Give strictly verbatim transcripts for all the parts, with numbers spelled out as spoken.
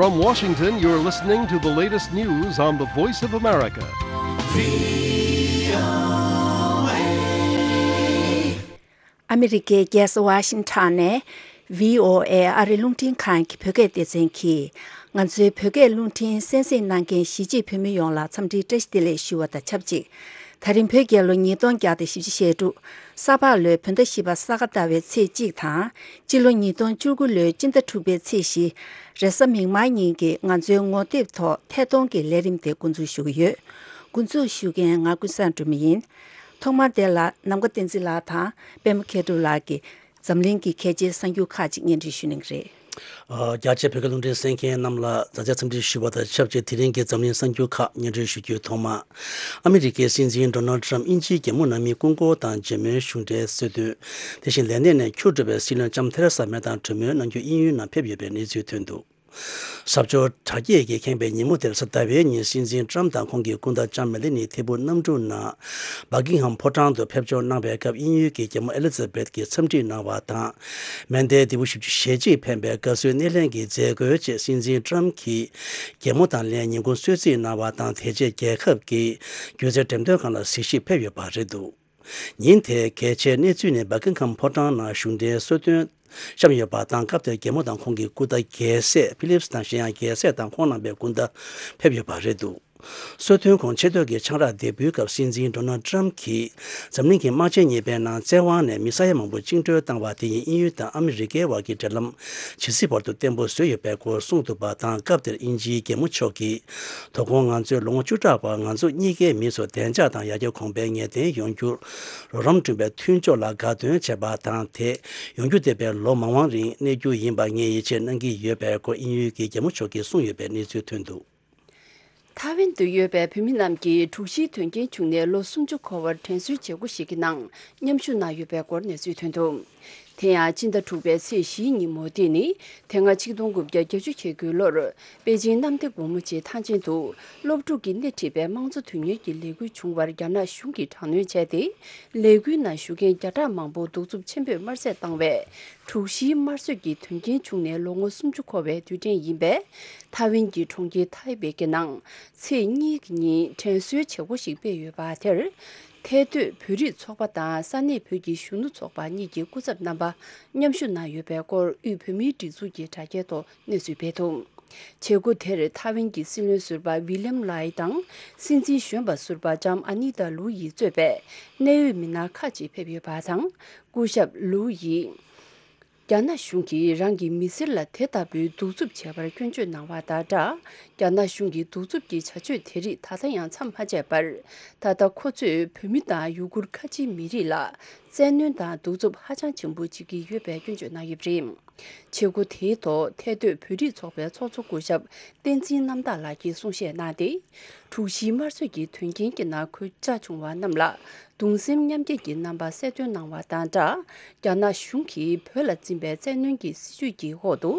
From Washington, you're listening to the latest news on the Voice of America. ཨ་མི་རི་ཀའི་རྒྱལ་ས་ཝ་ཤིང་ཊོན་ནས་བྷི་ཨོ་ཨེ་ཨ་རི་རླུང་འཕྲིན་ཁང་གི་བོད་སྐད་སྡེ་ཚན་གྱིས། ང་ཚོའི་བོད་སྐད་རླུང་འཕྲིན་གསན་གཟིགས་གནང་མཁན་གཞིས་བྱེས་བོད་མི་ཡོངས་ལ་འཚམས་འདྲིའི་བཀྲ་ཤིས་བདེ་ལེགས་ཞུ་བ་དང་ཆབས་ཅིག། ད་རིང་བོད་རྒྱལ་ལོ་ཉིས་སྟོང་བརྒྱ་དང་བཞི་བཅུ་ཞེ་དྲུག། ས་ཕག་ལོའི་བོད་ཟླ་བཞི་པ་ས་ག་ཟླ་བའི་ཚེས་གཅིག་དང་། སྤྱི་ལོ་ཉིས་སྟོང་བཅུ་དགུ་ལོའི་སྤྱི་ཟླ་དྲུག་པའི་ཚེས་བཞི། རེས་གཟའ་མིག་དམར་ཉིན་གྱི་ང་ཚོའི་ངོ་དེབ་ཐོག་ཐད་གཏོང་གི་ལས་རིམ་དེ་འགོ་འཛུགས་ཞུ་གི་ཡོད། འགོ་འཛུགས་ཞུ་མཁན་ང་ཀུན་བཟང་སྒྲོལ་མ་ཡིན། ཐོག་མར་དེ་ལ་ནམ་མཁའ་བསྟན་འཛིན་ལགས་དང་པད་མ་མཁས་གྲུབ་ལགས་ཀྱིས་འཛམ་གླིང་གི་གལ་ཆེའི་གསར་འགྱུར་ཁག་ཅིག་སྙན་སྒྲོན་ཞུ་གནང་གི་རེད། ཨ། རྒྱ་ཆེའི་བོད་སྐད་རླུང་འཕྲིན་གསན་མཁན་རྣམས་ལ་མཛའ་བརྩེའི་འཚམས་འདྲི་ཞུ་བ་དང་ཆབས་ཅིག། དེ་རིང་གི་འཛམ་གླིང་གསར་འགྱུར་ཁག་སྙན་སྒྲོན་ཞུ་རྒྱུའི་ཐོག་མ། ཨ་མི་རི་ཀའི་སྲིད་འཛིན་ཌོ་ནལ་ཌི་ཊརམ་དབྱིན་ཇིའི་རྒྱལ་མོ་ནང་མི་སྐུ་འཁོར་དང་མཇལ་མོལ་གཞུང་འབྲེལ་སྲོལ་བཏོན། དེ་བཞིན་ལས་གནས་ནས་ཁྱུར་འགྲོ་བའི་སྲིད་བློན་ལྕམ་ཐེ་རེ་ས་མེ་དང་གྲོས་མོལ་གནང་རྒྱུ་དབྱིན་ཡུལ་ནང་ཕེབས་ཡོད་པའི་གནས་ཚུལ་ཐོན་འདུག། ཟབ་སྦྱོར་དྲག་སྐྱེད་ཀྱིས་ཁེངས་པའི་ཉིན་མོ་དེར་ཟླ་བའི་ཉིན་སྲིད་འཛིན་ཊརམ་དང་ཁོང་གི་སྐུ་ཟླ་ལྕམ་མེ་ལེ་ནི་ཐེ་བུ་གནམ་གྲུ་ནང་བྷ་ཀིང་ཧམ་ཕོ་བྲང་དུ་ཕེབས་འབྱོར་གནང་བའི་སྐབས། དབྱིན་ཡུལ་གྱི་རྒྱལ་མོ་ཨེ་ལི་ཛ་བེད་ཀྱིས་འཚམས་འདྲི་གནང་བ་དང་། མན་དེ་དེ་བུ་བཞི་བཅུ་ཞེ་གཅིག་ཕེབས་པའི་དགའ་བསུའི་སྣེ་ལེན་གྱི་མཛད་སྒོའི་རྗེས། སྲིད་འཛིན་ཊརམ་གྱིས་རྒྱལ་མོ་དང་ལྷན་ཉིན་གུང་གསོལ་ཚིགས་གནང་བ་དང་། དེ་རྗེས་རྒྱལ་ཁབ་ཀྱི་སྒྱུ་རྩལ་འགྲེམས་སྟོན་ཁང་ལ་གཟིགས་ཞིབ་ཕེབས་ཡོད་པ་རེད་འདུག། ཉིན་དེའི་གལ་ཆེའི་གནས་ཚུལ་ནི་བྷ་ཀིང་ཧམ་ཕོ་བྲང་ནང་གཞུང་འབྲེལ་གསོལ་སྟོན་བཤམས་ཡོད་པ་དང་། སྐབས་དེར་རྒྱལ་མོ་དང་ཁོང་གི་སྐུ་ཟླ་རྒྱལ་སྲས་ཕི་ལིབ་སི་དང་གཞན་ཡང་རྒྱལ་སྲས་དང་ཁོང་རྣམ་པའི་སྐུ་ཟླ་ཕེབས་ཡོད་པ་རེད་འདུག། གསོལ་སྟོན་ཁོངས་ཆེ་བསྟོད་ཀྱི་ཆང་རག་འདེགས་འབུལ་སྐབས། སྲིད་འཛིན་ཌོ་ནལ་ཌི་ཊརམ་གྱིས་འཛམ་གླིང་གི་དམག་ཆེན་གཉིས་པའི་ནང་བཙན་དབང་ནས་མི་ས་ཡ་མང་པོ་བཅིངས་འགྲོལ་བཏང་བ་དེ་ཡིས་དབྱིན་ཡུལ་དང་ཨ་མི་རི་ཀའི་བར་གྱི་འབྲེལ་ལམ་ཇི་སྲིད་བར་དུ་བརྟན་པོ་བཟོས་ཡོད་པའི་སྐོར་གསུངས་འདུག་པ་དང་། སྐབས་དེར་དབྱིན་ཇིའི་རྒྱལ་མོ་མཆོག་གིས། དོ་དགོང་ང་ཚོས་ལོ་ངོ་བཅུ་ཕྲག་བར་ང་ཚོ་གཉིས་ཀའི་མིས་བཟོས་བདེ་འཇགས་དང་ཡར་རྒྱས་གོང་འཕེལ་ངེས་གཏན་ཡོང་རྒྱུར་རོགས་རམ་བསྐྲུན་པའི་མཐུན་ཕྱོགས་ལ་དགའ་སྟོན་བྱས་པ་དང་། དེ་ཡོང་རྒྱུ་བསྡད་པའི་ལོ་མང་བ་རིང་གནས་རྒྱུ་ཡིན་པར་ངས་ཡིད་ཆེས་གནང་གི་ཡོད་པའི་སྐོར་དབྱིན་ཡུལ་གྱི་རྒྱལ་མོ་མཆོག་གིས་གསུངས་ཡོད་པའི་གནས་ཚུལ་ཐོན་འདུག། ཐའེ་ཝན་དུ་ཡོད་པའི་བོད་མི་རྣམས་ཀྱིས་དྲུག་བཞིའི་དོན་རྐྱེན་བྱུང་ནས་ལོ་སུམ་ཅུ་འཁོར་བར་དྲན་གསོའི་བྱེད་སྒོ་ཞིག་གི་ནང་མཉམ་ཞུགས་གནང་ཡོད་པའི་སྐོར་གནས་ཚུལ་ཐོན་འདུག། དེ་ཡང་སྤྱི་ཟླ་དྲུག་པའི་ཚེས་བཞིའི་ཉིན་མོ། དེ་ནི་དེ་སྔ་ཆིག་སྟོང་དགུ་བརྒྱ་བརྒྱད་ཅུ་གྱ་དགུའི་ལོར་པེ་ཅིང་གནམ་བདེ་སྒོ་མོ་ཆེའི་ཐང་ཆེན་དུ་སློབ་ཕྲུག་གིས་སྣེ་ཁྲིད་པའི་དམངས་གཙོ་དོན་གཉེར་གྱི་ལས་འགུལ་བྱུང་བར་རྒྱ་ནག་གཞུང་གིས་དྲག་གནོན་བྱས་ཏེ། ལས་འགུལ་ནང་ཞུགས་མཁན་བརྒྱ་ཕྲག་མང་པོ་གདུག་རྩུབ་ཆེན་པོས་དམར་གསོད་བཏང་བས། དྲུག་བཞིའི་དམར་གསོད་ཀྱི་དོན་རྐྱེན་བྱུང་ནས་ལོ་ངོ་སུམ་ཅུ་འཁོར་བའི་དུས་དྲན་ཡིན་པས། ཐའེ་ཝན་གྱི་གྲོང་ཁྱེར་ཐའེ་པེ་གི་ནང་ཚེས་གཉིས་ཉིན་དྲན་གསོའི་བྱེད་སྒོ་ཞིག་སྤེལ་ཡོད་པ་དེར། ཐའེ་སྡོད་བོད་རིགས་ཚོགས་པ་དང་ས་གནས་བོད་ཀྱི་གཞོན་ནུ་ཚོགས་པ་གཉིས་ཀྱི་སྐུ་ཚབ་རྣམ་པ་མཉམ་ཞུགས་གནང་ཡོད་པའི་སྐོར་དབུས་བོད་མིའི་སྒྲིག་འཛུགས་ཀྱི་དྲ་རྒྱའི་ཐོག་གནས་ཚུལ་སྤེལ་འདུག། བྱེད་སྒོ་དེར་ཐའེ་ཝན་གྱི་སྲིད་བློན་ཟུར་པ་ཝི་ལིམ་ལའེ་དང་། སྲིད་འཛིན་གཞོན་པ་ཟུར་པ་ལྕམ་ཨ་ནི་ཏཱ་ལུའུ་ཡི་གཙོས་པའི་གནད་ཡོད་མི་སྣ་ཁག་ཅིག་ཕེབས་ཡོད་པ་དང་། སྐུ་ཞབས་ལུའུ་ཡིས་རྒྱ་ནག་གཞུང་གིས་རང་གི་མི་སེར་ལ་དེ་ལྟ་བུའི་གདུག་རྩུབ་བྱས་པར་སྐྱོན་བརྗོད་གནང་བ་དང་སྦྲགས། རྒྱ་ནག་གཞུང་གི་གདུག་རྩུབ་ཀྱི་བྱ་སྤྱོད་དེ་རིགས་ད་ལྟ་ཡང་མཚམས་མ་ཆད་པར། ད་ལྟ་ཁོ་ཚོས་བོད་མི་དང་ཡུ་གུར་ཁ་ཆེའི་མི་རིགས་ལ་བཙན་གནོན་དང་གདུག་རྩུབ་ཧ་ཅང་ཆེན་པོ་བྱེད་ཀྱི་ཡོད་པའི་སྐྱོན་བརྗོད་གནང་ཡོད་པ་རེད། བྱེད་སྒོ་དེའི་ཐོག་ཐའེ་སྡོད་བོད་རིགས་ཚོགས་པའི་ཚོགས་གཙོ་སྐུ་ཞབས་བསྟན་འཛིན་རྣམ་དག་ལགས་ཀྱིས་གསུང་བཤད་གནང་སྟེ། དྲུག་བཞིའི་དམར་གསོད་ཀྱི་དོན་རྐྱེན་གྱི་ནང་གོད་ཆག་བྱུང་བ་རྣམས་ལ་གདུང་སེམས་མཉམ་སྐྱེད་ཀྱི་རྣམ་པ་གསལ་སྟོན་གནང་བ་དང་སྦྲགས། རྒྱ་ནག་གཞུང་གིས་བོད་ལ་འཛིན་པའི་བཙན་གནོན་གྱི་སྲིད་བྱུས་ཀྱི་འོག་ཏུ།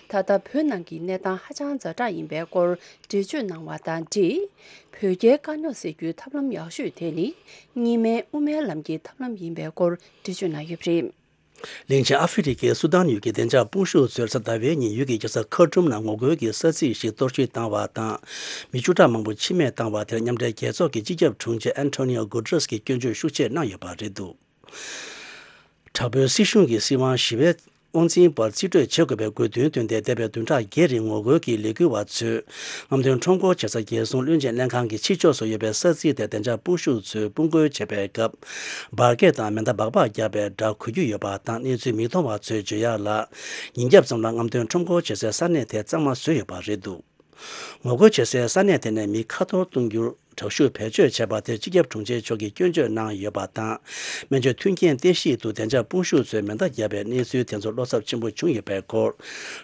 ད་ལྟ་བོད་ནང་གི་གནས་སྟངས་ཧ་ཅང་ཛ་དྲག་ཡིན་པའི་སྐོར་འགྲེལ་བརྗོད་གནང་བ་དང་འབྲེལ། བོད་རྒྱའི་དཀའ་རྙོག་སེལ་རྒྱུའི་ཐབས་ལམ་ཡག་ཤོས་དེ་ནི། གཉིས་སྨན་དབུ་མའི་ལམ་གྱི་ཐབས་ལམ་ཡིན་པའི་སྐོར་འགྲེལ་བརྗོད་གནང་ཡོད་པ་རེད། གླིང་ཆེན་ཨ་ཧྥེ་རི་ཁའི་སུ་དཱན་ཡུལ་གྱི་བདེ་འཇགས་དཔུང་ཤུགས་ཚོས་གཟའ་ཟླ་བའི་ཉིན་ཡུལ་གྱི་རྒྱལ་ས་ཁར་ཏུམ་ནང་ངོ་རྒོལ་གྱི་ས་ཚིགས་ཤིག་གཏོར་བཤིག་བཏང་བ་དང་། མི་བཅུ་ཕྲག་མང་པོ་འཆི་རྨས་བཏང་བ་དེར་མཉམ་འབྲེལ་རྒྱལ་ཚོགས་ཀྱི་སྤྱི་ཁྱབ་དྲུང་ཆེ་ཨན་ཐོ་ནི་ཨོ་གུ་ཏྲེས་ཀྱིས་སྐྱོན་བརྗོད་ཤུགས་ཆེ་གནང་ཡོད་པ་རེད་འདུག། དྲག་པོའི་སྲིད་གཞུང་གིས་སྲིད་དབང་ཞི་བའི་དབང་འཛིན་པར་རྩིས་སྤྲོད་བྱེད་དགོས་པའི་དགོས་འདུན་བཏོན་ཏེ། འདས་པའི་བདུན་ཕྲག་བརྒྱད་རིང་ངོ་རྒོལ་གྱི་ལས་འགུལ་བ་ཚོས། རྔམ་སྟོན་ཁྲོམ་སྐོར་བྱེད་ས་རྒྱལ་སྲུང་བློན་ཆེན་ལྷན་ཁང་གི་ཕྱི་ཕྱོགས་སུ་ཡོད་པའི་ས་ཚིགས་དེར་བདེ་འཇགས་དཔུང་ཤུགས་ཚོས་དཔུང་རྒོལ་བྱེད་པའི་སྐབས། འབར་གས་དང་མེ་མདའ་སྦག་སྦག་བརྒྱབ་པའི་སྒྲ་གོ་རྒྱུ་ཡོད་པ་དང་། གནས་ཚུལ་མིག་མཐོང་བ་ཚོས་བརྗོད་ཡག་ལ། ཉིན་རྒྱབ་ཙམ་ལ་རྔམ་སྟོན་ཁྲོམ་སྐོར་བྱེད་སའི་ས་གནས་དེ་གཙང་མ་བཟོས་ཡོད་པ་རེད་འདུག། ངོ་རྒོལ་བྱེད་སའི་ས་གནས་དེ་ནས་མི་ཁ་འཐོར་གཏོང་རྒྱུར་དྲག་ཤུགས་བེད་སྤྱོད་བྱས་པ་དེར་སྤྱི་ཁྱབ་དྲུང་ཆེ་མཆོག་གིས་སྐྱོན་བརྗོད་གནང་ཡོད་པ་དང་། སྨན་བཅོས་མཐུན་རྐྱེན་སྟེར་གཞི་དུ་བདེ་འཇགས་དཔུང་ཤུགས་ཚོས་མེ་མདའ་བརྒྱབ་པའི་གནས་ཚུལ་དེ་ཚོར་བློ་འཚབ་ཆེན་པོ་བྱུང་ཡོད་པའི་སྐོར།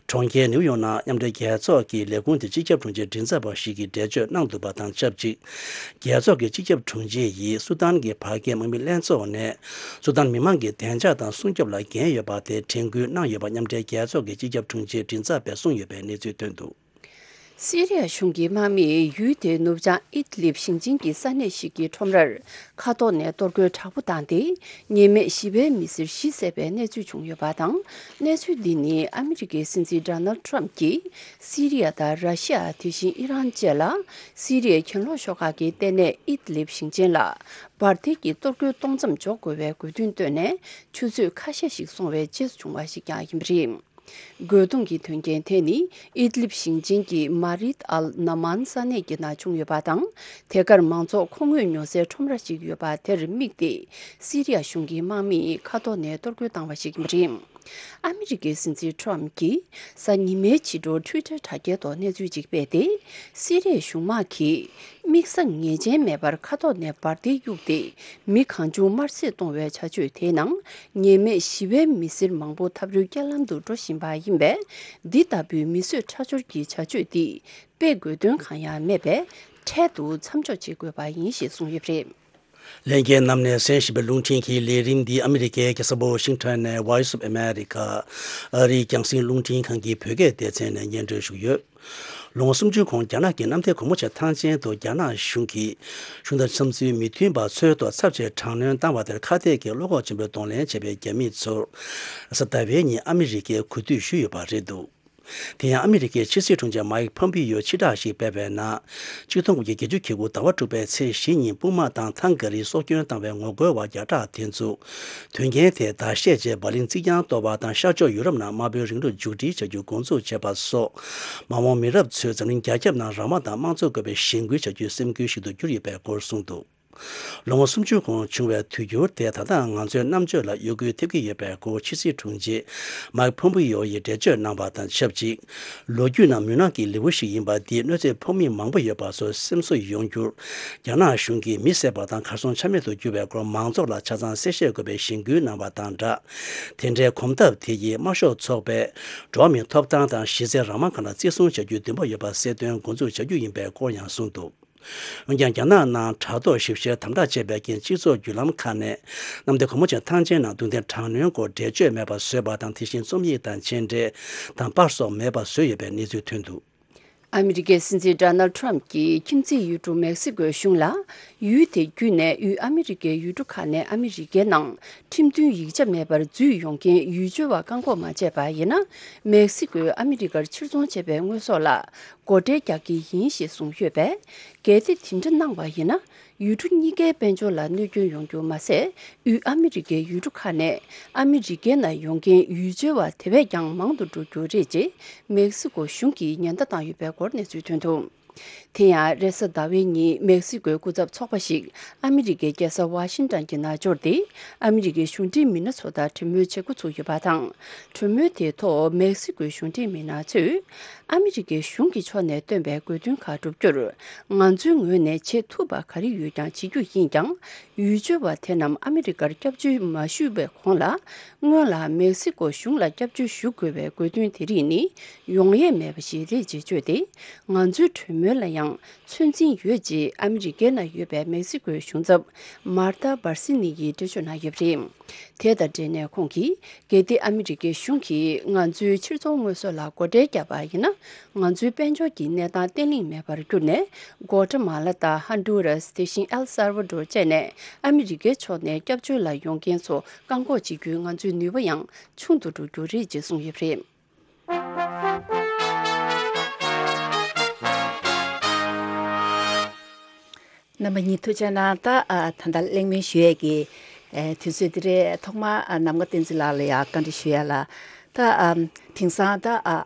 གྲོང་ཁྱེར་ནིའུ་ཡོག་ནང་མཉམ་འབྲེལ་རྒྱལ་ཚོགས་ཀྱི་ལས་ཁུངས་དེ་སྤྱི་ཁྱབ་དྲུང་ཆེའི་མགྲིན་ཚབ་པ་ཞིག་གིས་འགྲེལ་བརྗོད་གནང་འདུག་པ་དང་ཆབས་ཅིག། རྒྱལ་ཚོགས་ཀྱི་སྤྱི་ཁྱབ་དྲུང་ཆེ་ཡིས་སུ་དཱན་གྱི་བར་བརྒལ་དམག་མི་ལྷན་ཚོགས་ནས་སུ་དཱན་མི་མང་གི་བདེ་འཇགས་དང་སྲུང་སྐྱོབ་ལ་འགན་ཡོད་པ་དེ་དྲན་སྐུལ་གནང་ཡོད་པ་མཉམ་འབྲེལ་རྒྱལ་ཚོགས་ཀྱི་སྤྱི་ཁྱབ་དྲུང་ཆེའི་མགྲིན་ཚབ་པས་གསུངས་ཡོད་པའི་གནས་ཚུལ་ཐོན་འདུག། སི་རི་ཡ་གཞུང་གི་དམག་མིས་ཡུལ་དེའི་ནུབ་བྱང་ཨིད་ལིབ་ཞིང་ཆེན་གྱི་ས་གནས་ཤིག་གི་ཁྲོམ་རར་མཁའ་ཐོག་ནས་གཏོར་རྒོལ་དྲག་པོ་བཏང་སྟེ། ཉེས་མེད་བཞི་པའི་མི་སེར་བཞི་བསད་པའི་གནས་ཚུལ་བྱུང་ཡོད་པ་དང་། གནས་ཚུལ་འདི་ནི་ཨ་མི་རི་ཀའི་སྲིད་འཛིན་ཌོ་ནལ་ཊམ་གྱིས་སི་རི་ཡ་དང་ར་ཤི་ཡ། དེ་བཞིན་ཨི་རན་བཅས་ལ་སི་རི་ཡའི་གྱེན་ལོག་ཤོག་ཁག་གི་ལྟེ་གནས་ཨིད་ལིབ་ཞིང་ཆེན་ལ་འབར་མདེལ་གྱི་གཏོར་རྒོལ་གཏོང་མཚམས་འཇོག་དགོས་པའི་དགོས་འདུན་བཏོན་ནས། ཆུ་ཚོད་ཁ་ཤས་ཤིག་སོང་བའི་རྗེས་སུ་བྱུང་བ་ཞིག་ཀྱང་ཡིན་པ་རེད། རྒོལ་རྡུང་གི་དོན་རྐྱེན་དེ་ནི་ཨིད་ལིབ་ཞིང་ཆེན་གྱི་མ་རིད་ཨལ་ན་མཱན་ས་གནས་ཀྱི་ནང་བྱུང་ཡོད་པ་དང་། དེ་གར་མང་ཚོགས་མཁོ་དངོས་ཉོ་སའི་ཁྲོམ་ར་ཞིག་ཡོད་པ་དེར་དམིགས་ཏེ། སི་རི་ཡ་གཞུང་གི་དམག་མིས་མཁའ་ཐོག་ནས་གཏོར་རྒོལ་བཏང་བ་ཞིག་ཡིན་པ་རེད། ཨ་མི་རི་ཀའི་སྲིད་འཛིན་ཊམ་གྱིས་གཟའ་ཉི་མའི་ཕྱི་དྲོ་ཊུའི་ཊར་དྲ་རྒྱའི་ཐོག་གནས་ཚུལ་ཅིག་སྤེལ་ཏེ། སི་རི་ཡའི་གཞུང་དམག་གིས་དམིགས་བསལ་ངེས་ཅན་མེད་པར་མཁའ་ཐོག་ནས་འབར་མདེལ་གཡུགས་ཏེ། མི་གང་བྱུང་དམར་གསོད་གཏོང་བའི་བྱ་སྤྱོད་དེའི་ནང་། ཉེས་མེད་ཞི་བའི་མི་སེར་མང་པོ་འཐབ་རོལ་རྐྱེན་ལམ་དུ་འགྲོ་བཞིན་པ་ཡིན་པས། འདི་ལྟ་བུའི་མི་གསོད་ཁྲག་སྦྱོར་གྱི་བྱ་སྤྱོད་འདི་སྤེལ་དགོས་དོན་གང་ཡང་མེད་པས། འཕྲལ་དུ་མཚམས་འཇོག་བྱེད་དགོས་པ་ཡིན་ཞེས་གསུངས་ཡོད་པ་རེད། ལྷན་རྒྱས་རྣམས་ནས་གསན་བཞིན་པའི་རླུང་འཕྲིན་གྱི་ལས་རིམ་འདི་ཨ་མི་རི་ཀའི་རྒྱལ་ས་ཝ་ཤིང་ཊོན་ནས་Voice of America ཨ་རིའི་རྒྱང་སྲིང་རླུང་འཕྲིན་ཁང་གི་བོད་སྐད་སྡེ་ཚན་ནས་སྙན་སྒྲོན་ཞུས་ཡོད། ལོ་ངོ་སུམ་ཅུའི་གོང་རྒྱ་ནག་གི་གནམ་ཐེ་གོང་མོ་ཆེ་ཐང་ཆེན་དུ་རྒྱ་ནག་གཞུང་གིས་གཞུང་དང་འཆམ་མཐུན་མི་མཐུན་པ་ཚོའི་ཐོག་ཚབས་ཆེའི་དྲག་གནོན་བཏང་བ་དེར་ཁ་གཏད་ཀྱིས་བློ་ཁོག་ཆེན་པོས་གདོང་ལེན་བྱས་པའི་རྒྱ་མི་ཚོར་གཟའ་ཟླ་བའི་ཉིན་ཨ་མི་རི་ཀས་གུས་འདུད་ཞུས་ཡོད་པ་རེད་འདུག་དེ་ཡང་ཨ་མི་རི་ཀའི་ཕྱི་སྲིད་དྲུང་ཆེ་མཱིག་ཕོམ་པི་ཡོ་ཕྱིར་བསྒྲགས་ཤིག་སྤེལ་བའི་ནང་། ཆིག་སྟོང་དགུ་བརྒྱ་བརྒྱད་ཅུ་གྱ་དགུ་ཟླ་བ་དྲུག་པའི་ཚེས་བཞི་ཉིན་དཔུང་དམག་དང་ཐང་ག་རིགས་སྲོག་སྐྱོན་བཏང་བའི་ངོ་རྒོལ་བ་བརྒྱ་ཕྲག་དེ་ཚོ། དོན་རྐྱེན་དེ་བརྡ་ཤེས་རྗེས་འབར་ལིང་རྩིག་གྱང་གཏོར་བ་དང་ཤར་ཕྱོགས་ཡུ་རོབ་ནང་དམར་པོའི་རིང་ལུགས་མཇུག་སྒྲིལ་བྱ་རྒྱུ་འགོ་འཛུགས་བྱས་པ་སོགས། མ་འོངས་མི་རབས་ཚོས་འཛམ་གླིང་རྒྱ་ཁྱབ་ནང་རང་དབང་དང་དམངས་གཙོ་དགོས་པའི་གཞེན་སྐུལ་བྱ་རྒྱུའི་སེམས་འགུལ་ཞིག་ཏུ་གྱུར་ཡོད་པའི་སྐོར་གསུངས་འདུག་ལོ་ངོ་སུམ་ཅུ་གོང་བྱུང་བའི་དུས་འགྱུར་དེ་ད་ལྟ་ང་ཚོའི་རྣམ་དཔྱོད་ལ་གཡོ་འགུལ་ཐེབས་ཀྱི་ཡོད་པའི་སྐོར་ཕྱི་སྲིད་དྲུང་ཆེ་མཱིག་ཕོམ་པི་ཡོ་ཡིས་འགྲེལ་བརྗོད་གནང་བ་དང་ཆབས་ཅིག་ལོ་རྒྱུས་ནང་མུན་ནག་གི་ལེའུ་ཞིག་ཡིན་པ་འདིས་གནོད་འཚེ་ཕོག་མི་མང་པོ་ཡོད་པ་ཚོར་སེམས་གསོ་ཡོང་རྒྱུར། རྒྱ་ནག་གཞུང་གིས་མི་བསད་པ་དང་གར་སོང་ཆ་མེད་དུ་གྱུར་བའི་སྐོར་མང་ཚོགས་ལ་ཆ་ཚང་གསལ་བཤད་དགོས་པའི་གཞེན་སྐུལ་གནང་བ་དང་སྦྲགས། དེ་འདྲའི་གོམ་སྟབས་དེ་ཡིས་དམར་ཤོག་ཚོགས་པས་འགྲོ་བ་མིའི་ཐོབ་ཐང་དང་གཞི་རྩའི་རང་དབང་ཁག་ལ་བརྩི་སྲུང་བྱ་རྒྱུའི་འདུན་པ་ཡོད་པ་གསལ་སྟོན་འགོ་འཛུགས་བྱ་རྒྱུ་ཡིན་པའི་སྐོར་ཡང་གསུངས་འདུག་འོན་ཀྱང་། རྒྱ་ནག་ནང་དྲག་ཐོག་ཞིབ་བཤེར་དམ་དྲག་བྱས་པའི་རྐྱེན། སྤྱི་ཚོགས་བརྒྱུད་ལམ་ཁག་ནས་གནམ་བདེ་གོང་མོ་ཆེ་ཐང་ཆེན་ནང་རྡུང་རྡེག་དྲག་གནོན་སྐོར་འགྲེལ་བརྗོད་མེད་པར་བཟོས་པ་དང་། དེ་བཞིན་རྩོམ་ཡིག་དང་མཆན་འགྲེལ་དང་པར་སོགས་མེད་པར་བཟོས་ཡོད་པའི་གནས་ཚུལ་ཐོན་འདུག་ཨ་མི་རི་ཀའི་སྲིད་འཛིན་ཌོ་ནལ་ཊམ་གྱིས་ཁྱིམ་མཚེས་ཡུལ་གྲུ་མེག་སི་ཀོའི་གཞུང་ལ། ཡུལ་དེ་བརྒྱུད་ནས་དབུས་ཨ་མི་རི་ཀའི་ཡུལ་གྲུ་ཁག་ནས་ཨ་མི་རི་ཀའི་ནང་ཁྲིམས་མཐུན་ཡིག་ཆ་མེད་པར་འཛུལ་ཡོང་མཁན་ཡུལ་སྐྱོད་པ་བཀག་འགོག་མ་བྱས་པ་ཡིན་ན། མེག་སི་ཀོས་ཨ་མི་རི་ཀར་ཕྱིར་ཚོང་བྱས་པའི་དངོས་ཟོག་ལ་སྒོ་ཁྲལ་རྒྱག་གི་ཡིན་ཞེས་གསུངས་ཡོད་པས། གལ་ཏེ་དེ་འདྲ་གནང་བ་ཡིན་ན། ཡུལ་གྲུ་གཉིས་ཀའི་དཔལ་འབྱོར་ལ་གནོད་སྐྱོན་ཡོང་རྒྱུ་མ་ཟད། དབུས་ཨ་མི་རི་ཀའི་ཡུལ་གྲུ་ཁག་ནས་ཨ་མི་རི་ཀའི་ནང་ཡོང་མཁན་ཡུལ་སྐྱོད་པ་དེ་བས་ཀྱང་མང་དུ་འགྲོ་རྒྱུ་རེད་ཅེས་མེག་སི་ཀོ་གཞུང་གིས་ཉེན་བརྡ་བཏང་ཡོད་པའི་སྐོར་གནས་ཚུལ་ཐོན་འདུག་དེ་ཡང་རེས་གཟའ་ཟླ་བའི་ཉིན་མེག་སི་ཀོའི་སྐུ་ཚབ་ཚོགས་པ་ཞིག་ཨ་མི་རི་ཀའི་རྒྱལ་ས་ཝ་ཤིང་ཏོན་གྱི་ནང་འབྱོར་ཏེ། ཨ་མི་རི་ཀའི་གཞུང་འབྲེལ་མི་སྣ་ཚོ་དང་གྲོས་མོལ་བྱེད་འགོ་ཚུགས་ཡོད་པ་དང་། གྲོས་མོལ་དེའི་ཐོག་མེག་སི་ཀོའི་གཞུང་འབྲེལ་མི་སྣ་ཚོས། ཨ་མི་རི་ཀའི་གཞུང་གི་ཕྱོགས་ནས་བཏོན་པའི་དགོས་འདུན་ཁག་བསྒྲུབ་རྒྱུར། ང་ཚོའི་ངོས་ནས་བྱེད་ཐུབ་པ་ག་རེ་ཡོད་ཀྱང་བྱེད་རྒྱུ་ཡིན་ཀྱང་། ཡུལ་སྐྱོད་པ་དེ་རྣམས་ཨ་མི་རི་ཀར་སྐྱབས་བཅོལ་མ་ཞུས་པའི་གོང་ལ། སྔོན་ལ་མེག་སི་ཀོ་གཞུང་ལ་སྐྱབས་བཅོལ་ཞུ་དགོས་པའི་དགོས་འདུན་དེ་རིགས་ནི་ཡོང་ཡས་མེད་པ་ཞིག་རེད་ཅེས་བརྗོད་དེ། ང་ཚོའི་གྲོས་མོལ་ལ་ཡང་ཚོད་འཛིན་ཡོད་ཅེས་ཨ་མི་རི་ཀའི་ནང་ཡོད་པའི་མེག་སི་ཀོའི་གཞུང་ཚབ་མར་ཐ་བར་སི་ནི་ཡིས་འགྲེལ་བརྗོད་གནང་ཡོད་པ་རེད། དེ་དང་འབྲེལ་ནས་ཁོང་གིས། གལ་ཏེ་ཨ་མི་རི་ཀའི་གཞུང་གིས་ང་ཚོའི་ཕྱིར་ཚོང་དངོས་ཟོག་ལ་སྒོ་ཁྲལ་བརྒྱབ་པ་ཡིན་ན། ང་ཚོའི་དཔལ་འབྱོར་གྱི་གནས་སྟངས་བརྟན་ལྷིང་མེད་པར་གྱུར་ནས། གོ་ཏྲ་མ་ལ་དང་ཧོན་ཌུ་རཱས། དེ་བཞིན་ཨེལ་སལ་ཝ་ཌོར་བཅས་ནས་ཨ་མི་རི་ཀའི་ཕྱོགས་ནས་སྐྱབས་བཅོལ་ལ་ཡོང་མཁན་ཚོ་བཀག་འགོག་བྱེད་རྒྱུའི་ང་ཚོའི་ནུས་པ་ཡང་ཆུང་དུ་འགྲོ་རྒྱུ་རེད་ཅེས་གསུངས་ཡོད་པ་རེད། རྣམ་པ་གཉིས་ཐུགས་རྗེ་གནང་། ད་ཨ་ད་ལྟ་གླེང་མོལ་ཞུ་ཡས་ཀྱི་ཨ་དུས་ཚོད་འདི་རེད། ཐོག་མར་ཨ་ནམ་མཁའ་བསྟན་འཛིན་ལགས་ལ་ཡང་བཀའ་འདྲི་ཞུ་ཡ་ལ། ད་ཨ་དེང་སང་ད་ཨ་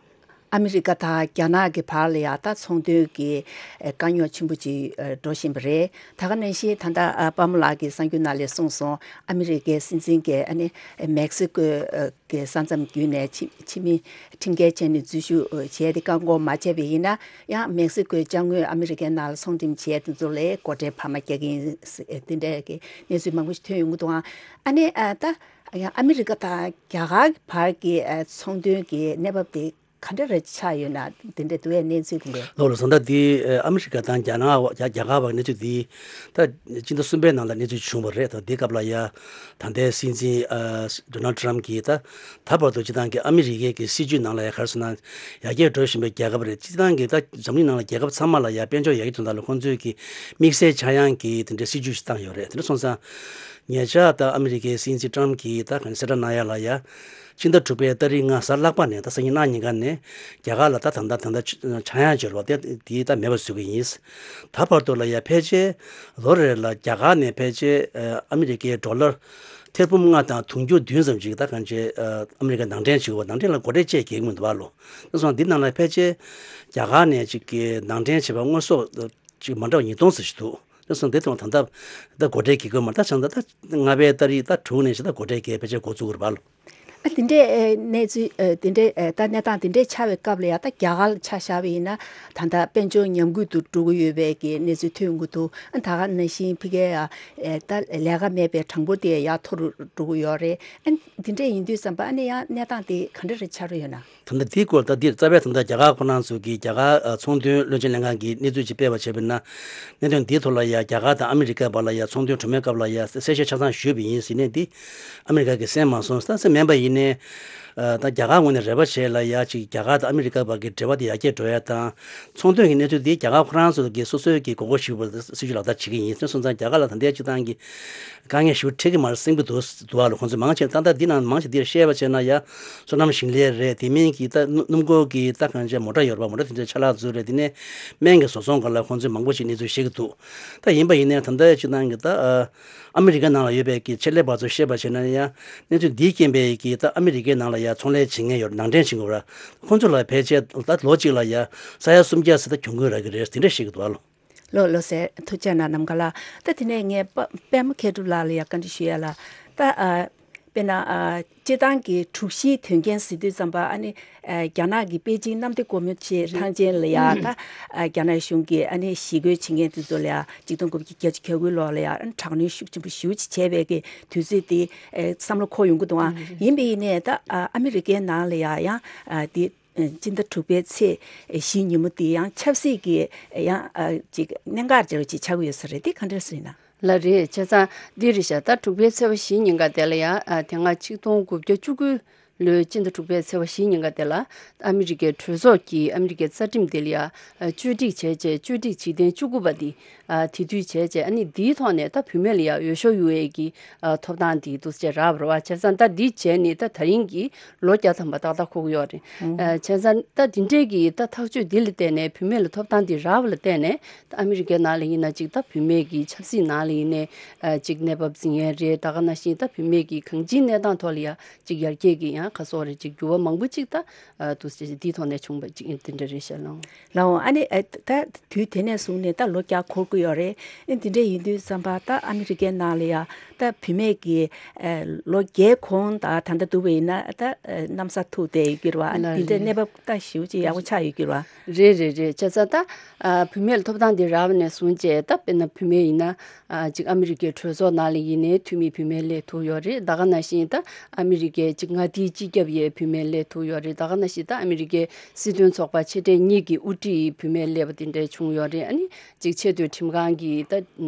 ཨ་མི་རི་ཀ་དང་རྒྱ་ནག་གི་བར་ལ་ཡང་ད་ཚོང་དོན་གྱི་ཨ་དཀའ་རྙོག་ཆེན་པོ་ཅིག་ཨ་འགྲོ་བཞིན་པ་རེད། ད་ག་ནང་བཞིན་ད་ལྟ་ཨ་དཔལ་མོ་ལགས་ཀྱིས་གསར་འགྱུར་ནང་ལ་གསུངས་སོང་། ཨ་མི་རི་ཀའི་སྲིད་འཛིན་གྱིས་ཨ་ནི་མེག་སི་ཀོའི་ཨ་གི་ས་མཚམས་བརྒྱུད་ནས་ཕྱི་ཕྱི་མི་ཁྲིམས་འགལ་བྱས་ནས་འཛུལ་ཞུགས་བྱས་ཏེ་བཀག་འགོག་མ་བྱས་པ་ཡིན་ན་ཡང་མེག་སི་ཀོའི་ཅ་དངོས་ཨ་མི་རི་ཀའི་ནང་ལ་ཚོང་འགྲེམས་བྱས་དེ་ཚོ་ལ་སྒོ་ཁྲལ་འཕར་མ་རྒྱག་གི་ཡིན་ཟེར་དེ་འདྲའི་གི་གནས་ཚུལ་མང་པོ་ཞིག་ཐོན་ཡོང་གི་འདུག་ཨ་ནི་ཨ་ད་ཡང་ཨ་མི་རི་ཀ་དང་རྒྱ་གར་བར་གྱི་ཨ་ཚོང་དོན་གྱི་གནས་བབ་དེ་ ག་འདྲ་རེ་ཆགས་ཡོད་ན། དེ་འདྲ་འདུག་ཡ། གནས་ཚུལ་དེ་འདྲ། ལགས་ལགས། བཟོ་ལྟ་འདི་ཨ་མི་རི་ཀ་དང་རྒྱ་ནག་རྒྱ་རྒྱ་གར་བར་གནས་ཚུལ་འདི་ད་སྤྱི་ཟླ་གསུམ་པའི་ནང་ལ་གནས་ཚུལ་བྱུང་བ་རེད། ད་འདི་སྐབས་ལ་ཡ་ད་ལྟའི་སྲིད་འཛིན་ཨ་ཌོ་ནལ་ཊམ་གྱིས་ད་ད་བར་དུ་སྤྱི་བཏང་གི་ཨ་མི་རི་ཀའི་གི་སྲིད་ཇུས་ནང་ལ་ཡ་ག་རེ་ཟེར་ན། ཡར་རྒྱས་འགྲོ་བཞིན་པའི་རྒྱལ་ཁབ་རེད། སྤྱི་བཏང་གི་ད་འཛམ་གླིང་ནང་ལ་རྒྱལ་ཁབ་ཚང་མ་ལ་ཡ་དཔལ་འབྱོར་ཡར་རྒྱས་གཏོང་སྟངས་ལ་ཁོང་ཚོས་ཀྱི་དམིགས་བསལ་ཆག་ཡང་གི་དེ་འདྲའི་སྲིད་ཇུས་ཤིག་བཏང་ཡོད་རེད། དེ་འདྲ་སོང་ཙང་ཉེ་ཆར་ད་ཨ་མི་རི་ཀའི་སྲིད་འཛིན་ཊམ་གྱིས་ད་ག་ནས་གསལ་བསྒྲགས་གནང་ཡ་ལ་ཡ། ཕྱི་ཟླ་དྲུག་པའི་ཏ་རིག་ལྔ་གཟའ་ལྷག་པ་ནས་ད་སང་ཉིན་གནངས་ཉིན་ཀ་ནས་རྒྱ་གར་ལ་ད་ད་ལྟ་ད་ལྟ་ཆ་ཡང་འབྱོར་བ་དེ་དེ་ད་མེད་པ་བཟོ་གི་ཡིན། ད་བར་དུ་ལ་ཡ་ཕལ་ཆེར་ལོ་རེ་ལ་རྒྱ་གར་ནས་ཕལ་ཆེར་ཨ་མི་རི་ཀའི་ཌོ་ལར་ཐེར་འབུམ་ལྔ་དང་དུང་ཕྱུར་བདུན་ཙམ་ཅིག་ད་གང་ཅི་ཨ་མི་རི་ཀ་ནང་འདྲེན་བྱེད་དགོས་པ། ནང་འདྲེན་ལ་སྒོ་ཁྲལ་བཅས་རྒྱག་གི་མི་འདུག་བ་ལོ། དེ་སོང་འདི་ནང་ལ་ཕལ་ཆེར་རྒྱ་གར་ནས་ཅིག་གི་ནང་འདྲེན་བྱས་པ་དངོས་ཟོག་ཅིག་མ་འདྲ་བ་ཉིས་སྟོང་ཙམ་ཞིག་འདུག་དེ་སོང་འདི་དང་ད་ལྟ་ད་སྒོ་ཁྲལ་གྱི་དགོས་མ། ད་བྱང་ད་ད་ལྔ་པའི་ཏ་རིག་ད་དྲུག་ནས་ཞིག་ད་སྒོ་ཁྲལ་གྱི་ཕལ་ཆེར་འགོ་བཙུགས་དགོས་རེད་པ་ལོ། ཨ་དེ་འདྲའི་ཨེ་གནས་ཚུལ་ཨེ་དེ་འདྲའི་ཨེ་ད་གནས་སྟངས་དེ་འདྲའི་ཆགས་པའི་སྐབས་ལ་ཡ་ད་རྒྱ་གར་ལ་ཆ་བཞག་པ་ཡིན་ན། ད་ལྟ་དཔལ་འབྱོར་ཉམས་རྒུད་དུ་འགྲོ་གི་ཡོད་པའི་གི་གནས་ཚུལ་ཐོན་གྱི་འདུག་ཨ་ད་ག་ནང་བཞིན་ཕ་གིའི་ཡ་ཨེ་ད་ལས་ཀ་མེད་པའི་གྲངས་འབོར་དེ་ཡར་མཐོ་རུ་འགྲོ་གི་ཡོད་རེད། ཨ་དེ་འདྲ་ཡིན་དུས་ཙམ་པ་ཨ་ནི་ཡང་གནས་སྟངས་དེ་ག་འདྲ་རེ་ཆགས་རོགས་ཡོད་ན། ད་ལྟ་འདིའི་སྐོར་ད་འདིར་རྩ་བའི་ད་ལྟ་རྒྱ་གར་ཁོ་རང་ཚོ་གིས་རྒྱ་གར་ཨ་ཚོང་དོན་བློན་ཆེན་ལྷན་ཁང་གིས་གནས་ཚུལ་ཅིག་སྤེལ་བ་བྱས་པ་ཡིན་ན། གནད་དོན་འདིའི་ཐོག་ལ་ཡ་རྒྱ་གར་དང་ཨ་མི་རི་ཀའི་བར་ལ་ཡ་ཚོང་དོན་གྲོས་མོལ་སྐབས་ལ་ཡ་གསལ་བཤད་ཆ་ཚང་ཞུས་པ་ཡིན་ཟེར་ནས་འདི་ཨ་མི་རི་ཀ་གིས་གསན་མ་སོང་། ད་གསན་མེད་པ་ཡིན་ནའི་ཨ་ད་རྒྱ་གར་ངོས་ནས་རེ་བ་བྱས་ལ་ཡ་ཅིག་རྒྱ་གར་དང་ཨ་མི་རི་ཀ་བར་གྱི་འབྲེལ་བ་དེ་ཡར་རྒྱས་འགྲོ་ཡ་དང་། ཚོང་དོན་གྱི་གནས་ཚུལ་འདི་རྒྱ་གར་ཁོ་རང་ཚོ་གིས་སོ་སོའི་གི་དགོས་མཁོ་ཞིག་པ་སྲིད་ཇུས་ལག་བསྟར་བྱེད་ཀྱི་ཡིན། དེ་སོང་ཙང་རྒྱ་གར་ལ་ད་ལྟའི་སྤྱི་བཏང་གི་དཀའ་ངལ་ཞེ་པོ་འཕྲད་ཀྱི་མ་རེད་བསམ་གྱི་འདུག་འདུག་བ་ལ། ཁོང་ཚོས་མང་ཆེ་ད་ལྟ་འདི་ནང་མང་ཆེ་འདིར་བཤད་པ་བྱས་ན་ཡ་སོ་ནམ་ཞིང་ལས་རེད། དེ་མིན་གྱི་ད་སྣུམ་སྣུམ་འཁོར་གྱི་ད་གང་ཅི་མོ་ཊ་ཡོད་རེད་པ། མོ་ཊ་དེ་ཚོའི་ཆ་ལག་ཚོ་རེད། དེ་ནས་སྨན་གྱི་བཟོ་ཚོང་སྒང་ལ་ཁོང་ཚོས་མང་པོ་ཞིག་གནས་ཚུལ་བཤད་ཀྱི་འདུག་ད་ཡིན་པ་ཡིན་ནའི་ད་ལྟའི་སྤྱི་བཏང་གི་ད་ཨ་ཨ་མི་རི་ཀའི་ནང་ལ་ཡོད་པའི་གི་ཆེད་ལས་པ་ཚོས་བཤད་པ་བྱས་ན་ཡ་གནས་ཚུལ་འདིའི་རྐྱེན་པས་གི་ད་ཨ་མི་རི་ཀའི་ནང་ལ་ཡ་ཚོང་ལས་བྱེད་མཁན་ཡོད་རེད། ནང་འདྲེན་བྱེད་མཁན་ཡོད་རེད། ཁོང་ཚོ་ལ་ཕལ་ཆེར་ད་ལོ་གཅིག་ལ་ཡ་ས་ཡ་སུམ་བརྒྱ་ཟེར་ད་གྱོང་གུན་རག་གི་རེད། དེ་འདྲ་བཤད་ཀྱི་འདུག་ཨ་ལོ། ལགས་ལགས་སེ། ཐུགས་རྗེ་གནང་། ནམ་མཁའ་ལགས། ད་དེ་ནས་ངས་པ་པད་མ་མཁས་གྲུབ་ལགས་ལ་ཡ་བཀའ་འདྲི་ཞུ་ཡ་ལ། ད་ཨ་དཔེར་ན་ཨ་སྤྱིར་བཏང་གི་དྲུག་བཞིའི་དོན་རྐྱེན་ཟེར་དུས་ཙམ་པ་ཨ་ནི་ཨ་རྒྱ་ནག་གི་པེ་ཅིང་གནམ་བདེ་སྒོ་མོ་ཆེ་ཐང་ཆེན་ལ་ཡ་ད་ཨ་རྒྱ་ནག་གཞུང་གིས་ཨ་ནི་ཞི་རྒོལ་བྱེད་མཁན་དེ་ཚོ་ལ་ཡ་ཆིག་སྟོང་དགུ་བརྒྱ་བརྒྱད་ཅུ་གྱ་དགུའི་ལོ་ལ་ཡ་ཨ་ནི་དྲག་གནོན་ཤུགས་ཆེན་པོ་ཞེ་པོ་ཅིག་བྱས་པའི་གི་དུས་ཚོད་དེ་ཨ་བསམ་བློ་འཁོར་ཡོང་གི་འདུག་ཨ། ཡིན་པ་ཡིན་ནའི་ད་ཨ་ཨ་མི་རི་ཀའི་ནང་ལ་ཡ་ཡང་ཨ་དེ་སྤྱི་ཟླ་དྲུག་པའི་ཚེས་བཞི་ཉིན་མོ་དེ་ཡང་ཆབ་སྲིད་ཀྱི་ཡང་ཨ་ཅིག་གནད་འགག་འདྲ་བ་ཅིག་ཆགས་ཀྱི་ཡོད་ས་རེད། དེ་ག་འདྲ་ཟེར་ན། ལགས་རེད། བྱས་ཙང་འདི་རེད་ཤག་ད་དྲུག་པའི་ཚེས་པ་བཞི་ཉིན་ཀ་དེ་ལ་ཡང་ཨ་དེ་སྔ་ཆིག་སྟོང་དགུ་བརྒྱ་བཅུ་དགུ་ལོའི་སྤྱི་ཟླ་དྲུག་པའི་ཚེས་པ་བཞི་ཉིན་ཀ་དེ་ལ་ཨ་མི་རི་ཀའི་གྲོས་ཚོགས་ཀྱིས་ཨ་མི་རི་ཀའི་རྩ་ཁྲིམས་དེ་ལ་ཡང་ཨ་བཅོས་སྒྲིག་བྱས་རྗེས་བཅོས་སྒྲིག་བྱེད་གཏན་བཅུ་དགུ་པ་འདི་ཨ་དེ་དུས་བྱས་རྗེས་ཨ་ནི་འདིའི་ཐོག་ནས་ད་བུད་མེད་ལ་ཡང་འོས་ཤོག་ཡོད་ཡས་ཀྱི་ཨ་ཐོབ་ཐང་འདི་འདུག་སེ་རག་པ་རེད་པ། བྱས་ཙང་ད་འདི་བྱས་ནས་ད་ད་རིང་གི་ལོ་བརྒྱ་ཐམ་པ་ཏག་ཏག་འཁོར་གྱི་ཡོད་རེད། ཨོ། ཨ་བྱས་ཙང་ད་འདི་འདྲའི་གི་ད་ཐག་གཅོད་འདི་ལ་བརྟེན་ནས་བུད་མེད་ལ་ཐོབ་ཐང་འདི་རག་པ་ལ་བརྟེན་ནས་ད་ཨ་མི་རི་ཀའི་ནང་ལ་ཡིན་ན་ཅིག་ད་བུད་མེད་ཀྱི་ཆབ་སྲིད་ནང་ལ་ཡིན་ནའི་ཨ་ཅིག་གནས་བབ་འཛིན་ཡས་རེད། ད་ག་ནང་བཞིན་ད་བུད་མེད་ཀྱི་གང་ཅིའི་གནས་སྟངས་ཐོག་ལ་ཡ་ཅིག་ཡར་རྒྱས་ཀྱི་ཡང་ག་སོགས་རེད་ཅིག་འགྱུར་བ་མང་པོ་ཅིག་ད་ཨ་འདུག་སེ་འདིའི་ཐོག་ནས་བྱུང་བ་ཅིག་ཡིན་དེ་འདྲ་རེད་ཤག་ལགས། ལགས་འོང་། ཨ་ནི་ཨ་ད་དུས་དེ་ནས་བཟུང་ནས་ད་ལོ་བརྒྱ་འཁོར་གྱི་ཡོད་རེད། ཨ་དེ་འདྲ་ཡིན་དུས་ཙམ་པ་ད་ཨ་མི་རི་ཀའི་ནང་ལ་ཡ་ད་བུད་མེད་ཀྱི་ཨ་ལོ་བརྒྱའི་གོང་ད་ད་ལྟ་འདུག་པ་ཡིན་ན་ད་ཨ་གནམ་ས་ཐུག་བསྡད་ཡོད་ཀྱི་རེད་པ། ཨ་ལགས་དེ་འདྲའི་རེད། གནས་བབ་ད་ཞེ་པོ་ཅིག་ཡག་པོ་ཆགས་ཡོད་ཀྱི་རེད་པ། རེད་རེད་རེད། བྱས་ཙང་ད་ཨ་བུད་མེད་ལ་ཐོབ་ཐང་འདི་རག་པ་ནས་བཟུང་བྱས་ད་དཔེར་ན་བུད་མེད་ཡིན་ན་ཨ་ཅིག་ཨ་མི་རི་ཀའི་གྲོས་ཚོགས་ནང་ལ་ཡིན་ནའི་འཐུས་མི་བུད་མེད་སླེབས་ཐུབ་ཡོད་རེད། ད་ག་ནང་བཞིན་ད་ཨ་མི་རི་ཀའི་ཅིག་མངའ་སྡེའི་སྤྱི་ཁྱབ་ཡས་བུད་མེད་སླེབས་ཐུབ་ཡོད་རེད། ད་ག་ནང་བཞིན་ད་ཨ་མི་རི་ཀའི་སྲིད་དོན་ཚོགས་པ་ཆེ་གྲས་གཉིས་ཀྱི་དབུ་ཁྲིད་བུད་མེད་སླེབས་པ་དེ་འདྲ་བྱུང་ཡོད་རེད། ཨ་ནི་ཅིག་ཆེས་མཐོའི་ཁྲིམས་ཁང་གི་ད་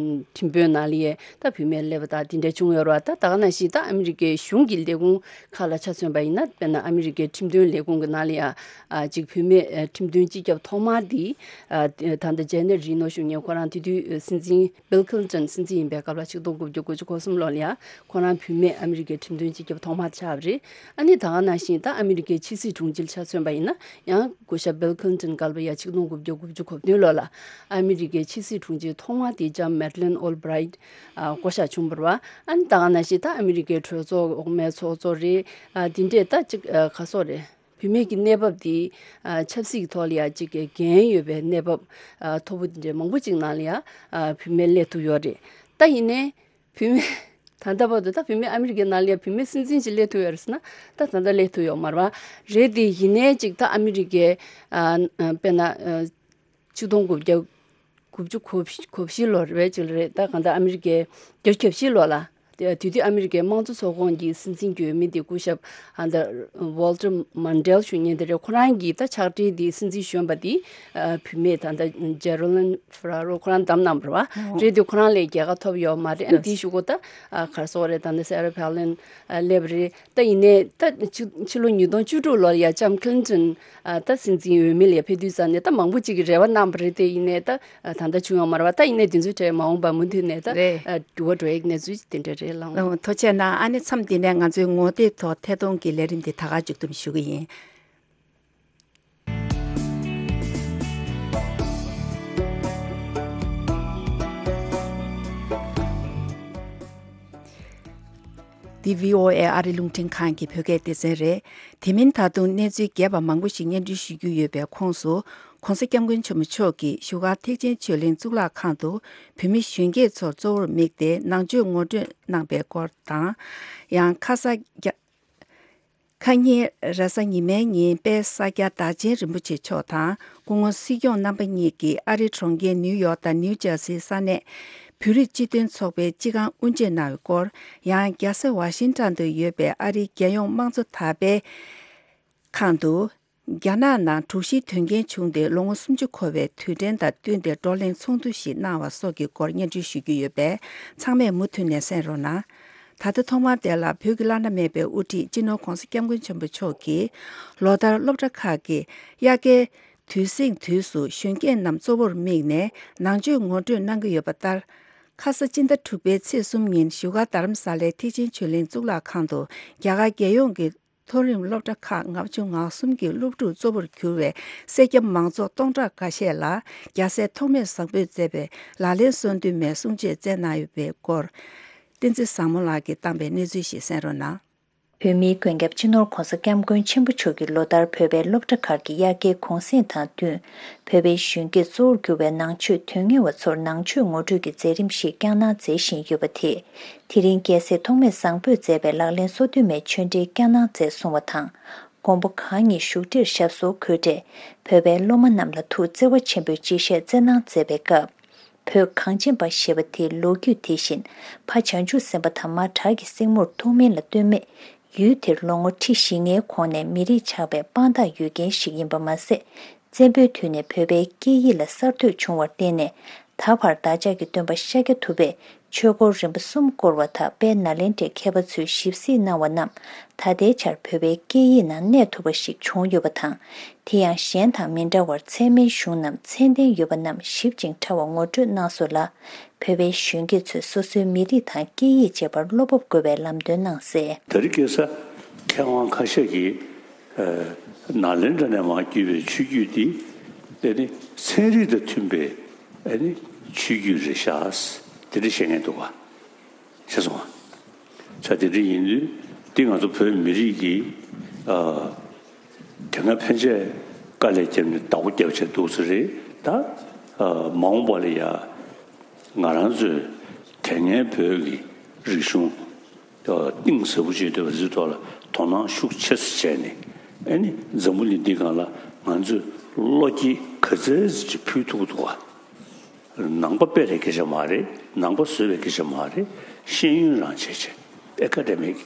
ཁྲིམས་དཔོན་ནང་ལ་ཡས་ད་བུད་མེད་སླེབས་པ་དང་དེ་འདྲ་བྱུང་ཡོད་རེད་པ། ད་ད་ག་ནང་བཞིན་ད་ཨ་མི་རི་ཀའི་གཞུང་གི་ལས་ཁུངས་ཁག་ལ་ཆ་མཚོན་པ་ཡིན་ན་དཔེར་ན་ཨ་མི་རི་ཀའི་ཁྲིམས་དོན་ལས་ཁུངས་ཀྱི་ནང་ལ་ཡ་ཨ་ཅིག་བུད་མེད་ཨ་ཁྲིམས་དོན་སྤྱི་ཁྱབ་ཐོག་མ་འདི་ཨ་ད་ལྟ་ཇེ་ནེཊ་རི་ནོ་གཞུང་གཉེར་ཁོ་རང་དེ་དུས་སྲིད་འཛིན་བྷིལ་ཁིལ་ཏོན་སྲིད་འཛིན་ཡིན་པའི་སྐབས་ལ་ཆིག་སྟོང་དགུ་བརྒྱ་དགུ་བཅུ་གོ་གསུམ་ལོ་ལ་ཡ་ཁོ་རང་བུད་མེད་ཨ་མི་རི་ཀའི་ཁྲིམས་དོན་སྤྱི་ཁྱབ་ཐོག་མ་ཆགས་པ་རེད། ཨ་ནི་ད་ག་ནང་བཞིན་ད་ཨ་མི་རི་ཀའི་ཕྱི་སྲིད་དྲུང་ཆེ་ཆ་མཚོན་པ་ཡིན་ན་ཡང་སྐུ་ཞབས་བྷིལ་ཁིལ་ཏོན་སྐབས་ལ་ཡ་ཆིག་སྟོང་དགུ་བརྒྱ་དགུ་བཅུ་གོ་བདུན་ལོ་ལ་ཨ་མི་རི་ཀའི་ཕྱི་སྲིད་དྲུང་ཆེ་ཐོག་མ་དེ་ལྕམ་མེ་ཌི་ལིན་ཨོལ་བྷི་རའིཊ་ཨ་བསྐོ་བཞག་བྱུང་བ་རེད་པ། ཨ་ནི་ད་ག་ནང་བཞིན་ད་ཨ་མི་རི་ཀའི་གྲོས་ཚོགས་འོག་མའི་ཚོགས་གཙོ་རེད། ཨ་དེ་འདྲས་ད་ཅིག་ཨ་ག་སོགས་རེད། བུད་མེད་ཀྱི་གནས་བབ་དེ་ཨ་ཆབ་སྲིད་ཀྱི་ཐོག་ལ་ཡ་ཅིག་འགན་ཡོད་པའི་གནས་བབ་ཨ་མཐོ་པོ་དེ་འདྲའི་མང་པོ་ཅིག་ནང་ལ་ཡ་ཨ་བུད་མེད་སླེབས་ཐུབ་ཡོད་རེད། ད་ཡིན་ནའི་བུད་མེད་ད་ལྟ་བར་དུ་ད་བུད་མེད་ཨ་མི་རི་ཀའི་ནང་ལ་ཡ་བུད་མེད་སྲིད་འཛིན་ཅིག་སླེབས་ཐུབ་ཡོད་རེད་ཟེར་ན་ད་ད་ལྟ་སླེབས་ཐུབ་ཡོད་མ་རེད་པ། རེད་དེ་ཡིན་ནའི་ཅིག་ད་ཨ་མི་རི་ཀའི་ཨ་དཔེར་ན་ཨ་ཆིག་སྟོང་དགུ་བརྒྱ་དགུ་བཅུ་གོ་གོ་བཞི་ལོ་རེད་པས་ཅིག་ལ་རེད། ད་གང་ལྟར་ཨ་མི་རི་ཀའི་བརྒྱད་ཅུ་གྱ་བཞི་ལོ་ལ་ དེ་དུས་ཨ་མི་རི་ཀའི་དམངས་གཙོ་ཚོགས་ཁོངས་ཀྱི་སྲིད་འཛིན་གྱི་འོས་མི་དེ་སྐུ་ཞབས་ཨ་ད་Walter Mondale་ཞུ་མཁན་དེ་རེད། ཁོ་རང་གིས་ད་ཕྱག་སྦྲེལ་དེ་སྲིད་འཛིན་གཞོན་པ་དེ་བུད་མེད་ད་ད་Geraldine Ferraro་ཁོ་རང་བདམས་གནང་བ་རེད་བ། རེད་དེ་ཁོ་རང་ལས་རྒྱལ་ཁ་ཐོབ་ཡོད་མ་རེད། ཨ་དེའི་གཞུག་གུ་ད་ག་རེ་ཟེར་དགོས་རེད། ད་ནི་Sarah Palin་སླེབས་རེད། ད་ཡིན་ནའི་ད་ཕྱི་ཕྱི་ལོ་ཉིས་སྟོང་བཅུ་དྲུག་ལོར་ཡ་ལྕམ་Clinton་ད་སྲིད་འཛིན་འོས་མི་ལ་ཡ་ཕེབས་དུས་ཙམ་ནས་ད་མང་པོ་ཅིག་གིས་རེ་བ་གནང་བ་རེད། དེ་ཡིན་ནའི་ད་ད་ལྟ་བྱུང་ཡོད་མ་རེད་བ། ད་ཡིན་ནའི་དེ་ཚོའི་གྲས་མ་འོངས་པ་མུ་མཐུད་ནས་ད་རེད། འགྱུར་བ་འགྲོ་ཡག་གནས་ཚུལ་དེ་འདྲ་རེད་ལགས། ཨ་ཐུགས་རྗེ་གནང་། ཨ་ནི་མཚམས་འདི་ནས་ང་ཚོའི་ངོ་དེབ་ཐོག་ཐད་གཏོང་གི་ལས་རིམ་འདི་ད་ག་མཇུག་བསྡོམས་ཞུ་གི་ཡིན། འདི་བྷི་ཨོ་ཨེ་ཨ་རི་རླུང་འཕྲིན་ཁང་གི་བོད་སྐད་སྡེ་ཚན་རེད། དེ་མིན་ད་དུང་གནས་ཚུལ་རྒྱས་པ་མང་པོ་ཞིག་སྙན་སྒྲོན་ཞུ་རྒྱུ་ཡོད་པའི་ཁོངས་སུ། ྋགོང་ས་ྋསྐྱབས་མགོན་ཆེན་པོ་མཆོག་གིས་བཞུགས་སྒར་ཐེག་ཆེན་ཆོས་གླིང་གཙུག་ལག་ཁང་དུ་བོད་མི་གཞོན་སྐྱེས་ཚོར་གཙོ་བོར་དམིགས་ཏེ་ནང་ཆོས་ངོ་སྤྲོད་གནང་པའི་སྐོར་དང་། ཡང་ཁ་ས་རྒྱ། ཁ་ཉིན་རེས་གཟའ་ཉི་མའི་ཉིན་དཔལ་ས་སྐྱ་བདག་ཆེན་རིན་པོ་ཆེ་མཆོག་དང་སྐུ་ངོ་སྲིད་སྐྱོང་རྣམ་པ་གཉིས་ཀྱིས་ཨ་རིའི་གྲོང་ཁྱེར་ནིའུ་ཡོག་དང་ནིའུ་ཇར་སིའི་ས་གནས་བོད་རིགས་སྤྱི་མཐུན་ཚོགས་པའི་སྤྱི་ཁང་དབུ་འབྱེད་གནང་བའི་སྐོར། ཡང་རྒྱལ་ས་ཝ་ཤིང་ཊོན་དུ་ཡོད་པའི་ཨ་རིའི་རྒྱལ་ཡོངས་དམངས་གཙོ་དར་སྤེལ་ཁང་དུ་རྒྱ་ནག་ནང་དྲུག་བཞིའི་དོན་རྐྱེན་བྱུང་སྟེ་ལོ་ངོ་སུམ་ཅུ་འཁོར་བའི་དུས་དྲན་དང་བསྟུན་ཏེ་བགྲོ་གླེང་ཚོགས་འདུ་ཞིག་གནང་བ་སོགས་ཀྱི་སྐོར་སྙན་སྒྲོན་ཞུ་རྒྱུ་ཡོད་པས། ཚང་མས་མུ་མཐུད་ནས་གསན་རོགས་གནང་། ད་ལྟ་ཐོག་མར་དེ་ལ་བོད་ཀྱི་བླ་ན་མེད་པའི་དབུ་ཁྲིད་སྤྱི་ནོར་༧གོང་ས་༧སྐྱབས་མགོན་ཆེན་པོ་མཆོག་གིས་ལོ་ལྟར་སློབ་གྲྭ་ཁག་གི་དབྱར་ཁའི་དུས་ཟིང་དུས་སུ་གཞོན་སྐྱེས་རྣམས་གཙོ་བོར་དམིགས་ནས་ནང་ཆོས་ངོ་སྤྲོད་གནང་གི་ཡོད་པ་ལྟར། ཁ་ས་སྤྱི་ཟླ་དྲུག་པའི་ཚེས་གསུམ་ཉིན་བཞུགས་སྒར་རྡ་རམ་ས་ལའི་ཐེག་ཆེན་ཆོས་གླིང་གཙུག་ལག་ཁང་དུ་རྒྱ་གར་རྒྱལ་ཡོངས་ཀྱི་མཐོ་རིམ་སློབ་གྲྭ་ཁག་ལྔ་བཅུ་ང་གསུམ་གྱི་སློབ་ཕྲུག་གཙོ་བོར་གྱུར་བའི་སེར་སྐྱ་མང་ཚོགས་སྟོང་ཕྲག་འགའ་ཤས་ལ་རྒྱལ་སྲས་ཐོགས་མེད་བཟང་པོས་མཛད་པའི་ལག་ལེན་གསོལ་འདེབས་མའི་གསུང་ཆོས་སྩལ་གནང་ཡོད་པའི་སྐོར། བསྟན་འཛིན་བཟང་མོ་ལགས་ཀྱིས་བཏང་པའི་གནས་ཚུལ་ཞིག་གསན་རོགས་གནང་། བོད་མིའི་མགོན་སྐྱབས་སྤྱི་ནོར་༧གོང་ས་༧སྐྱབས་མགོན་ཆེན་པོ་མཆོག་གིས་ལོ་ལྟར་བོད་པའི་སློབ་གྲྭ་ཁག་གི་དབྱར་ཁའི་གུང་གསེང་དང་བསྟུན། བོད་པའི་གཞོན་སྐྱེས་གཙོ་བོར་གྱུར་བའི་ནང་ཆོས་དོན་གཉེར་བ་ཚོར་ནང་ཆོས་ངོ་སྤྲོད་ཀྱི་མཛད་རིམ་ཞིག་བསྐྱངས་གནང་མཛད་བཞིན་ཡོད་པ་དེས། དེ་རིང་རྒྱལ་སྲས་ཐོགས་མེད་བཟང་པོས་མཛད་པའི་ལག་ལེན་སོ་བདུན་མའི་ཆོས་འབྲེལ་བསྐྱངས་གནང་མཛད་གསུང་བ་དང་། མགོན་པོ་གང་ཉིད་བཞུགས་ཁྲིར་ཞབས་སོར་འཁོད་འཕྲལ། བོད་པའི་སློབ་མ་རྣམས་ལ་ཐུགས་བརྩེ་བ་ཆེན་པོས་མཇལ་བཤད་སྩལ་གནང་མཛད་པའི་སྐབས། བོད་གངས་ཅན་པ་ཞེས་པ་དེའི་ལོ་རྒྱུས་དེ་བཞིན་ཕ་བྱང་ཆུབ་སེམས་དཔའ་དང་མ་བྲག་གི་སྲིང་མོར་ཐུགས་སྨོན་ལ་ལྟོས་མེད། ཡུལ་དེར་ལོ་ངོ་ཁྲི་བཞི་ལྔའི་གོང་ནས་མི་རིགས་ཆགས་པའི་དཔང་རྟགས་ཡོད་མཁན་ཞིག་ཡིན་པ་མ་ཟད། བཙན་པོའི་དུས་ནས་བོད་པའི་སྐད་ཡིག་ལ་གསར་གཏོད་བྱུང་བར་བརྟེན་ནས། ད་བར་བདག་ཅག་གི་སྟོན་པ་ཤཱཀྱ་ཐུབ་པས་ཆོས་འཁོར་རིམ་པ་གསུམ་བསྐོར་བ་དག་དཔལ་ནཱ་ལེནྡྲའི་མཁས་པ་ཚོས་ཞིབ་གཟིགས་གནང་བ་རྣམས་ད་ལྟའི་ཆར་བོད་པའི་སྐད་ཡིག་ནང་གནས་ཐུབ་པ་ཞིག་བྱུང་ཡོད་པ་དང་། དེ་ཡང་གཞན་དང་མི་འདྲ་བར་ཚད་མའི་གཞུང་རྣམས་ཚད་ལྡན་ཡོད་པ་རྣམས་ཞིབ་ཅིང་ཕྲ་བ་ངོ་སྤྲོད་གནང་སོང་ལ། བོད་པའི་གཞོན་སྐྱེས་ཚོས་སོ་སོའི་མི་རིགས་དང་སྐད་ཡིག་བཅས་པར་བློ་སྤོབས་དགོས་པའི་ལམ་སྟོན་གནང་གསལ། དེ་རིང་ཁ་སང་མཁས་དབང་ཁ་ཤས་ཀྱིས་ནཱ་ལེནྡྲ་ནས་མར་བརྒྱུད་པའི་ཆོས་བརྒྱུད་འདི་དེ་ནི་ཚན་རིག་དང་མཐུན་པའི་ཆོས་བརྒྱུད་རེད་ཤག་དེ་འདྲ་བཤད་མཁན་འདུག་ག། ཤེས་སོང་ང་། ས་དེ་འདྲ་ཡིན་དུས་འདི་ང་ཚོ་བོད་མི་རིགས་ཀྱི་ཨ་དེ་སྔ་ཕན་ཆད་དཀའ་ལས་བརྒྱབ་ནས་བདག་པོ་རྒྱབ་བྱས་འདུག་ས་རེད་ད། ཨ་མ་འོངས་པ་ལ་ཡ་ང་རང་ཚོས་དེ་སྔའི་བོད་ཀྱི་རིག་གཞུང་གཏིང་ཟབ་པོ་ཅིག་ཡོད་པ་འདིའི་ཐོག་ལ་དོ་སྣང་ཤུགས་ཆེ་ཙམ་བྱས་ནས་ཨ་ནི་འཛམ་བུ་གླིང་འདིའི་སྒང་ལ་ང་ཚོས་བློ་སྐྱེད་ག་ཚད་ཅིག་ཕུལ་ཐུབ་ཀྱི་འདུག་ག། ནང་པ་སྤེལ་བའི་སྐད་ཆ་མ་རེད། ནང་པ་བཟོས་པའི་སྐད་ཆ་མ་རེད། ཤེས་ཡོན་རང་བྱས་བྱས་ཨེ་ཀ་ཌེ་མིག་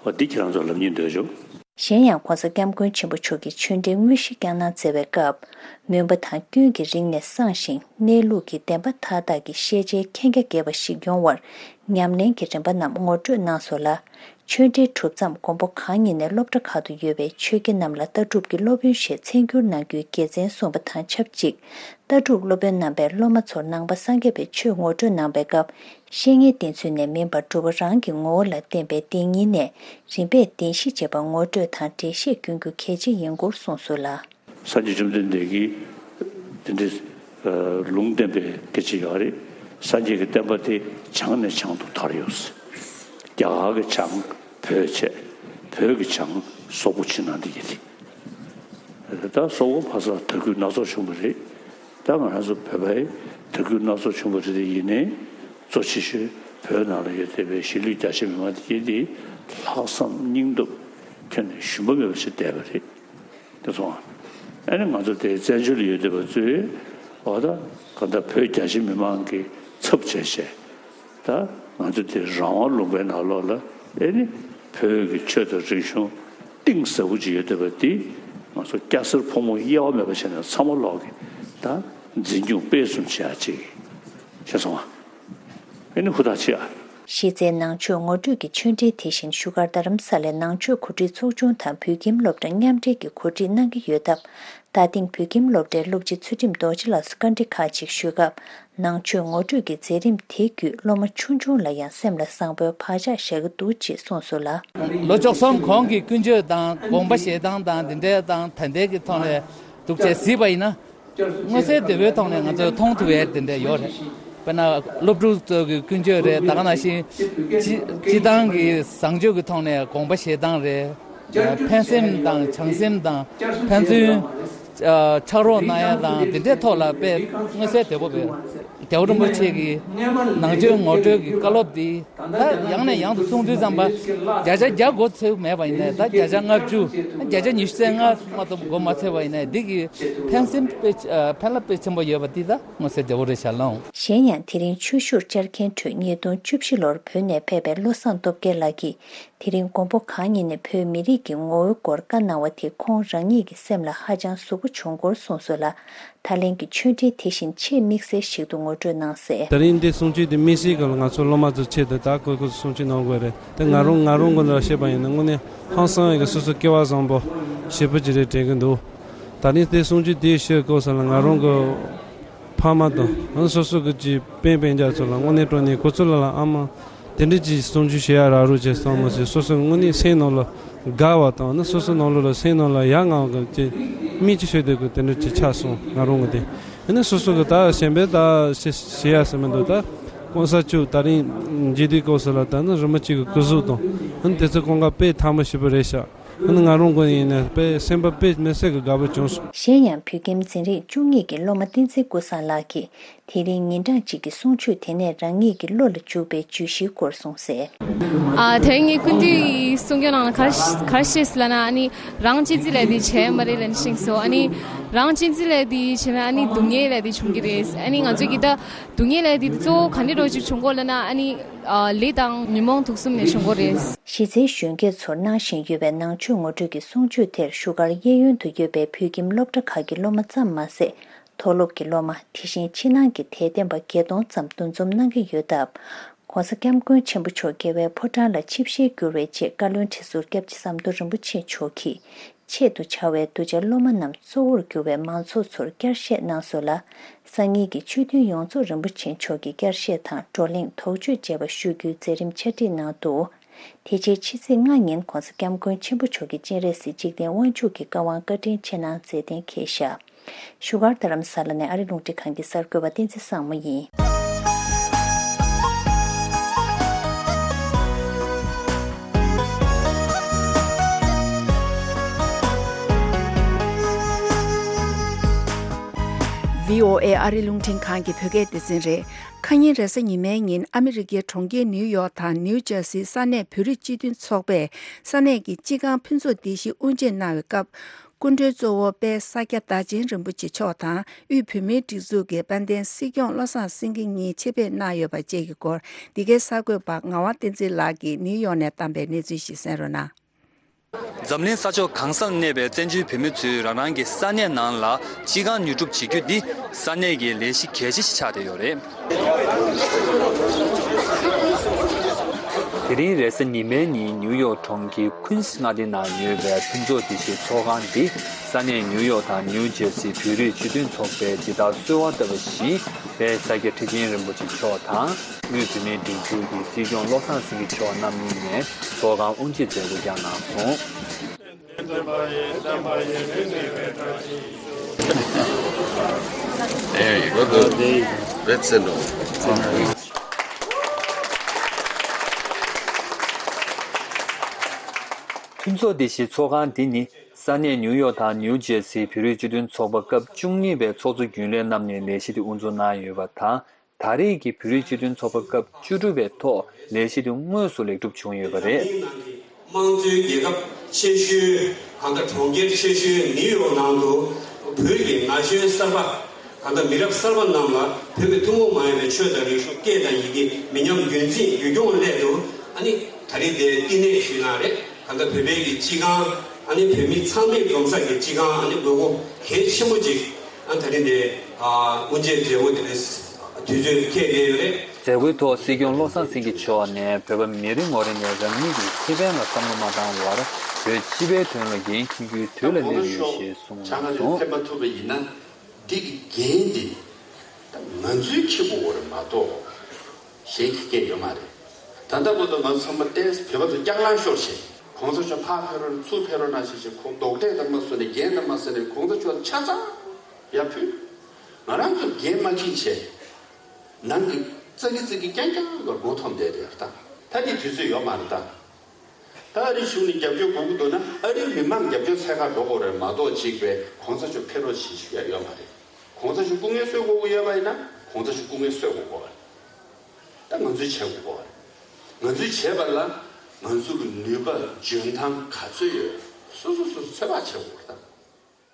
འོ་འདི་ཁྱེད་རང་ཚོར་ལབ་སྙིང་འདོད་བྱུང་། གཞན་ཡང་ྋགོང་ས་ྋསྐྱབས་མགོན་ཆེན་པོ་མཆོག་གིས་ཆོས་འབྲེལ་དངོས་གཞི་བསྐྱངས་གནང་མཛད་པའི་སྐབས། མུན་པ་དང་སྐྱོན་གྱི་རིང་ནས་སངས་ཤིང་གནས་ལུགས་ཀྱི་བདེན་པ་མཐའ་དག་གི་ཤེས་བྱའི་མཁྱེན་རྒྱ་རྒྱས་པ་ཞིག་ཡོང་བར་ཉམས་ལེན་གྱི་རིམ་པ་རྣམས་ངོ་སྤྲོད་གནང་སོང་ལ། ཆོས་འབྲེལ་གྲུབ་མཚམས་མགོན་པོ་གང་ཉིད་ནས་སློབ་གྲྭ་ཁག་ཏུ་ཡོད་པའི་ཆོས་དགེ་རྣམས་ལ་ལྟ་གྲུབ་ཀྱི་སློབ་ཡོན་ཞེས་མཚན་བསྒྱུར་གནང་རྒྱུའི་དགེ་མཚན་གསུངས་པ་དང་ཆབས་ཅིག་ལྟ་གྲུབ་སློབ་དཔོན་རྣམ་པས་སློབ་མ་ཚོར་ནང་པ་སངས་རྒྱས་པའི་ཆོས་ངོ་སྤྲོད་གནང་པའི་སྐབས། བཤེས་གཉེན་བསྟེན་ཚུལ་ནས་མིན་པར་སྒྲུབ་པ་རང་གི་ངོ་བོ་ལ་བརྟེན་པའི་བདེན་གཉིས་ནས་རིམ་པས་བདེན་བཞི་བྱེད་པ་ངོ་སྤྲོད་དང་འགྲེལ་བཤད་བསྐྱོན་རྒྱུ་གལ་ཆེ་ཡིན་སྐོར་གསུངས་སོང་ལ། སངས་རྒྱས་བཅོམ་ལྡན་འདས་ཀྱིས་དེ་འདྲའི་ལུང་བསྟན་པའི་སྐད་ཆ་ཡོད་རེད། སངས་རྒྱས་ཀྱི་བསྟན་པ་དེ་བྱང་ནས་བྱང་དུ་དར་ཡོད། རྒྱ་གར་གྱི་བྱང་བོད་བྱས། བོད་ཀྱི་བྱང་སོག་པོ་ཕྱི་ནང་འདི་གྱི་རེད། ད་སོག་པོ་ཕ་སར་དར་རྒུད་སྣ་ཚོགས་བྱུང་བ་རེད། ད་ང་རང་ཚོ་བོད་པའི་དར་རྒུད་སྣ་ཚོགས་བྱུང་བ་རེད་དེ་ཡིན་ནའི་གཙོ་ཆེ་ཤོས་བོད་ནང་ལ་ཡོད་བསྡད་པའི་གཞིས་ལུས་རྒྱ་ཆེ་མི་མང་དེ་གྱད་དེ་ལྷག་བསམ་སྙིང་སྟོབས་ཁྱོན་ནས་ཞུམ་པ་མེད་པ་ཞིག་བསྡད་པ་རེད། དེ་སོང་ཨ་ནི་ང་ཚོ་དེ་བཙན་བྱོལ་ལ་ཡོད་བསྡད་པ་ཚོས་འོ་ད་ག་ད་བོད་རྒྱ་ཆེ་མི་མང་གི་ཚབ་བྱས་བྱས་ད་ ང་ཚོ་འདིར་རང་དབང་ལུང་པའི་ནང་ལོགས་ལ་ཨེ་ནི་བོད་ཀྱི་ཆོས་དང་རིག་གཞུང་གཏིང་ཟབ་པོ་ཅིག་ཡོད་བསྡད་པ་འདི་ང་ཚོ་སྐྱ་སེར་ཕོ་མོ་དབྱེ་བ་མེད་པ་བྱས་ནས་ཚང་མ་ལོག་གི་ད་འཛིན་སྐྱོང་སྤེལ་གསུམ་བྱེད་ཡ་ཅིག་ཤེས་སོང་ཨ། ཨེ་ནི་ཧུར་ཐག་བྱེད་ཨ། གཞི་རྩའི་ནང་ཆོས་ངོ་སྤྲོད་ཀྱི་ཆོས་འབྲེལ་དེ་བཞིན་བཞུགས་སྒར་རྡ་རམ་ས་ལའི་ནང་ཆོས་གོ་སྒྲིག་ཚོགས་ཆུང་དང་བོད་ཁྱིམ་སློབ་གྲྭ་མཉམ་འབྲེལ་གྱིས་གོ་སྒྲིག་གནང་གི་ཡོད་སྟབས། ད་ཐེངས་བོད་ཁྱིམ་སློབ་གྲྭའི་སློབ་སྤྱི་ཚུལ་ཁྲིམས་རྡོ་རྗེ་ལགས་སུ་བཀའ་འདྲི་ཁག་ཅིག་ཞུས་སྐབས། ནང་ཆོས་ངོ་སྤྲོད་ཀྱི་མཛད་རིམ་དེ་བརྒྱུད་སློབ་མ་ཆུང་ཆུང་ལ་ཡང་སེམས་ལ་བཟང་པོའི་བག་ཆགས་བཞག་གི་འདུག་ཅེས་གསུངས་སོང་ལ། ལོ་བཅུ་གསུམ་གོང་གི་ཀུན་སྤྱོད་དང་དགོངས་པ་བཞེས་སྟངས་དང་འདི་འདྲའི་དང་ད་ལྟའི་གི་ཐོག་ནས་འདུག་ཅེས་གཟིགས་པ་ཡིན་ན། མངོན་གསལ་དོད་པོའི་ཐོག་ནས་ང་ཚོས་མཐོང་ཐུབ་ཡས་དེ་འདྲ་ཡོད་རེད། དཔེར་ན་སློབ་ཕྲུག་ཚོ་གི་ཀུན་སྤྱོད་རེད། ད་ག་ནང་བཞིན་སྤྱི་སྤྱི་བཏང་གི་བཟང་སྤྱོད་ཀྱི་ཐོག་ནས་དགོངས་པ་བཞེས་སྟངས་རེད། ཕན་སེམས་དང་བྱམས་སེམས་དང་ཕན་ཚུན་ཕྱག་རོགས་གནང་ཡས་དང་དེ་འདྲའི་ཐོག་ལ་དཔེ་མངོན་གསལ་དོད་པོ་རེད། རྒྱལ་བ་རིན་པོ་ཆེ་གི་ནང་ཆོས་ངོ་སྤྲོད་ཀྱི་བཀའ་སློབ་འདི། ད་ཡང་ནས་ཡང་དུ་གསུང་དུས་ཙམ་པ། བརྒྱ་ཆ་བརྒྱ་མགོ་ཚོས་མེད་པ་ཡིན་ནའི་ད་བརྒྱ་ཆ་ལྔ་བཅུ། བརྒྱ་ཆ་ཉི་ཤུ་རྩ་ལྔ་མ་གཏོགས་མགོ་མ་ཚོས་པ་ཡིན་ནའི་འདི་གི་ཕན་སེམས་དཔེ་ཕན་རླབས་དཔེ་ཆེན་པོ་ཡོད་པ་འདི་ད་མངོན་གསལ་དོད་པོ་རེད་ཤག་ལགས། གཞན་ཡང་དེ་རིང་ཆོས་ཞུར་བཅར་མཁན་ཁྲོད་ཉིས་སྟོང་བཅུ་བཞི་ལོར་བོད་ནས་ཕེབས་པའི་བློ་བཟང་སྟོབས་རྒྱལ་ལགས་ཀྱིས་དེ་རིང་མགོན་པོ་གང་ཉིད་ནས་བོད་མི་རིགས་ཀྱི་ངོ་བོའི་སྐོར་བཀའ་གནང་བ་དེ་ཁོང་རང་ཉིད་ཀྱི་སེམས་ལ་ཧ་ཅང་ཟུག་པོ་བྱུང་སྐོར་གསུངས་སོང་ལ། ད་ལན་གྱི་ཆོས་འབྲེལ་དེ་བཞིན་ཆེས་དམིགས་བསལ་ཞིག་ཏུ་ངོ་སྤྲོད་གནང་གསལ། ད་རིང་འདི་གསུང་ཆོས་འདི་དམིགས་བསལ་སྒང་ལ་ང་ཚོ་སློབ་མ་ཚོའི་ཆེད་དུ་ད་ཁོས་ཁོས་གསུང་ཆོས་གནང་དགོས་རེད། དེ་ང་རང་ང་རང་ངོས་ནས་བཤད་པ་ཡིན་ན་དངོས་གནས་ཧང་སང་བའི་སོ་སོ་སྐལ་བ་བཟང་པོ་ཞེ་པོ་ཅིག་རེད་དྲན་གྱི་འདུག་ད་རིང་དེ་གསུང་ཆོས་དེ་ཞུ་སྐབས་སུ་ལ་ང་རང་གི་ཕ་མ་དང་སོ་སོ་གི་ཅིག་སྤུན་སྤུན་ཀྱག་ཚོ་ལ་དངོས་གནས་དྲང་གནས་ཁོ་ཚོ་ལ་ལ་ཨ་མ། དེ་འདྲ་ཅིག་གསུང་ཆོས་བཤད་ཡ་རག་རོགས་བྱས་སོང་མ་ཟད་སོ་སོའི་དངོས་གནས་སེམས་ནང་ལ་དགའ་བ་དང་ནི་སོ་སོའི་ནང་ལོགས་ལ་སེམས་ནང་ལ་ཡ་ང་གི་ཅིག་མིག་ཅིག་ཤོད་དེ་གི་དེ་འདྲ་ཅིག་ཆགས་སོང་ང་རང་གི་དེ། ཨ་ནི་སོ་སོ་གི་ད་གཞན་པའི་ད་བཤད་བཤད་ཡ་ཟེར་མི་འདུག་ད་གོང་ས་མཆོག་ད་རིང་མཇལ་དུས་སྐབས་སུ་ལ་ད་ནི་རིན་པོ་ཆེ་གི་སྐུ་གཟུགས་དང་ཨ་ནི་དེ་ཚོ་ཁོང་ག་དཔེ་ཐང་མོ་ཞེ་པོ་རེད་ཤག་ཨ་ནི་ང་རང་གི་ཡིན་ན་དཔེ་སེམས་པ་དཔེ་མི་སྲིད་གི་དགའ་པོ་བྱུང་སོང་། གཞན་ཡང་བོད་ཁྱིམ་འཛིན་རིམ་བཅུ་གཉིས་ཀྱི་སློབ་མ་བསྟན་འཛིན་ཀུན་བཟང་ལགས་ཀྱིས། དེ་རིང་ཉིན་གྲངས་གཅིག་གི་གསུང་ཆོས་དེ་ནས་རང་ཉིད་ཀྱི་བློ་ལ་འཇུག་པའི་བརྗོད་གཞིའི་སྐོར་གསུངས་གསལ། ཨ་དེ་རིང་ངའི་སྐུ་མདུན་གྱི་གསུང་སྐྱོང་ནང་ལ་ག་རེ་ག་རེ་བཤད་ཟེར་ལབ་ན་ཨ་ནི་རང་གཅེས་འཛིན་ལབ་དེ་བྱས་མ་རེད་ལབ་ནས་ཤེས་སོང་། ཨ་ནི་རང་གཅེས་འཛིན་ལབ་དེ་བྱས་ན་ཨ་ནི་སྡུག་བསྔལ་ལབ་དེ་བྱུང་གི་རེད། ཨ་ནི་ང་ཚོ་གི་ད་སྡུག་བསྔལ་ལབ་དེ་གཙོ་བོ་ག་འདྲ་འདྲ་ཅིག་བྱུང་གོ་ལབ་ན་ཨ་ནི་ལས་དང་ཉོན་མོངས་དུག་གསུམ་ནས་བྱུང་གོ་རེད། གཞི་རྩའི་གཞོན་སྐྱེས་ཚོར་གནང་བཞིན་ཡོད་པའི་ནང་ཆོས་ངོ་སྤྲོད་ཀྱི་གསུང་ཆོས་དེར་བཞུགས་སྒར་གཡས་གཡོན་དུ་ཡོད་པའི་བོད་ཁྱིམ་སློབ་གྲྭ་ཁག་གི་སློབ་མ་ཙམ་མ་ཟད། མཐོ་སློབ་ཀྱི་སློབ་མ་དེ་བཞིན་ཕྱི་ནང་གི་དད་ལྡན་པ་བརྒྱད་སྟོང་ཙམ་འདུ་འཛོམས་གནང་གི་ཡོད་སྟབས། ྋགོང་ས་ྋསྐྱབས་མགོན་ཆེན་པོ་མཆོག་རྒྱལ་བའི་ཕོ་བྲང་ལ་ཆིབས་ཞལ་བསྒྱུར་བའི་ཆེད་བཀའ་བློན་ཁྲི་ཟུར་སྐྱབས་རྗེ་ཟམ་གདོང་རིན་པོ་ཆེ་མཆོག་གིས་ཆེད་དུ་བཅར་བའི་གདུལ་བྱ་སློབ་མ་རྣམས་གཙོ་བོར་གྱུར་བའི་མང་ཚོགས་ཚོར་བསྐྱར་བཤད་གནང་སོང་ལ། སང་ཉིན་གྱི་ཆོས་མཐུན་ཡོངས་རྫོགས་རིན་པོ་ཆེ་མཆོག་གི་བསྐྱར་བཤད་དང་བགྲོ་གླེང་དོགས་གཅོད་བཅས་པ་ཞུ་རྒྱུའི་མཛད་རིམ་ཆ་སྒྲིག་གནང་འདུག་དེ་རྗེས་ཕྱི་ཚེས་ལྔ་ཉིན་ྋགོང་ས་ྋསྐྱབས་མགོན་ཆེན་པོ་མཆོག་གིས་སྤྱན་རས་གཟིགས་འཇིག་རྟེན་དབང་ཕྱུག་གི་བཀའ་དབང་བཀའ་དྲིན་ཆེ་གནང་མཛད་གཏན་འཁེལ་བཞག་བཞུགས་སྒར་རྡ་རམ་ས་ལ་ནས་ཨ་རི་རླུང་འཕྲིན་ཁང་གི་གསར་འགོད་པ་བསྟན་འཛིན་བཟང་མོ་ཡིན། བྷི་ཨོ་ཨེ་ཨ་རི་རླུང་འཕྲིན་ཁང་གི་བོད་སྐད་སྡེ་ཚན་རེད། ཁ་ཉིན་རེས་གཟའ་ཉི་མའི་ཉིན་ཨ་མི་རི་ཀའི་གྲོང་ཁྱེར་ནིའུ་ཡོག་དང་ནིའུ་ཇར་སིའི་ས་གནས་བོད་རིགས་སྤྱི་མཐུན་ཚོགས་པས་ས་གནས་ཀྱི་སྤྱི་ཁང་ཕུན་ཚོགས་སྡེ་བཞི་དབུ་འབྱེད་གནང་བའི་སྐབས། སྐུ་མགྲོན་གཙོ་བོ་དཔལ་ས་སྐྱ་བདག་ཆེན་རིན་པོ་ཆེ་མཆོག་དང་དབུས་བོད་མིའི་སྒྲིག་འཛུགས་ཀྱི་དཔལ་ལྡན་སྲིད་སྐྱོང་བློ་བཟང་སེང་གེ་གཉིས་ཆེད་ཕེབས་གནང་ཡོད་པ་བཅས་ཀྱི་སྐོར། འདི་གའི་གསར་འགོད་པ་ངག་དབང་བསྟན་འཛིན་ལགས་ཀྱིས་ནིའུ་ཡོག་ནས་བཏང་པའི་གནས་ཚུལ་ཞིག་གསན་རོགས་གནང་། འཛམ་གླིང་ས་ཕྱོགས་གང་སར་གནས་པའི་བཙན་བྱོལ་བོད་མི་ཚོས་རང་རང་གི་ས་གནས་ནང་ལ་སྤྱི་ཁང་ཉོ་སྒྲུབ་བྱེད་རྒྱུ་འདི་ས་གནས་ཀྱི་ལས་གཞི་གལ་ཆེ་ཞིག་ཆགས་བསྡད་ཡོད་རེད། དེ་རིང་རེས་གཟའ་ཉི་མའི་ཉིན་ནིའུ་ཡོག་གྲོང་ཁྱེར་ཀུན་སི་མངའ་སྡེ་ནང་ཡོད་པའི་ཕུན་ཚོགས་སྡེ་བཞིའི་ཚོགས་ཁང་འདི་ས་གནས་ནིའུ་ཡོག་དང་ནིའུ་ཇེར་སི་བོད་རིགས་སྤྱི་མཐུན་ཚོགས་པའི་སྦྱིན་བདག་གསོལ་བ་བཏབ་པ་བཞིན་དཔལ་ས་སྐྱ་ཁྲི་ཆེན་རིན་པོ་ཆེ་མཆོག་དང་དབུས་བོད་མིའི་སྒྲིག་འཛུགས་ཀྱི་སྲིད་སྐྱོང་བློ་བཟང་སེང་གེ་མཆོག་རྣམ་གཉིས་ནས་ཚོགས་ཁང་དབུ་འབྱེད་མཛད་སྒོ་བསྐྱངས་གནང་སོང་། There you go. Good. That's enough. ཕུན་ཚོགས་སྡེ་བཞིའི་ཚོགས་ཁང་འདི་ནི་ས་གནས་ནིའུ་ཡོག་དང་ནིའུ་ཇེར་སིའི་བོད་རིགས་སྤྱི་མཐུན་ཚོགས་པ་སྐབས་བཅུ་གཉིས་པའི་ཚོགས་གཙོ་རྒྱུན་ལས་རྣམ་གཉིས་ནས་ལས་གཞི་དེ་དབུ་འཛུགས་གནང་ཡོད་པ་དང་། ད་རེས་ཀྱི་བོད་རིགས་སྤྱི་མཐུན་ཚོགས་པ་སྐབས་བཅུ་དྲུག་པའི་ཐོག་ལས་གཞི་དེ་དངོས་སུ་ལེགས་གྲུབ་བྱུང་ཡོད་པ་རེད། དམངས་གཙོའི་རྒྱལ་ཁབ་ཆེ་ཤོས་གང་ལྟར་གྲོང་ཁྱེར་ཆེ་ཤོས་ནིའུ་ཡོག་ནང་དུ་བོད་ཀྱི་ན་གཞོན་གསར་པ་ ད་ལྟ་མི་རབས་གསར་པ་རྣམས་ལ་བོད་ཀྱི་ཐུན་མོང་མ་ཡིན་པའི་ཆོས་དང་རིག་གཞུང་སྐད་དང་ཡི་གེ་མི་ཉམས་རྒྱུན་འཛིན་ཡུལ་སྐྱོང་སླད་དུ་ཨ་ནི་ད་རེས་འདིར་བསྟི་གནས་ཞུས་གནང་རེད། ད་ལྟ་བོད་པའི་གི་སྤྱི་ཁང་ཨ་ནི་བོད་མི་ཚང་མས་འཛོམས་ས་གི་སྤྱི་ཁང་ཨ་ནི་དགོས་མཁོ་གལ་ཆེན་པོ་ཅིག་ཨ་ད་རེས་འདིར་དབུ་འབྱེད་མཛད་སྒོ་དེ་རིང་དུས་ཚོད་འཁེལ་བསྡད་ཡོད་རེད། མཛད་སྒོའི་ཐོག་སྲིད་སྐྱོང་བློ་བཟང་སེང་གེ་མཆོག་ནས་བོད་པ་མི་རེ་ངོ་རེ་ནས་རང་ཉིད་ཀྱི་ཁེ་ཕན་ལ་བསམ་བློ་མ་བཏང་བར་བོད་སྤྱི་པའི་དོན་ལ་འགན་འཁྱེར་རྒྱུའི་དུས་ལ་སླེབས་ཡོད་ཞེས་གསུངས་སོང་། ཕེབས་མ་ཐུབ་པ་ཡིན་ན། འདི་གི་འགན་འདི་ད་ང་ཚོའི་འཁྱེར་དགོས་པ་རེད་མ་གཏོགས་གཞན་གྱིས་འཁྱེར་ཡོད་མ་རེད། ད་ལྟ་བར་དུ་ང་ཚོ་ཚང་མ་ཏོག་ཙམ་བོད་པ་ཚོ་སྐྱག་ལང་ཤོར་བྱས། གོང་ས་མཆོག་ཕར་ཕེབས་རོགས་ཚུར་ཕེབས་རོགས་གནང་ཞེས་བྱས། ཁོང་རྡོག་ཁྲེས་ལྟར་མ་བཟོས་ནས་འགན་ལྟར་མ་བཟོས་ནས་གོང་ས་མཆོག་ཆ་ཚང་ཡར་ཕུལ། ང་རང་ཚོ་འགན་མ་འཁྱེར་བྱས། ནང་གི་ཙག་གི་ཙིག་གི་རྐྱང་རྐྱང་ལ་མགོ་འཐོམ་བསྡད་དེ་ད་ད་འདི་དུས་ཚོད་ཡོད་མ་རེད་ད། ད་ཨ་རིའི་གཞུང་ནས་རྒྱབ་སྐྱོར་དགོས་ཀྱི་འདུག་ན་ཨ་རིའི་མི་མང་རྒྱབ་སྐྱོར་འཚོལ་གར་འགྲོ་དགོས་རེད་མ་གཏོགས་གཅིག་པའི་གོང་ས་མཆོག་ཕེབས་རོགས་བྱེད་ཞུ་ཡ་ཡོད་མ་རེད། གོང་ས་མཆོག་སྐུ་ངལ་གསོ་དགོས་ཀྱི་ཡོད་པ་ཡིན་ན་གོང་ས་མཆོག་སྐུ་ངལ་གསོ་དགོས་ཀྱི་རེད། ད་ང་ཚོས་བྱེད་དགོས་ཀྱི་རེད། ང་ཚོས་བྱེད་པ་ལ་ང་ཚོ་གི་ནུས་པ་འཇོན་ཐང་ག་ཚོད་ཡོད། སོ་སོ་སོ་སོ་ཚོད་དཔག་བྱེད་དགོས་རེད་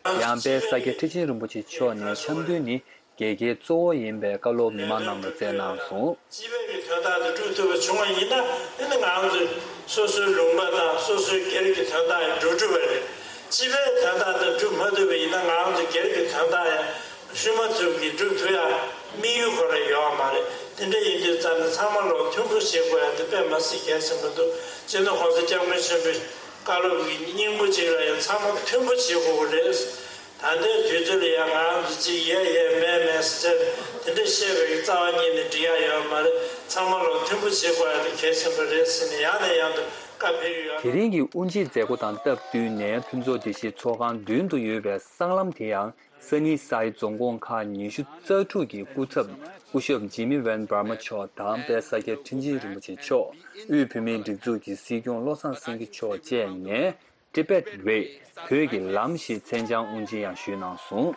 ད། ཡང་དཔལ་ས་སྐྱ་ཁྲི་ཆེན་རིན་པོ་ཆེ་མཆོག་ནས་འཆམ་མཐུན་ནི་དགེ་རྒན་གཙོ་བོ་ཡིན་པའི་བཀའ་སློབ་མི་མང་རྣམས་ལ་སྩལ་གནང་སོང་། སྤྱི་པའི་གི་དོན་དག་དེ་སྒྲུབ་ཐུབ་པ་བྱུང་བ་ཡིན་ན་ཨ་ནི་ང་རང་ཚོས་སོ་སོའི་ལུང་པ་དང་སོ་སོའི་སྒེར་གྱི་དོན་དག་ཡང་སྒྲུབ་ཐུབ་པ་རེད། སྤྱི་པའི་དོན་དག་དེ་སྒྲུབ་མ་ཐུབ་པ་ཡིན་ན་ང་རང་ཚོའི་སྒེར་གྱི་དོན་དག་ཡང་ཞུ་མ་ཐུབ་ཀྱི་སྒྲུབ་ཐུབ་ཡ་དམིགས་ཡུལ་ཁོ་རང་ཡོད་མ་རེད། དེ་འདྲ་ཡིན་དུས་ཙམ་ནས་ཚང་མ་ལོག་མཐུན་པོ་བྱེད་དགོས་ཡ་དེ་དཔེ་མ་སྲིད་གལ་ཆེན་པོ་འདུག་སྤྱི་ནོར་༸གོང་ས་༸སྐྱབས་མགོན་ཆེན་པོའི་བཀའ་སློབ་ཀྱི་སྙིང་པོ་གཅིག་ལ་ཡང་ཚང་མ་མཐུན་པོ་བྱེད་དགོས་ཀྱི་རེད། ད་ལྟའི་དུས་ཚོད་ལ་ཡང་ང་རང་ཚོ་གཅིག་ཡས་ཡས་མས་མས་ཟེར་དེ་འདྲ་བཤད་པའི་རྩ་བ་ཉིད་ནས་འགྲིག་ཡ་ཡོད་མ་རེད། ཚང་མ་ལོག་མཐུན་པོ་བྱེད་དགོས་ཡ་དེ་གལ་ཆེན་པོ་རེད་ཟེར་ནས་ཡང་ནས་ཡང་དུ་བཀའ་ཕེབས་ཀྱི་ཡོད། དེ་རིང་གི་དབུ་འབྱེད་མཛད་སྒོ་དང་སྟབས་བསྟུན་ནས་ཕུན་ཚོགས་སྡེ་བཞིའི་ཚོགས་ཁང་མདུན་དུ་ཡོད་པའི་སྲང་ལམ་དེ་ཡང་། སང་ཉིན་སའི་རྫོང་ཁོངས་ཁག་ཉི་ཤུ་རྩ་དྲུག་གི་སྐུ་ཚབ་སྐུ་ཞབས་ཇི་མི་ཝན་བྷར་མ་མཆོག་དང་དཔལ་ས་སྐྱ་ཁྲི་ཆེན་རིན་པོ་ཆེ་མཆོག་དབུས་བོད་མིའི་སྒྲིག་འཛུགས་ཀྱི་སྲིད་སྐྱོང་བློ་བཟང་སེང་གེ་མཆོག་བཅས་ནས་Tibet Way བོད་ཀྱི་ལམ་ཞེས་མཚན་བྱང་དབུ་འབྱེད་ཡང་ཞུས་གནང་སོང་།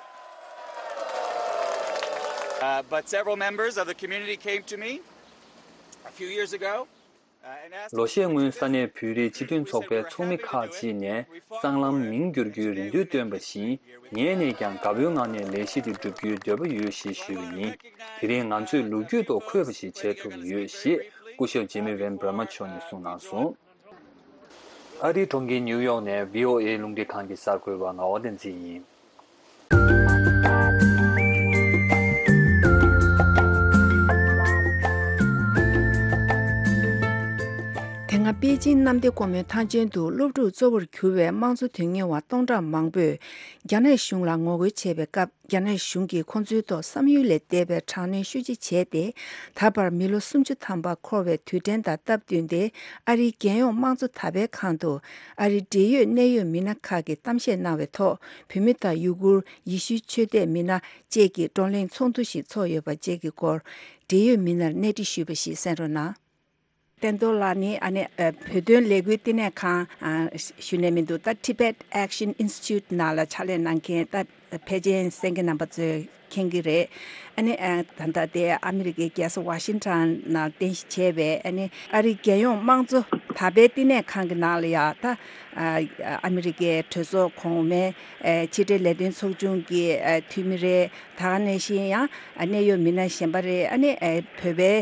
Uh, but several members of the community came to me a few years ago. ལོ་ཤས་སྔོན་ས་གནས་བོད་རིགས་སྤྱི་མཐུན་ཚོགས་པའི་ཚོགས་མི་ཁག་ཅིག་ནས་སྲང་ལམ་མིང་བསྒྱུར་རྒྱུའི་རེ་འདུན་བཏོན་པ་བཞིན་ངས་ནས་ཀྱང་དགའ་པོའི་ངང་ནས་ལས་གཞི་དེ་བསྒྲུབ་རྒྱུའི་འདོད་པ་ཡོད་ཞེས་ཞུས་པ་ཡིན། དེ་རིང་ང་ཚོས་ལོ་རྒྱུས་ཐོག་འཁོད་པ་ཞིག་བྱེད་ཐུབ་ཡོད་ཞེས་སྐུ་ཞབས་ཇེ་མི་ཝན་བྷར་མ་མཆོག་ནས་གསུངས་གནང་སོང་། ཨ་རིའི་གྲོང་ཁྱེར་ནིའུ་ཡོག་ནས་བྷི་ཨོ་ཨེ་རླུང་འཕྲིན་ཁང་གི་གསར་འགོད་པ་ངག་དབང་བསྟན་འཛིན་ཡིན། དེ་སྔ་པེ་ཅིན་གནམ་བདེ་སྒོ་མོའི་ཐང་ཆེན་དུ་སློབ་ཕྲུག་གཙོ་བོར་གྱུར་བའི་དམངས་གཙོ་དོན་གཉེར་བ་སྟོང་ཕྲག་མང་པོས་རྒྱ་ནག་གཞུང་ལ་ངོ་རྒོལ་བྱས་པའི་སྐབས། རྒྱ་ནག་གཞུང་གིས་ཁོང་ཚོའི་ཐོག་བསམ་ཡུལ་ལས་འདས་པའི་དྲག་གནོན་ཤུགས་ཆེ་བྱས་ཏེ། ད་བར་མི་ལོ་སུམ་ཅུ་ཐམ་པ་འཁོར་བའི་དུས་དྲན་དང་སྟབས་བསྟུན་ཏེ། ཨ་རིའི་རྒྱལ་ཡོངས་དམངས་གཙོ་དར་སྤེལ་ཁང་དུ་ཨ་རིའི་འབྲེལ་ཡོད་གནད་ཡོད་མི་སྣ་ཁག་གིས་གཏམ་བཤད་གནང་བའི་ཐོག་བོད་མི་དང་ཡུ་གུར། ཡེ་ཤུའི་ཆོས་དད་མི་སྣ་བཅས་ཀྱི་བགྲོ་གླེང་ཚོགས་འདུ་ཞིག་ཚོགས་ཡོད་པ་བཅས་ཀྱི་སྐོར། འབྲེལ་ཡོད་མི་སྣར་གནས་འདྲི་ཞུས་པ་ཞིག་གསན་རོགས་གནང་། བསྟན་རྡོར་ལགས་ནི་ཨ་ནི་ཨ་བོད་དོན་ལས་འགུལ་བསྟི་གནས་ཁང་ཨ་ཞུ་ནས་མི་འདུག་ད་Tibet Action Institute ནང་ལ་ཕྱག་ལས་གནང་མཁན་ད་ཕལ་ཆེར་གསན་མཁན་རྣམ་པ་ཚོས་མཁྱེན་གྱི་རེད། ཨ་ནི་ཨ་ད་ལྟ་དེ་ཨ་མི་རི་ཀའི་རྒྱལ་ས་ཝ་ཤིང་ཊོན་ནང་རྟེན་གཞི་བྱས་པའི་ཨ་ནི་ཨ་རིའི་རྒྱལ་ཡོངས་དམངས་གཙོ་དར་སྤེལ་བསྟི་གནས་ཁང་གི་ནང་ལ་ཡ་ད་ཨ་ཨ་མི་རི་ཀའི་གྲོས་ཚོགས་གོང་མའི་ཨ་ཕྱི་འབྲེལ་ལས་དོན་ཚོགས་ཆུང་གི་ཨ་འཐུས་མི་རེད། ད་ག་ནང་བཞིན་ཡང་གནད་ཡོད་མི་སྣ་གཞན་པ་རེད། ཨ་ནི་བོད་པའི་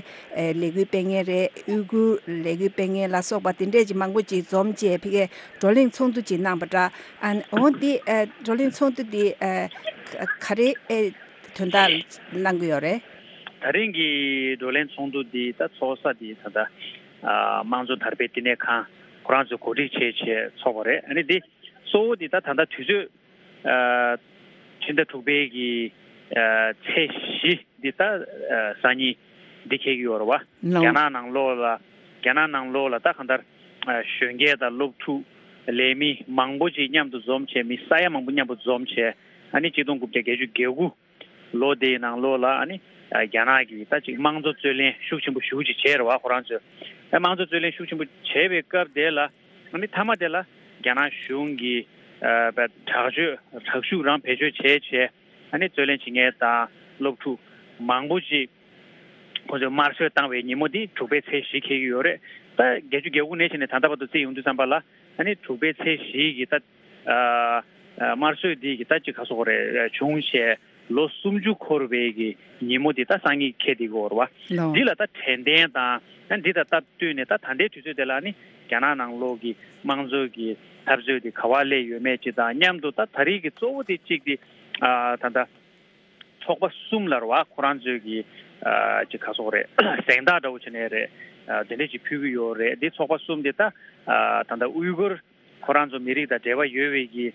ལས་འགུལ་སྤེལ་མཁན་རེད། ཨུ་གུར་ལས་འགུལ་སྤེལ་མཁན་ལ་སོགས་པ་དེ་འདྲས་ཀྱི་མང་པོ་ཅིག་འཛོམས་བྱས་ཕ་གིའི་བགྲོ་གླེང་ཚོགས་འདུ་ཅིག་གནང་པ་འདྲ། ཨ་འོ་འདི་བགྲོ་གླེང་ཚོགས་འདུ་འདི་ག་རེ་དོན་དག་གནང་གི་ཡོད་རེད། ད་རིང་གི་བགྲོ་གླེང་ཚོགས་འདུ་འདི་ད་ཚོགས་ས་འདི་ད་ལྟ་དམངས་གཙོ་དར་སྤེལ་བསྟི་གནས་ཁང་ཁོ་རང་ཚོས་གོ་སྒྲིག་བྱས་བྱས་ཚོགས་པ་རེད། ཨ་ནི་འདི་གཙོ་བོ་འདི་ད་ད་ལྟ་དུས་ཚོད། ཨ་ཕྱི་ཟླ་དྲུག་པའི་གི་ཨ་ཚེས་བཞི་འདི་ད་ཨ་སང་ཉིན་འདི་འཁེལ་གྱི་ཡོད་རེད་བ། ལོ། རྒྱ་ནག་ནང་ལོགས་ལ་རྒྱ་ནག་ནང་ལོགས་ལ་ད་གང་ལྟར་ཨ་གཞོན་སྐྱེས་དང་སློབ་ཕྲུག་ལས་མི་མང་པོ་ཅིག་མཉམ་དུ་འཛོམས་བྱས། མི་ས་ཡ་མང་པོ་མཉམ་དུ་འཛོམས་བྱས། ཨ་ནི་གཅིག་སྟོང་དགུ་བརྒྱ་བརྒྱད་ཅུ་གྱ་དགུ་ལོ་དེའི་ནང་ལོགས་ལ་ཨ་ནི་ཨ་རྒྱ་ནག་གིས་ད་ཅིག་དམངས་གཙོ་རྩོད་ལེན་ཤུགས་ཆེན་པོ་ཞེ་པོ་ཅིག་བྱས་རེད་བ། ཁོ་རང་ཚོས་ཨ་དམངས་གཙོ་རྩོད་ལེན་ཤུགས་ཆེན་པོ་བྱས་པའི་སྐབས་དེ་ལ། ཨ་ནི་མཐའ་མ་དེ་ལ་རྒྱ་ནག་གཞུང་གིས་ཨ་དྲག་སྤྱོད་དྲག་ཤུགས་རང་བེད་སྤྱོད་བྱས་བྱས། ཨ་ནི་རྩོད་ལེན་བྱེད་མཁན་དང་སློབ་ཕྲུག་མང་པོ་ཅིག་ཁོ་ཚོས་དམར་གསོད་བཏང་བའི་ཉིན་མོ་འདི་དྲུག་པའི་ཚེས་བཞི་འཁེལ་གྱི་ཡོད་རེད། ད་བརྒྱད་ཅུ་གྱ་དགུ་ནས་བྱས་ནས་ད་ལྟ་བར་དུ་བརྩིས་ཡོང་དུས་ཙམ་པ་ལ། ཨ་ནི་དྲུག་པའི་ཚེས་བཞི་གི་ད་ཨ་ཨ་དམར་གསོད་འདི་གི་ད་ཅིག་ག་སོགས་རེད་བྱུང་བྱས། ལོ་སུམ་ཅུ་འཁོར་བའི་གི་ཉིན་མོ་འདི་ད་སང་ཉིན་འཁེལ་བསྡད་ཀྱི་ཡོད་རེད་བ། ལོ། འདི་ལ་ད་དྲན་རྟེན་དང་ཨ་འདི་དང་སྟབས་བསྟུན་ནས་ད་ད་ལྟའི་དུས་ཚོད་དེ་ལ་ནི་རྒྱ་ནག་ནང་ལོགས་ཀྱི་དམངས་གཙོའི་གི་འཐབ་རྩོད་འདི་ག་བ་སླེབས་ཡོད་མེད་ཅིག་དང་མཉམ་དུ་ད་ད་རེས་ཀྱི་གཙོ་བོ་དེ་གཅིག་དེ་ཨ་ད་ད་ཚོགས་པ་གསུམ་ལ་རེད་བ། ཁོ་རང་ཚོའི་གི་ཨ་ཅིག་ག་སོགས་རེད། གཟེངས་རྟགས་འདྲ་བོ་བྱས་ནས་རེད། ཨ་དེ་འདྲས་ཅིག་ཕུལ་གྱི་ཡོད་རེད། འདི་ཚོགས་པ་གསུམ་དེ་ད་ཨ་ད་ད་ཨུའི་གུར་ཁོ་རང་ཚོ་མི་རིགས་དང་འབྲེལ་བ་ཡོད་པའི་གི་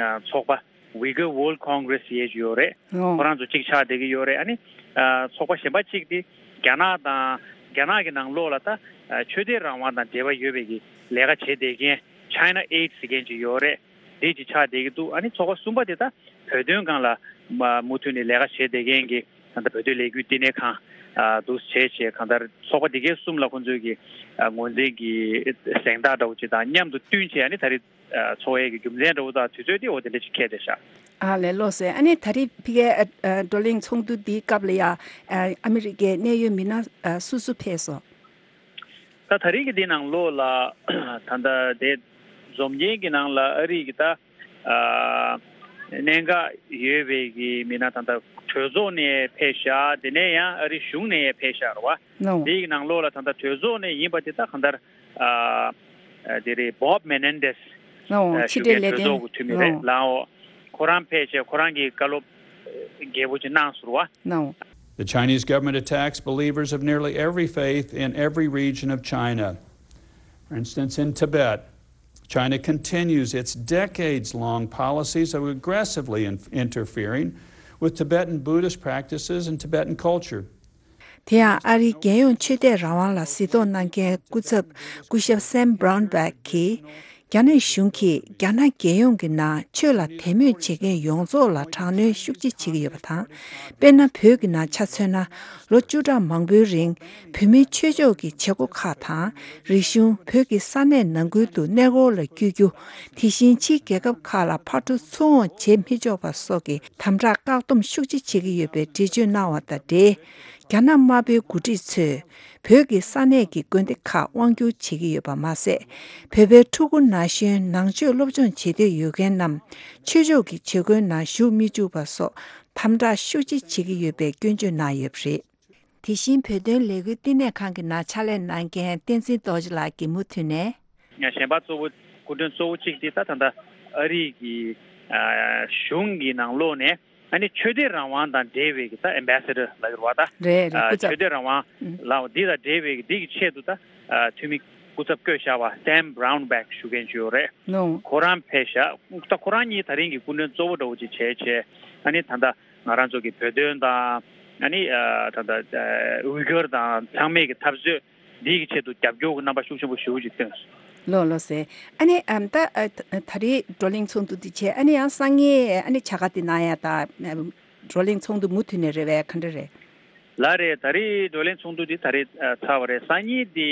ཨ་ཚོགས་པ་Uyghur World Congress ཟེར་ཡས་ཅིག་ཡོད་རེད། ཨོ། ཁོ་རང་ཚོ་གཅིག་ཆགས་བསྡད་ཀྱི་ཡོད་རེད། ཨ་ནི་ཨ་ཚོགས་པ་གཞན་པ་གཅིག་དེ་རྒྱ་ནག་དང་རྒྱ་ནག་གི་ནང་ལོགས་ལ་ད་ཨ་ཆོས་དད་རང་དབང་དང་འབྲེལ་བ་ཡོད་པའི་གི་ལས་ཀ་བྱེད་བསྡད་མཁན་China Aid ཟེར་མཁན་ཅིག་ཡོད་རེད། དེ་ཅིག་ཆགས་བསྡད་ཀྱི་འདུག་ཨ་ནི་ཚོགས་པ་གསུམ་པ་དེ་ད་བོད་དོན་སྒང་ལ་མ་མུ་མཐུད་ནས་ལས་ཀ་བྱེད་བསྡད་མཁན་གྱི་གང་ལྟར་བོད་དོན་ལས་འགུལ་བསྟི་གནས་ཁང་ཨ་འདུག་བྱས་བྱས་གང་ལྟར་ཚོགས་པ་འདི་གའི་གསུམ་ལ་ཁོང་ཚོའི་གི་ཨ་ངོས་འཛིན་གྱི་གཟེངས་རྟགས་འདྲ་བོ་ཅིག་དང་མཉམ་དུ་བསྟུན་བྱས་ཨ་ནི་ད་རེས་ཨ་ཚོགས་ཡས་ཀྱི་རྒྱུ་མཚན་འདྲ་བོ་དང་དུས་ཚོད་དེ་འོ་དེ་འདྲ་ཅིག་འཁེལ་བསྡད་ཤག་ཨ་ལས། ལགས་སོ། ཨ་ནི་ད་རེས་ཕ་གིའི་ཨ་ཨ་བགྲོ་གླེང་ཚོགས་འདུ་འདིའི་སྐབས་ལ་ཡ་ཨ་ཨ་མི་རི་ཀའི་གནད་ཡོད་མི་སྣ་ཨ་སུ་སུ་ཕེབས་སོང་། ད་ད་རེས་ཀྱི་འདི་ནང་ལོགས་ལ་ད་ལྟ་དེ་འཛོམས་མཁན་གྱི་ནང་ལ་ཨ་རི་གི་ད་ཨ་གནད་འགག་ཡོད་པའི་གི་མི་སྣ་ད་ལྟ་གྲོས་ཚོགས་ནས་ཕེབས་ཤག་དེ་ནས་ཡང་ཨ་རི་གཞུང་ནས་ཡང་ཕེབས་ཤག་རེད་བ། ནོ། དེའི་ནང་ལོགས་ལ་ད་ལྟ་གྲོས་ཚོགས་ནས་ཡིན་པ་དེ་ད་གང་ལྟར་ཨ་ཨ་དེ་རེད། Bob Menendez ནོ། ཨ་ཕྱི་ཞུ་འབྲེལ་མཁན་ལས་གྲོས་དོན་ཚོགས་ཀྱི་འཐུས་མི་རེད། ནོ། ལའོ། ཁོ་རང་ཕེབས་བྱས་ཁོ་རང་གིས་བཀའ་སློབ་ཨ་རྒྱས་པོ་ཅིག་གནང་སོང་བ། ནོ། The Chinese government attacks believers of nearly every faith in every region of China. For instance, in Tibet, China continues its decades-long policies of aggressively in- interfering with Tibetan Buddhist practices and Tibetan culture. དེ་ཡང་ཨ་རིའི་རྒྱལ་ཡོངས་ཆོས་དད་རང་དབང་ལ་གཟིགས་རྟོག་གནང་མཁན་སྐུ་ཚབ་སྐུ་ཞབས་Sam Brownback གིས། རྒྱ་ནག་གཞུང་གིས་རྒྱ་ནག་རྒྱལ་ཡོངས་ཀྱི་ནང་ཆོས་ལ་དད་མོས་བྱེད་མཁན་ཡོངས་རྫོགས་ལ་དྲག་གནོན་ཤུགས་ཆེ་བྱེད་ཀྱི་ཡོད་པ་དང་། དཔེར་ན། བོད་ཀྱི་ནང་ཆ་མཚོན་ན། ལོ་བཅུ་ཕྲག་མང་པོའི་རིང་། བོད་མིའི་ཆོས་ཕྱོགས་ཀྱི་བྱེད་སྒོ་ཁག་དང་། རིག་གཞུང་། བོད་ཀྱི་ས་གནས་ནང་ཁུལ་དུ་གནས་སྐོར་ལ་བསྐྱོད་རྒྱུ། དེ་བཞིན་ཕྱིའི་རྒྱལ་ཁབ་ཁག་ལ་ཕར་འགྲོ་ཚུར་འོང་བྱེད་མི་ཆོག་པ་སོགས་ཀྱི་དམ་དྲག་བཀག་སྡོམ་ཤུགས་ཆེ་བྱེད་ཀྱི་ཡོད་པའི་འགྲེལ་བརྗོད་གནང་བ་དང་འབྲེལ། རྒྱ་ནག་དམར་པོའི་འགོ་ཁྲིད་ཚོས། བོད་ཀྱི་ས་གནས་ཀྱི་དགོན་སྡེ་ཁག་དབང་བསྒྱུར་བྱེད་ཀྱི་ཡོད་པ་མ་ཟད། བོད་པའི་ཕྲུ་གུ་ན་གཞོན་ནང་ཆོས་སློབ་སྦྱོང་བྱེད་འདོད་ཡོད་མཁན་རྣམས་ཆོས་ཕྱོགས་ཀྱི་བྱེད་སྒོའི་ནང་ཞུགས་མི་བཅུག་པ་སོགས་དམ་དྲག་ཤུགས་ཆེ་བྱེད་ཀྱི་ཡོད་པའི་སྐྱོན་བརྗོད་གནང་ཡོད་པ་རེད། དེ་བཞིན་བོད་དོན་ལས་འགུལ་བསྟི་གནས་ཁང་གི་ནང་ཕྱག་ལས་གནང་མཁན་བསྟན་འཛིན་རྡོ་རྗེ་ལགས་ཀྱིས་མུ་མཐུད་ནས། ཡང་གཞན་པ་གཙོ་བོ་སྐུ་མགྲོན་གཙོ་བོ་གཅིག་དེ་ད་ད་ལྟ་ཨ་རི་གི་ཨ་གཞུང་གི་ནང་ལོགས་ནས། ཨ་ནི་ཆོས་དད་རང་དབང་དང་འབྲེལ་བའི་གི་ད་ཨེམ་བྷེ་སེ་ཌར་ལབ་ཀྱི་རེད་བ་ད། རེད་རེད། ཨ་སྐུ་ཚབ། ཆོས་དད་རང་དབང་ཨུ། ལ་འདི་དང་འབྲེལ་བའི་གི་འདི་གི་ཆེད་དུ་ད་ཨ་འཐུས་མི་སྐུ་ཚབ་བསྐོས་བཞག་པ་Sam Brownback ཞུ་མཁན་ཅིག་ཡོད་རེད། ནོ། ཁོ་རང་ཕེབས་ཤག་ད་ཁོ་རང་གཉིས་ད་རིང་གི་སྐུ་མགྲོན་གཙོ་བོ་འདྲ་བོ་ཅིག་བྱས་བྱས། ཨ་ནི་ད་ལྟ་ང་རང་ཚོ་གི་བོད་དོན་དང་། ཨ་ནི་ཨ་ད་ལྟ་ཨ་ཨུའི་གུར་དང་ཚང་མའི་གི་འཐབ་རྩོད་འདི་གི་ཆེད་དུ་རྒྱབ་སྐྱོར་གྱི་རྣམ་པ་ཤུགས་ཆེན་པོ་ཞེ་པོ་ཅིག་བཏོན་སོང་། ལགས་ལགས་སེ། ཨ་ནི་ཨམ་ད་ཨ་ད་ད་རེས་བགྲོ་གླེང་ཚོགས་འདུ་འདི་བྱས། ཨ་ནི་ཡང་སང་ཉིན་ཨ་ནི་བྱ་དགའ་འདི་གནང་ཡ་ད་ཨམ་བགྲོ་གླེང་ཚོགས་འདུ་མུ་མཐུད་ནས་རེད་པས། ག་འདྲ་རེད། ལགས་རེད། ད་རེས་བགྲོ་གླེང་ཚོགས་འདུ་འདི་ད་རེས་ཨ་ཚར་བ་རེད། སང་ཉིན་འདི་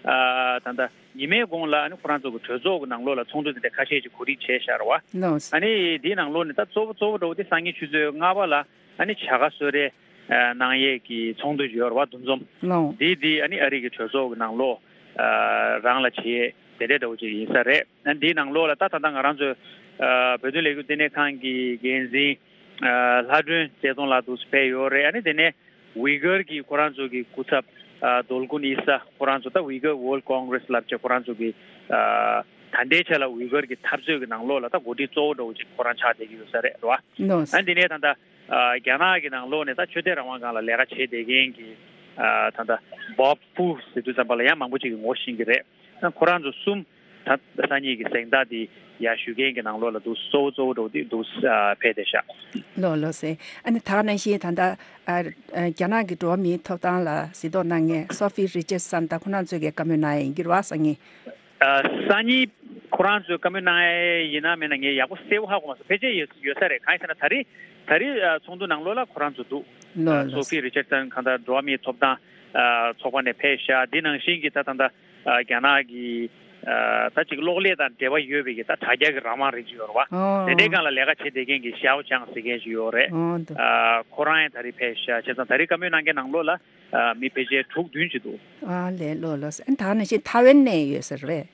ཨ་ད་ལྟ་ཉི་མའི་གོང་ལ་ཨ་ནི་ཁོ་རང་ཚོ་གི་གྲོས་ཚོགས་ཀྱི་ནང་ལོགས་ལ་ཚོགས་འདུ་འདི་འདྲ་ཁ་ཤས་ཅིག་གོ་སྒྲིག་བྱས་བཞག་རེད་བ། ལགས་སོ། ཨ་ནི་འདིའི་ནང་ལོགས་ནས་ད་གཙོ་བོ་གཙོ་བོ་འདྲ་བོ་འདི་སང་ཉིན་ཆུ་ཚོད་ལྔ་པ་ལ་ཨ་ནི་བྱ་དགའ་གསོལ་རས་ཨ་གནང་ཡས་ཀྱི་ཚོགས་འདུ་ཡོད་རེད་བ། འདུ་འཛོམས། ལགས། འདི་འདི་ཨ་ནི་ཨ་རི་གི་གྲོས་ཚོགས་ཀྱི་ནང་ལོགས་ཨ་རང་ལ་བྱེད་ཡས་དེ་འདྲ་འདྲ་བོ་ཅིག་ཡིན་ས་རེད། ཨ་འདིའི་ནང་ལོགས་ལ་ད་ད་ལྟ་ང་རང་ཚོའི་ཨ་བོད་དོན་ལས་འགུལ་བསྟི་གནས་ཁང་གི་འགན་འཛིན་ཨ་ལྷ་སྒྲོན་རྩེ་གདོང་ལགས་འདུག་སེ་ཕེབས་ཡོད་རེད། ཨ་ནི་དེ་ནས་ཝི་གར་གྱི་ཁོ་རང་ཚོ་གི་སྐུ་ཚབ་ཨ་རྡོ་ཀུན་ཨི་ས་ཁོ་རང་ཚོ་ད་ཝི་གར་ཝརལ་ཌི་ཀོང་གྷི་རེ་སི་ལབ་བྱས། ཁོ་རང་ཚོ་གི་ཨ་ད་ལྟའི་ཆ་ལ་ཝི་གར་གྱི་འཐབ་རྩོད་ཀྱི་ནང་ལོགས་ལ་ད་འགོ་ཁྲིད་གཙོ་བོ་འདྲ་བོ་ཅིག་ཁོ་རང་ཆགས་བསྡད་ཀྱི་ཡོད་ས་རེད་རེད་བ། ལགས་སོ། ཨ་འདི་ནས་ད་ལྟ་ཨ་རྒྱ་ནག་གི་ནང་ལོགས་ནས་ད་ཆོས་དད་རང་དབང་སྒང་ལ་ལས་ཀ་བྱེད་བསྡད་མཁན་གྱི་ཨ་ད་ལྟ་བོབ་ཧྥུ་ཟེར་དུས་ཙམ་པ་ལ་ཡང་མང་པོ་ཅིག་གིས་ངོ་ཤེས་ཀྱི་རེད། ཨ་ཁོ་རང་ཚོ་གསུམ་ད་སང་ཉིན་གྱི་གཟེངས་རྟགས་འདི་ཡར་ཞུ་མཁན་གྱི་ནང་ལོགས་ལ་འདུག་གཙོ་བོ་གཙོ་བོ་འདྲ་བོ་འདི་འདུག་ཨ་ཕེབས་བསྡད་ཤག་ལགས་ལགས་སེ། ཨ་ནི་ད་ག་ནང་བཞིན་ད་ལྟ་ཨ་རྒྱ་ནག་གི་འགྲོ་བ་མིའི་ཐོབ་ཐང་ལ་གཟིགས་རྟོག་གནང་མཁན་སོ་ཕི་རི་ཅར་སན་དང་ཁོ་རང་ཚོས་ཀྱི་བཀའ་མོལ་གནང་ཡས་ཡིན་གྱི་རེད་བ། སང་ཉིན། ཨ་སང་ཉིན་ཁོ་རང་ཚོས་བཀའ་མོལ་གནང་ཡས་ཡིན་ན་མིན་ན་ངས་ཡག་པོ་གསལ་པོ་ཧ་གོ་མ་སོང་། ཕལ་ཆེར་ཡོད་ཡོད་ས་རེད། གང་ཡིན་ཟེར་ན་ད་རེས་ད་རེས་ཨ་ཚོགས་འདུ་ནང་ལོགས་ལ་ཁོ་རང་ཚོ་འདུག་ལགས་ལགས། སོ་ཕི་རི་ཅར་སན་གང་ལྟར་འགྲོ་བ་མིའི་ཐོབ་ཐང་ཨ་ཚོགས་པ་ནས་ཕེབས་ཤག་འདི་ནང་བཞིན་གྱི་ད་ད་ལྟ་ཨ་རྒྱ་ནག་གི་ཨ་ད་ཅིག་གློག་ཀླད་དང་འབྲེལ་བ་ཡོད་པའི་གི་ད་དྲ་རྒྱ་གི་རང་དབང་རེད་ཅིག་ཡོད་རེད་བ། ཨོ། དེ་འདྲའི་སྒང་ལ་ལས་ཀ་བྱེད་བསྡད་མཁན་གྱི་ཞའོ་ཅང་ཟེར་མཁན་ཞིག་ཡོད་རེད། ཨོ་འདུག་ཨ་ཁོ་རང་ཡང་ད་རེས་ཕེབས་ཤག་བྱས་ཙང་ད་རེས་བཀའ་མོལ་གནང་མཁན་ནང་ལོགས་ལ་ཨ་མི་ཕལ་ཆེར་དྲུག་བདུན་ཅིག་འདུག་ཨ་ལས། ལགས་ལགས། ཨ་ད་ག་ནང་བཞིན་ཐའེ་ཝན་ནས་ཡོད་ས་རེད།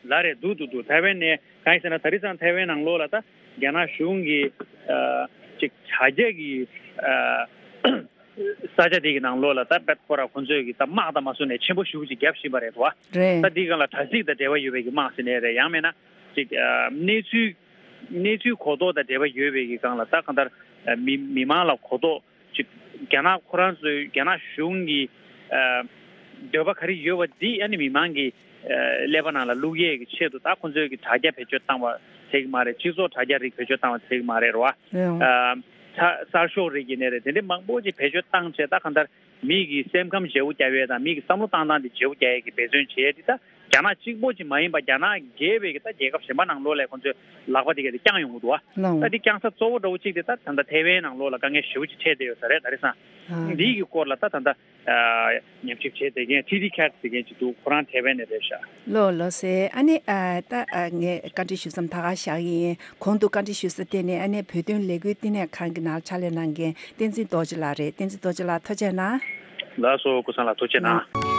ལགས་རེད། འདུག་འདུག་འདུག་ཐའེ་ཝན་ནས། གང་ཡིན་ཟེར་ན་ད་རེས་ཙང་ཐའེ་ཝན་ནང་ལོགས་ལ་ད་རྒྱ་ནག་གཞུང་གིས་ཨ་ ཅིག་དྲ་རྒྱ་གི་ཨ་ས་ཆ་དེ་གི་ནང་ལོགས་ལ་ད་དཔེ་ཁོ་ར་ཁོ་ཚོས་གི་ད་དམག་དང་མ་སུ་ནས་ཆེན་པོ་ཞེ་པོ་ཅིག་བརྒྱབ་བཞིན་པ་རེད་བ། རེད། ད་འདི་སྒང་ལ་དྲ་ཚིགས་དང་འབྲེལ་བ་ཡོད་པའི་གི་དམག་ཟེར་ནའི་རེད། ཡང་མིན་ན་ཅིག་ཨ་གནས་ཚུལ་གནས་ཚུལ་གོ་རྟོགས་དང་འབྲེལ་བ་ཡོད་པའི་གི་སྒང་ལ་ད་གང་ལྟར་ཨ་མི་མི་མང་ལ་གོ་རྟོགས་ཅིག་རྒྱ་ནག་ཁོ་རང་ཚོའི་རྒྱ་ནག་གཞུང་གི་ཨ་འདོད་པ་ག་རེ་ཡོད་པ་འདི་ཨ་ནི་མི་མང་གི་ཨ་ཀླད་པ་ནང་ལ་བླུག་ཡས་ཀྱི་ཆེད་དུ་ད་ཁོ་ཚོས་ཀྱི་དྲ་རྒྱ་བེད་སྤྱོད་བཏང་བ་ཚད་ཀྱི་མ་རེད། སྤྱི་ཚོགས་དྲ་རྒྱ་རིགས་བེད་སྤྱོད་བཏང་བ་ཚད་ཀྱི་མ་རེད་རོ། ཨ་ཚ་གསར་ཤོག་རིགས་ཀྱི་ནས་རེད། དེ་འདྲའི་མང་པོ་ཅིག་བེད་སྤྱོད་བཏང་བྱས་ད་གང་ལྟར་མི་གི་སེམས་ཁམས་བརྗེ་པོ་རྒྱག་ཡས་དང་མི་གི་བསམ་བློ་བཏང་སྟངས་དེ་བརྗེ་པོ་རྒྱག་ཡས་ཀྱི་འབད་བརྩོན་བྱེད་ཡས་དེ་ད་རྒྱ་ནག་གཅིག་པོ་ཅིག་མ་ཡིན་པ་རྒྱ་ནག་བརྒལ་བའི་གི་ད་རྒྱལ་ཁབ་གཞན་པ་ནང་ལོགས་ལ་ཁོང་ཚོས་ལག་པ་དེ་ག་དེ་བརྐྱངས་ཡོང་གི་འདུག་བ། ལགས། ད་འདི་བརྐྱངས་ས་གཙོ་བོ་འདྲ་བོ་གཅིག་དེ་ད་ད་ལྟ་ཐའེ་ཝན་ནང་ལོགས་ལ་དཀའ་ངལ་ཞེ་པོ་ཅིག་འཕྲད་བསྡད་ཡོད་ས་རེད། ད་རེས་སང་འདིའི་གི་སྐོར་ལ་ད་ད་ལྟ་ཨ་ཉམས་ཞིབ་བྱས་བསྡད་མཁན་ཊི་ཌི་ཁེ་ཊི་ཟེར་མཁན་ཅིག་འདུག་ཁོ་རང་ཐའེ་ཝན་ནས་རེད་ཤག་ལགས་ལགས་སེ། ཨ་ནི་ཨ་ད་ཨ་ངས་བཀའ་འདྲི་ཞུ་མཚམས་ད་ག་བཞག་གི་ཡིན། གོང་དུ་བཀའ་འདྲི་ཞུ་ས་དེ་ནས་ཨ་ནི་བོད་དོན་ལས་འགུལ་བསྟི་གནས་ཁང་གི་ནང་ཕྱག་ལས་གནང་མཁན་བསྟན་འཛིན་རྡོ་རྗེ་ལགས་རེད། བསྟན་འཛིན་རྡོ་རྗེ་ལགས་ཐུགས་རྗེ་གནང་། ལགས་སོ། ཀུན་བཟང་ལགས་ཐུགས་རྗེ་གནང་།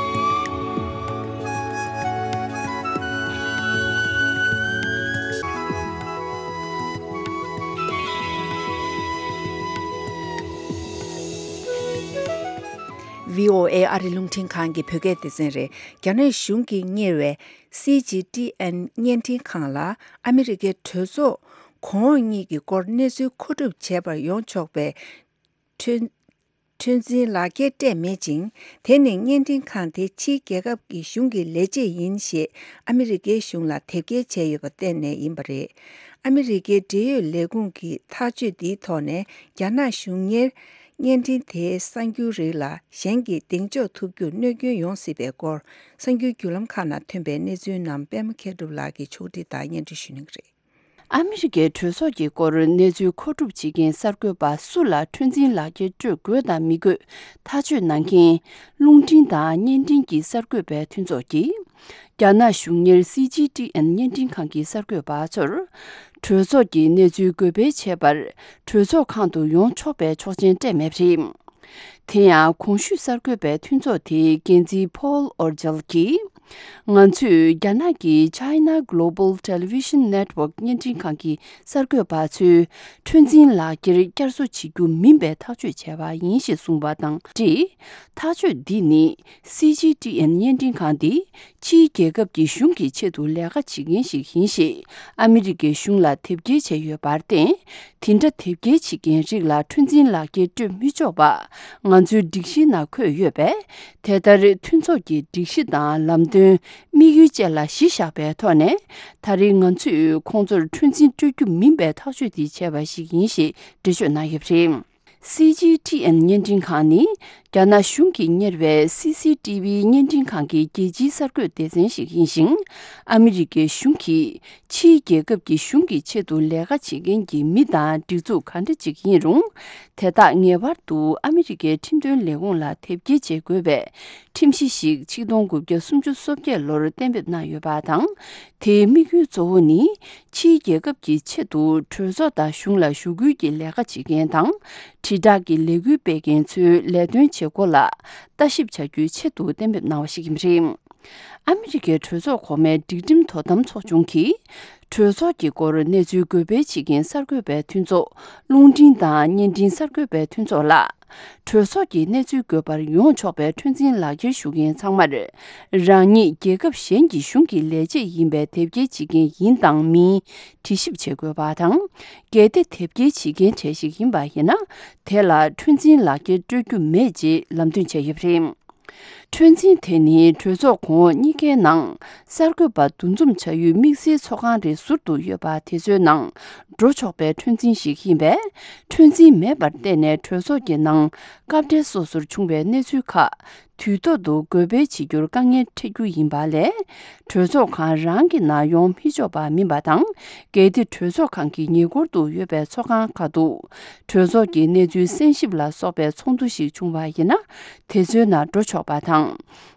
བྷི་ཨོ་ཨེ་ཨ་རི་རླུང་འཕྲིན་ཁང་གི་བོད་སྐད་སྡེ་ཚན་རེད། རྒྱ་ནག་གཞུང་གིས་གཉེར་བའི་སི་ཇི་ཊི་ཨེན་བརྙན་འཕྲིན་ཁང་ལ་ཨ་མི་རི་ཀའི་གྲོས་ཚོགས་གོང་འོག་གཉིས་ཀྱི་སྐོར་གནས་ཚུལ་མཁོ་སྒྲུབ་བྱེད་པར་ཡོང་ཆོག་པའི་ཁྲོན་ཁྲོན་འཛིན་ལག་འཁྱེར་སྤྲད་མེད་ཅིང་། དེ་ནི་བརྙན་འཕྲིན་ཁང་དེ་ཕྱིའི་རྒྱལ་ཁབ་ཀྱི་གཞུང་གི་ལས་བྱེད་ཡིན་ཞེས་ཨ་མི་རི་ཀའི་གཞུང་ལ་དེབ་སྐྱེལ་བྱས་ཡོད་པ་བརྟེན་ནས་ཡིན་པ་རེད། ཨ་མི་རི་ཀའི་འབྲེལ་ཡོད་ལས་ཁུངས་ཀྱི་ཐག་གཅོད་འདིའི་ཐོག་ནས་རྒྱ་ནག་གཞུང་གཉེར་བརྙན་འཕྲིན་དེའི་གསར་འགྱུར་རིགས་ལ་གཞན་གྱིས་གདེང་འཇོག་ཐུབ་རྒྱུར་གནོད་སྐྱོན་ཡོང་སྲིད་པའི་སྐོར། གསར་འགྱུར་བརྒྱུད་ལམ་ཁག་ནང་ཐོན་པའི་གནས་ཚུལ་རྣམས་པད་མ་མཁས་གྲུབ་ལགས་ཀྱིས་ཕྱོགས་སྒྲིག་དང་སྙན་སྒྲོན་ཞུ་གནང་གི་རེད། ཨ་མི་རི་ཀའི་གྲོས་ཚོགས་ཀྱི་སྐོར་གནས་ཚུལ་མཁོ་སྒྲུབ་བྱེད་མཁན་གསར་འགོད་པ་སུ་ལ་ཁྲོན་འཛིན་ལག་འཁྱེར་སྤྲོད་དགོས་དང་མི་དགོས་ཐག་གཅོད་གནང་མཁན་རླུང་འཕྲིན་དང་བརྙན་འཕྲིན་གྱི་གསར་འགོད་པའི་མཐུན་ཚོགས་ཀྱིས། རྒྱ་ནག་གཞུང་གཉེར་སི་ཇི་ཊི་ཨེན་བརྙན་འཕྲིན་ཁང་གི་གསར་འགོད་པ་ཚོར། གྲོས་ཚོགས་ཀྱི་གནས་ཚུལ་འགོད་སྤེལ་བྱེད་པར་གྲོས་ཚོགས་ཁང་དུ་ཡོང་ཆོག་པའི་ཆོག་མཆན་སྤྲད་མེད་པ་རེད། དེ་ཡང་གོང་ཞུས་གསར་འགོད་པའི་མཐུན་ཚོགས་དེའི་འགན་འཛིན་ཕོལ་ཨོར་ཇལ་གྱིས། ང་ཚོས་རྒྱ་ནག་གི་China Global Television Network བརྙན་འཕྲིན་ཁང་གི་གསར་འགོད་པ་ཚོས་ཁྲོན་འཛིན་ལག་འཁྱེར་བསྐྱར་གསོ་བྱེད་རྒྱུ་མིན་པའི་ཐག་གཅོད་བྱས་པ་ཡིན་ཞེས་གསུངས་པ་དང་འབྲེལ། ཐག་གཅོད་འདི་ནི་སི་ཇི་ཊི་ཨེན་བརྙན་འཕྲིན་ཁང་འདི་ཕྱིའི་རྒྱལ་ཁབ་ཀྱི་གཞུང་གི་ཆེད་དུ་ལས་ཀ་བྱེད་མཁན་ཞིག་ཡིན་ཞེས་ཨ་མི་རི་ཀའི་གཞུང་ལ་དེབ་སྐྱེལ་བྱས་ཡོད་པར་བརྟེན། དེ་འདྲ་དེབ་སྐྱེལ་བྱེད་མཁན་རིགས་ལ་ཁྲོན་འཛིན་ལག་འཁྱེར་སྤྲོད་མི་ཆོག་པ་ང་ཚོའི་སྒྲིག་གཞིའི་ནང་འཁོད་ཡོད་པས། དེ་ལྟར་མཐུན་ཚོགས་ཀྱི་སྒྲིག་གཞི་དང་ལམ་སྟོན་དམིགས་ཡུལ་བཅས་ལ་གཞི་བཞག་པའི་ཐོག་ནས། ད་རེས་ང་ཚོས་ཁོང་ཚོར་ཁྲོན་འཛིན་སྤྲོད་རྒྱུ་མིན་པའི་ཐག་གཅོད་དེ་བྱས་པ་ཞིག་ཡིན་ཞེས་འགྲེལ་བརྗོད་གནང་ཡོད་པ་རེད། སི་ཇི་ཊི་ཨེན་བརྙན་འཕྲིན་ཁང་ནི་རྒྱ་ནག་གཞུང་གིས་གཉེར་བའི་སི་སི་ཊི་ཝི་བརྙན་འཕྲིན་ཁང་གི་རྒྱལ་སྤྱིའི་གསར་འགོད་སྡེ་ཚན་ཞིག་ཡིན་ཞིང་། ཨ་མི་རི་ཀའི་གཞུང་གིས་ཕྱིའི་རྒྱལ་ཁབ་ཀྱི་གཞུང་གི་ཆེད་དུ་ལས་ཀ་བྱེད་མཁན་གྱི་མི་དང་སྒྲིག་འཛུགས་ག་འདྲ་ཅིག་ཡིན་རུང་། དེ་དག་ངེས་པར་དུ་ཨ་མི་རི་ཀའི་ཁྲིམས་དོན་ལས་ཁུངས་ལ་དེབ་སྐྱེལ་བྱེད་དགོས་པའི་ཁྲིམས་གཞི་ཞིག་ཆིག་སྟོང་དགུ་བརྒྱ་སུམ་ཅུ་སོ་བརྒྱད་ལོར་གཏན་འབེབས་གནང་ཡོད་པ་དང་། དེའི་དམིགས་ཡུལ་གཙོ་བོ་ནི། ཕྱིའི་རྒྱལ་ཁབ་ཀྱི་ཆེད་དུ་གྲོས་ཚོགས་དང་གཞུང་ལ་ཞུ་སྐུལ་གྱི་ལས་ཀ་བྱེད་མཁན་དང་། དྲིལ་བསྒྲགས་ཀྱི་ལས་འགུལ་སྤེལ་མཁན་ཚོའི་ལས་དོན་བྱེད་སྒོ་ལ་ལྟ་ཞིབ་བྱ་རྒྱུའི་ཆེད་དུ་གཏན་འབེབས་གནང་བ་ཞིག་ཡིན་པ་རེད། ཨ་མི་རི་ཀའི་གྲོས་ཚོགས་གོང་མའི་སྒྲིག་ཁྲིམས་དོ་དམ་ཚོགས་ཆུང་གིས། གྲོས་ཚོགས་ཀྱི་སྐོར་གནས་ཚུལ་འགོད་སྤེལ་བྱེད་མཁན་གསར་འགོད་པའི་མཐུན་ཚོགས། རླུང་འཕྲིན་དང་བརྙན་འཕྲིན་གསར་འགོད་པའི་མཐུན་ཚོགས་ལ། གྲོས་ཚོགས་ཀྱི་གནས་ཚུལ་འགོད་པར་ཡོང་ཆོག་པའི་ཁྲོན་འཛིན་ལག་འཁྱེར་ཞུ་མཁན་ཚང་མར། རང་ཉིད་རྒྱལ་ཁབ་གཞན་གྱི་གཞུང་གི་ལས་བྱེད་ཡིན་པའི་དེབ་སྐྱེལ་བྱེད་མཁན་ཡིན་དང་མིན་དྲི་ཞིབ་བྱེད་དགོས་པ་དང་། གལ་ཏེ་དེབ་སྐྱེལ་བྱེད་མཁན་གྲས་ཤིག་ཡིན་པ་ཡིན་ན། དེ་ལ་ཁྲོན་འཛིན་ལག་འཁྱེར་སྤྲོད་རྒྱུ་མེད་ཅེས་ལམ་སྟོན་བྱས་ཡོད་པ་རེད། ཁྲོན་འཛིན་དེ་ནི་གྲོས་ཚོགས་གོང་འོག་གཉིས་ཀའི་ནང་གསར་འགོད་པ་འདུ་འཛོམས་བྱ་ཡུལ་དམིགས་བསལ་ཚོགས་ཁང་རེ་ཟུར་དུ་ཡོད་པ་དེ་ཚོའི་ནང་འགྲོ་ཆོག་པའི་ཁྲོན་འཛིན་ཞིག་ཡིན་པས། ཁྲོན་འཛིན་མེད་པར་བརྟེན་ནས་གྲོས་ཚོགས་ཀྱི་ནང་སྐབས་འབྲེལ་སོ་སོར་བྱུང་བའི་གནས་ཚུལ་ཁག་དུས་ཐོག་ཏུ་འགོད་སྤེལ་བྱེད་རྒྱུར་དཀའ་ངལ་འཕྲད་རྒྱུ་ཡིན་པ་ལས། གྲོས་ཚོགས་ཁང་རང་གི་ནང་ཡོང་མི་ཆོག་པ་མིན་པ་དང་། གལ་ཏེ་གྲོས་ཚོགས་ཁང་གི་ཉེ་འཁོར་དུ་ཡོད་པའི་ཚོགས་ཁང་ཁག་ཏུ་གྲོས་ཚོགས་ཀྱི་གནས་ཚུལ་གསན་ཞིབ་ལ་སོགས་པའི་ཚོགས་འདུ་ཞིག་བྱུང་བ་ཡིན་ན། དེ་ཚོའི་ནང་འགྲོ་ཆོག་པ་དང་།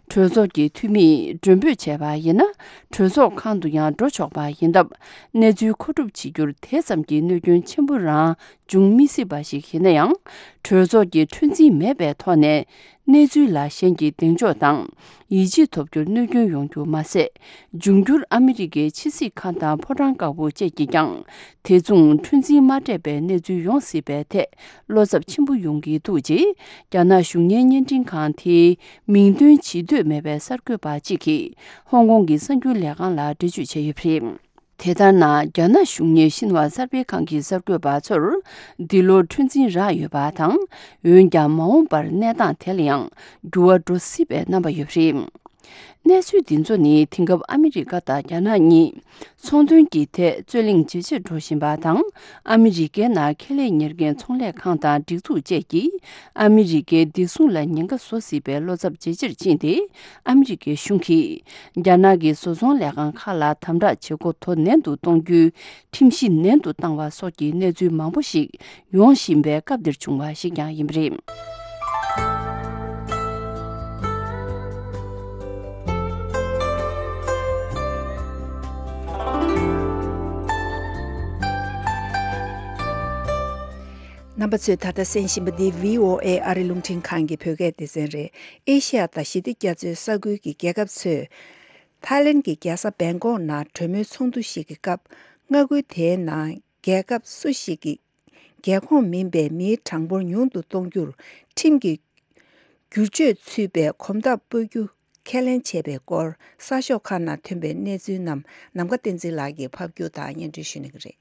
གྲོས་ཚོགས་ཀྱི་འཐུས་མིས་མགྲོན་འབོད་བྱས་པ་ཡིན་ན། གྲོས་ཚོགས་ཁང་དུ་ཡང་འགྲོ་ཆོག་པ་ཡིན་སྟབས། གནས་ཚུལ་མཁོ་སྒྲུབ་བྱེད་རྒྱུར་དེ་ཙམ་གྱི་གནོད་སྐྱོན་ཆེན་པོ་རང་འབྱུང་མི་སྲིད་པ་ཞིག་ཡིན་ན་ཡང་། གྲོས་ཚོགས་ཀྱི་ཁྲོན་འཛིན་མེད་པའི་ཐོག་ནས་གནས་ཚུལ་ལ་གཞན་གྱིས་གདེང་འཇོག་དང་། ཡིད་ཆེས་ཐོབ་རྒྱུར་གནོད་སྐྱོན་ཡོང་རྒྱུ་མ་ཟད། འབྱུང་འགྱུར་ཨ་མི་རི་ཀའི་ཕྱི་སྲིད་ཁང་དང་ཕོ་བྲང་དཀར་པོ་བཅས་ཀྱིས་ཀྱང་། དེ་མཚུངས་འཁྲུན་འཛིན་མ་སྤྲད་པའི་གནས་ཚུལ་ཡོང་སྲིད་པའི་ཐད་བློ་འཚབ་ཆེན་པོ་ཡོང་གི་འདུག་ཅེས། རྒྱ་ནག་གཞུང་གཉེར་བརྙན་འཕྲིན་ཁང་དེའི་མིང་འདོན་བྱེད་འདོད་མེད་པའི་གསར་འགོད་པ་གཅིག་གིས་ཧོང་ཀོང་གི་གསར་འགྱུར་ལས་ཁང་ལ་འགྲེལ་བརྗོད་བྱས་ཡོད་པ་རེད། དེ་ལྟར་ན། རྒྱ་ནག་གཞུང་གཉེར་ཤིན་ཧྭ་གསར་སྤེལ་ཁང་གི་གསར་འགོད་པ་ཚོར་འདི་ལོར་འཁྲུན་འཛིན་རག་ཡོད་པ་དང་། འོན་ཀྱང་མ་འོངས་པར་གནས་སྟངས་དེ་ལ་ཡང་འགྱུར་བ་འགྲོ་སྲིད་པའི་རྣམ་པ་ཡོད་པ་རེད། གནས་ཚུལ་འདི་ཚོ་ནི་དེང་སྐབས་ཨ་མི་རི་ཀ་དང་རྒྱ་ནག་གཉིས་ཚོང་དོན་གྱི་ཐད་རྩོད་གླེང་ཇེ་ཆེར་འགྲོ་བཞིན་པ་དང་། ཨ་མི་རི་ཀའི་ནང་ཁེ་ལས་གཉེར་མཁན་ཚོང་ལས་ཁང་དང་སྒྲིག་འཛུགས་བཅས་ཀྱིས་ཨ་མི་རི་ཀའི་བདེ་སྲུང་ལ་ཉེན་ཁ་བཟོ་སྲིད་པའི་བློ་འཚབ་ཇེ་ཆེར་ཕྱིན་ཏེ། ཨ་མི་རི་ཀའི་གཞུང་གིས་རྒྱ་ནག་གི་བཟོ་ཚོང་ལས་ཁང་ཁག་ལ་དམ་དྲག་བྱེད་སྒོ་དོ་ནན་དུ་གཏོང་རྒྱུའི་ཁྲིམས་གཞི་ནན་དུ་བཏང་བ་སོགས་ཀྱི་གནས་ཚུལ་མང་པོ་ཞིག་ཡོང་བཞིན་པའི་སྐབས་འདིར་བྱུང་བ་ཞིག་ཀྱང་ཡིན་པ་རེད། རྣམ་པ་ཚོས་ད་ལྟ་གསན་བཞིན་པ་འདི་བྷི་ཨོ་ཨེ་ཨ་རི་རླུང་འཕྲིན་ཁང་གི་བོད་སྐད་སྡེ་ཚན་རེད། ཨེ་ཤེ་ཡ་དང་ཞི་བདེ་རྒྱ་མཚོའི་ས་ཁུལ་གྱི་རྒྱལ་ཁབ་ཚོས། ཐའི་ལེན་གྱི་རྒྱལ་ས་བེང་ཀོག་ནང་གྲོས་མོལ་ཚོགས་འདུ་ཞིག་གི་སྐབས། མངའ་ཁུལ་དེའི་ནང་རྒྱལ་ཁབ་སུ་ཞིག་གི་རྒྱལ་ཁོངས་མིན་པའི་མིའི་གྲངས་འབོར་ཉུང་དུ་གཏོང་རྒྱུར་ཁྲིམས་ཀྱི་བསྒྱུར་བཅོས་ཚུད་པའི་གོམ་སྟབས་སྤོ་རྒྱུ་ཁས་ལེན་བྱས་པའི་སྐོར། གསར་ཤོག་ཁག་ནང་ཐོན་པའི་གནས་ཚུལ་རྣམས་ནམ་མཁའ་བསྟན་འཛིན་ལགས་ཀྱིས་ཕབ་སྒྱུར་དང་སྙན་སྒྲོན་ཞུ་གནང་གི་རེད།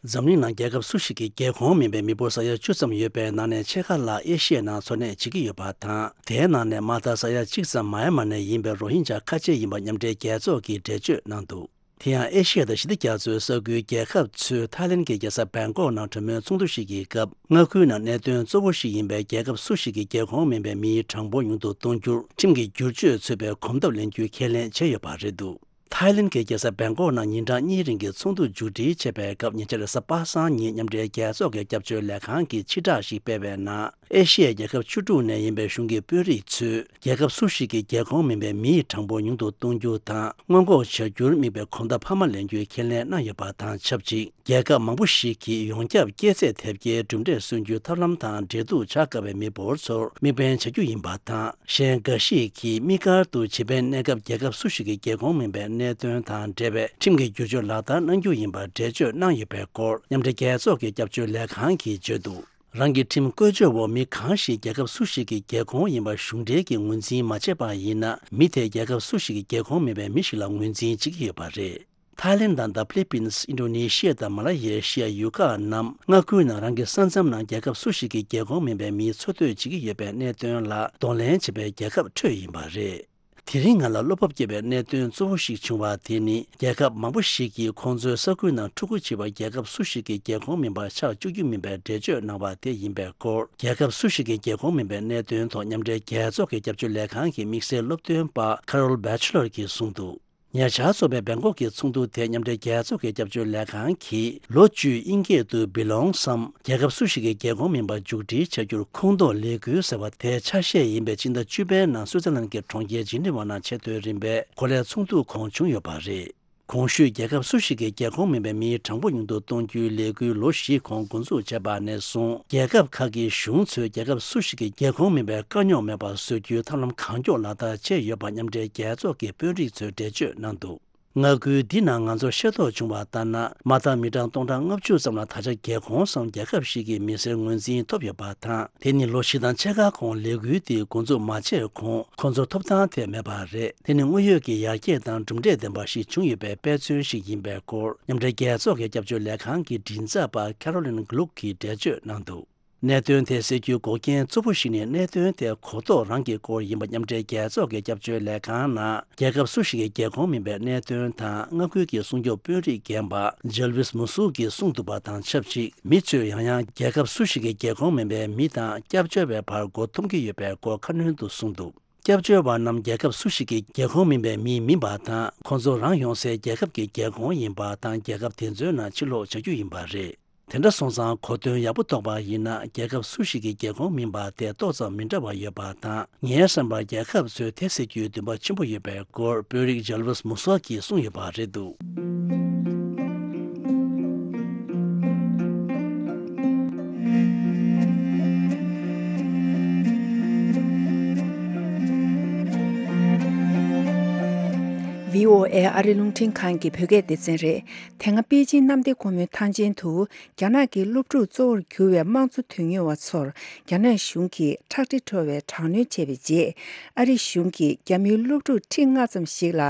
འཛམ་གླིང་ནང་རྒྱལ་ཁབ་སུ་ཞིག་གི་རྒྱལ་ཁོངས་མིན་པའི་མི་འབོར་ས་ཡ་བཅུ་ཙམ་ཡོད་པའི་ནང་ནས་ཕྱེད་ཀ་ལྷག་ཨེ་ཤི་ཡའི་ནང་འཚོ་གནས་བྱེད་ཀྱི་ཡོད་པ་དང་། དེའི་ནང་ནས་མ་མཐའ་ས་ཡ་གཅིག་ཙམ་མཱ་ཡན་མར་ནས་ཡིན་པའི་རོ་ཧིན་ཇཱ་ཁ་ཆེ་ཡིན་པ་མཉམ་འབྲེལ་རྒྱལ་ཚོགས་ཀྱིས་འགྲེལ་བརྗོད་གནང་འདུག་དེ་ཡང་ཨེ་ཤི་ཡ་དང་ཞི་བདེ་རྒྱ་མཚོའི་ས་ཁུལ་རྒྱལ་ཁབ་ཚོས་ཐའི་ལེན་གྱི་རྒྱལ་ས་བེང་ཀོག་ནང་གྲོས་མོལ་ཚོགས་འདུ་ཞིག་གི་སྐབས། མངའ་ཁུལ་ནང་གནད་དོན་གཙོ་བོ་ཞིག་ཡིན་པའི་རྒྱལ་ཁབ་སུ་ཞིག་གི་རྒྱལ་ཁོངས་མིན་པའི་མིའི་གྲངས་འབོར་ཉུང་དུ་གཏོང་རྒྱུར་ཁྲིམས་ཀྱི་བསྒྱུར་བཅོས་ཚུད་པའི་གོམ་སྟབས་ལེན་རྒྱུའི་ཁས་ལེན་བྱས་ཡོད་པ་རེད་འདུག་ཐའི་ལེན་གྱི་རྒྱལ་ས་བེང་ཀོག་ནང་ཉིན་གྲངས་གཉིས་རིང་གི་ཚོགས་འདུ་མཇུག་སྒྲིལ་བྱས་པའི་སྐབས། ཉེ་ཆར་གཟའ་པ་སངས་ཉིན་མཉམ་འབྲེལ་རྒྱལ་ཚོགས་ཀྱི་སྐྱབས་བཅོལ་ལས་ཁང་གིས་ཕྱིར་བསྒྲགས་ཤིག་སྤེལ་བའི་ནང་། ཨེ་ཤི་ཡའི་རྒྱལ་ཁབ་བཅུ་དྲུག་ནས་ཡིན་པའི་གཞུང་གི་དཔོན་རིགས་ཚོས་རྒྱལ་ཁབ་སུ་ཞིག་གི་རྒྱལ་ཁོངས་མིན་པའི་མིའི་གྲངས་འབོར་ཉུང་དུ་གཏོང་རྒྱུ་དང་སྔོན་འགོག་བྱ་རྒྱུར་དམིགས་པའི་གོམ་སྟབས་འཕར་མ་ལེན་རྒྱུའི་ཁས་ལེན་གནང་ཡོད་པ་དང་ཆབས་ཅིག་རྒྱལ་ཁབ་མང་པོ་ཞིག་གིས་ཡོངས་ཁྱབ་སྐྱེས་ཚད་དེབ་སྐྱེལ་གྲུབ་འབྲས་སོན་རྒྱུའི་ཐབས་ལམ་དང་འབྲེལ་གཏུག་བྱ་དཀའ་བའི་མི་འབོར་ཚོར་དམིགས་འབེན་བྱ་རྒྱུ་ཡིན་པ་དང་། གཞན་འགའ་ཞིག་གིས་དམིགས་བཀར་དུ་བྱེད་པའི་གནས་སྐབས་རྒྱལ་ཁབ་སུ་ཞིག་གི་རྒྱལ་ཁོངས་མིན་པའི་གནད་དོན་དང་འབྲེལ་བའི་ཁྲིམས་ཀྱི་བསྒྱུར་བཅོས་ལག་བསྟར་གནང་རྒྱུ་ཡིན་པར་འགྲེལ་བརྗོད་གནང་ཡོད་པའི་སྐོར། མཉམ་འབྲེལ་རྒྱལ་ཚོགས་ཀྱི་སྐྱབས་བཅོལ་ལས་ཁང་གིས་བརྗོད་འདུག་རང་གི་ཁྲིམས་བཀོལ་སྤྱོད་འོག་མི་གང་ཞིག་རྒྱལ་ཁབ་སུ་ཞིག་གི་རྒྱལ་ཁོངས་ཡིན་པ་གཞུང་འབྲེལ་གྱིས་ངོས་འཛིན་མ་བྱས་པ་ཡིན་ན། མི་དེས་རྒྱལ་ཁབ་སུ་ཞིག་གི་རྒྱལ་ཁོངས་མིན་པའི་མི་ཞིག་ལ་ངོས་འཛིན་བྱེད་ཀྱི་ཡོད་པ་རེད། ཐའི་ལེན་དང་། ད་ཕི་ལི་པིན། ཨིན་ཌོ་ནེ་ཤི་ཡ་དང་། མ་ལ་ཡེ་ཤི་ཡ། ཡུ་ཁ་རྣམས་མངའ་ཁུལ་ནང་རང་གི་ས་མཚམས་ནང་རྒྱལ་ཁབ་སུ་ཞིག་གི་རྒྱལ་ཁོངས་མིན་པའི་མིའི་འཚོ་སྡོད་བྱེད་ཀྱི་ཡོད་པའི་གནད་དོན་ལ་གདོང་ལེན་བྱེད་པའི་རྒྱལ་ཁབ་ཁྲོད་ཡིན་པ་རེད། དེ་རིང་ང་ལ་བློ་སྤོབས་སྐྱེ་བའི་གནད་དོན་གཙོ་བོ་ཞིག་བྱུང་བ་དེ་ནི། རྒྱལ་ཁབ་མང་པོ་ཞིག་གིས་ཁོང་ཚོའི་ས་ཁུལ་ནང་ཕྲུ་གུ་བྱི་བ་རྒྱལ་ཁབ་སུ་ཞིག་གི་རྒྱལ་ཁོངས་མིན་པ་ཆགས་བཅུག་རྒྱུ་མིན་པའི་འགྲེལ་བརྗོད་གནང་བ་དེ་ཡིན་པའི་སྐོར། རྒྱལ་ཁབ་སུ་ཞིག་གི་རྒྱལ་ཁོངས་མིན་པའི་གནད་དོན་ཐོག་མཉམ་འབྲེལ་རྒྱལ་ཚོགས་ཀྱི་སྐྱབས་བཅོལ་ལས་ཁང་གི་དམིགས་བསལ་སློབ་སྟོན་པ་Carol Batchelor གྱིས་གསུངས་འདུག་ཉེ་ཆར་འཚོགས་པའི་བེང་ཀོག་གི་ཚོགས་འདུ་དེ་མཉམ་འབྲེལ་རྒྱལ་ཚོགས་ཀྱི་སྐྱབས་བཅོལ་ལས་ཁང་གིས་ལོ་བཅུའི་དབྱིན་སྐད་དུ་Belongs སམ། རྒྱལ་ཁབ་སུ་ཞིག་གི་རྒྱལ་ཁོངས་མིན་པ་མཇུག་སྒྲིལ་བྱ་རྒྱུར་ཁོངས་གཏོགས་ལས་འགུལ་ཟེར་བ་དེའི་ཆ་ཤས་ཡིན་པའི་སྤྱི་ཟླ་བཅུ་པའི་ནང་སུའུ་ཙེར་ལན་གྱི་གྲོང་ཁྱེར་ཇི་ནི་ཝ་ནང་ཆེས་མཐོའི་རིམ་པའི་གོ་ལའི་ཚོགས་འདུ་གོང་བྱུང་ཡོད་པ་རེད། གོང་ཞུས་རྒྱལ་ཁབ་སུ་ཞིག་གི་རྒྱལ་ཁོངས་མིན་པའི་མིའི་གྲངས་འབོར་ཉུང་དུ་གཏོང་རྒྱུའི་ལས་འགུལ་ལོ་བཞིའི་གོང་འགོ་འཛུགས་བྱས་པ་ནས་བཟུང་། རྒྱལ་ཁབ་ཁག་གི་གཞུང་ཚོས་རྒྱལ་ཁབ་སུ་ཞིག་གི་རྒྱལ་ཁོངས་མིན་པའི་དཀའ་རྙོག་མེད་པར་བཟོ་རྒྱུའི་ཐབས་ལམ་གང་མགྱོགས་ལག་བསྟར་བྱས་ཡོད་པ་མཉམ་འབྲེལ་རྒྱལ་ཚོགས་ཀྱི་དཔོན་རིགས་ཚོས་འགྲེལ་བརྗོད་གནང་འདུག་མངའ་ཁུལ་འདི་ནང་ང་ཚོར་ཤེས་རྟོགས་བྱུང་བ་ལྟར་ན། མ་མཐའ་མི་གྲངས་སྟོང་ཕྲག་ལྔ་བཅུ་ཙམ་ལ་ད་ཆ་རྒྱལ་ཁོངས་སམ་རྒྱལ་ཁབ་ཞིག་གི་མི་སེར་ངོས་འཛིན་ཐོབ་ཡོད་པ་དང་། དེ་ནི་ལོ་བཞི་དང་ཕྱེད་ཀ་གོང་ལས་འགུལ་དེ་འགོ་འཛུགས་མ་བྱས་གོང་ཁོང་ཚོར་ཐོབ་ཐང་དེ་མེད་པ་རེད། དེ་ནི་དངོས་ཡོད་ཀྱི་ཡར་རྒྱས་དང་གྲུབ་འབྲས་ལྡན་པ་ཞིག་བྱུང་ཡོད་པའི་དཔེ་མཚོན་ཞིག་ཡིན་པའི་སྐོར། མཉམ་འབྲེལ་རྒྱལ་ཚོགས་ཀྱི་སྐྱབས་བཅོལ་ལས་ཁང་གི་མགྲིན་ཚབ་པ་Caroline Gluck གིས་འགྲེལ་བརྗོད་གནང་འདུག་གནད་དོན་དེ་སེལ་རྒྱུའི་འགོག་རྐྱེན་གཙོ་བོ་ཞིག་ནི། གནད་དོན་དེ་གོ་རྟོགས་རང་གི་སྐོར་ཡིན་པ། མཉམ་འབྲེལ་རྒྱལ་ཚོགས་ཀྱི་སྐྱབས་བཅོལ་ལས་ཁང་ནང་རྒྱལ་ཁབ་སུ་ཞིག་གི་རྒྱལ་ཁོངས་མིན་པའི་གནད་དོན་དང་། མངའ་ཁུལ་གྱི་སྲུང་སྐྱོབ་དཔོན་རིགས་རྒན་པ་Jarvis Musook གིས་གསུངས་འདུག་པ་དང་ཆབས་ཅིག་མི་ཚོས་ཡང་ཡང་རྒྱལ་ཁབ་སུ་ཞིག་གི་རྒྱལ་ཁོངས་མིན་པའི་མི་དང་སྐྱབས་བཅོལ་བའི་བར་མགོ་འཐོམ་གྱི་ཡོད་པའི་སྐོར་ཁ་སྣོན་དུ་གསུངས་འདུག་སྐྱབས་བཅོལ་བ་རྣམས་རྒྱལ་ཁབ་སུ་ཞིག་གི་རྒྱལ་ཁོངས་མིན་པའི་མི་མིན་པ་དང་། ཁོང་ཚོ་རང་ཡོང་སའི་རྒྱལ་ཁབ་ཀྱི་རྒྱལ་ཁོངས་ཡིན་པ་དང་། རྒྱལ་ཁབ་དེ་ཚོའི་ནང་ཕྱིར་ལོག་བྱ་རྒྱུ་ཡིན་པ་རེད། དེ་འདྲ་སོང་ཙང་གོ་དོན་ཡག་པོ་རྟོགས་པ་ཡིན་ན། རྒྱལ་ཁབ་སུ་ཞིག་གི་རྒྱལ་ཁོངས་མིན་པ་དེ་ཏོག་ཙམ་མི་འདྲ་བ་ཡོད་པ་དང་། ངའི་བསམ་པར་རྒྱལ་ཁབ་ཚོས་དེ་སེལ་རྒྱུའི་འདུན་པ་ཆེན་པོ་ཡོད་པའི་སྐོར་དཔོན་རིགས་Jarvis Musook གིས་གསུངས་ཡོད་པ་རེད་འདུག་ཨེ་ཨ་རི་རླུང་འཕྲིན་ཁང་གི་བོད་སྐད་སྡེ་ཚན་རེད། དེ་སྔ་པེ་ཅིན་གནམ་བདེ་སྒོ་མོའི་ཐང་ཆེན་དུ་རྒྱ་ནག་གི་སློབ་ཕྲུག་གཙོ་བོར་གྱུར་བའི་དམངས་གཙོ་དོན་གཉེར་བ་ཚོར་རྒྱ་ནག་གཞུང་གིས་ཁྲག་དྲི་བྲོ་བའི་དྲག་གནོན་བྱས་པའི་རྗེས། ཨ་རི་གཞུང་གིས་རྒྱ་མིའི་སློབ་ཕྲུག་ཁྲི་ལྔ་ཙམ་ཞིག་ལ་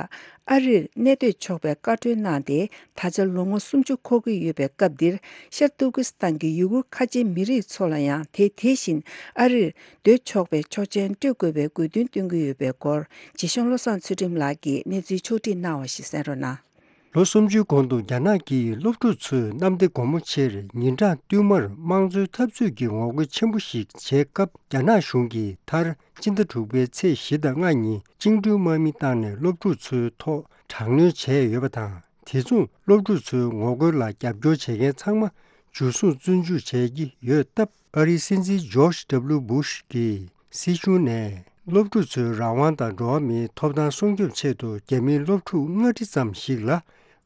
ཨ་རིར་གནས་སྡོད་ཆོག་པའི་བཀའ་འཁྲོལ་གནང་སྟེ། ད་ཆ་ལོ་ངོ་སུམ་ཅུ་འཁོར་གྱི་ཡོད་པའི་སྐབས་འདིར། ཤར་ཏུར་ཀི་སི་ཐན་གྱི་ཡུ་གུར་ཁ་ཆེའི་མི་རིགས་ཚོ་ལ་ཡང་དེ་དེ་བཞིན་ཨ་རིར་སྡོད་ཆོག་པའི་ཆོག་མཆན་སྤྲོད་དགོས་པའི་དགོས་འདུན་བཏོན་གྱི་ཡོད་པའི་སྐོར། རྗེ་གཞུང་བློ་བཟང་ཚུལ་ཁྲིམས་ལགས་ཀྱིས་གནས་ཚུལ་ཕྱོགས་སྒྲིག་གནང་བ་ཞིག་གསན་རོགས་གནང་། ལོ་སུམ་ཅུའི་གོང་དུ་རྒྱ་ནག་གིས་སློབ་ཕྲུག་ཚོས་གནམ་བདེ་སྒོ་མོ་ཆེར་ཉིན་གྲངས་བསྟུད་མར་དམངས་གཙོའི་འཐབ་རྩོད་ཀྱི་ངོ་རྒོལ་ཆེན་པོ་ཞིག་བྱས་སྐབས། རྒྱ་ནག་གཞུང་གིས་མཐར་སྤྱི་ཟླ་དྲུག་པའི་ཚེས་བཞི་དང་ལྔ་ཉིན་བཅིངས་འགྲོལ་དམག་མི་བཏང་ནས་སློབ་ཕྲུག་ཚོའི་ཐོག་དྲག་གནོན་བྱས་ཡོད་པ་དང་། དེ་མཚུངས་སློབ་ཕྲུག་ཚོའི་ངོ་རྒོལ་ལ་རྒྱབ་སྐྱོར་བྱེད་མཁན་ཚང་མ་འཇུ་བཟུང་བཙོན་འཇུག་བྱས་ཀྱི་ཡོད་སྟབས། ཨ་རིའི་སྲིད་འཛིན་ཇོརྗ་ཌབ་ལུ་བུཤ་གིས་སྲིད་གཞུང་ནས་སློབ་ཕྲུག་ཚོའི་རང་དབང་དང་འགྲོ་བ་མིའི་ཐོབ་ཐང་སྲུང་སྐྱོབ་ཆེད་དུ་རྒྱ་མིའི་སློབ་ཕྲུག་ལྔ་ཁྲི་ཙམ་ཞིག་ལ་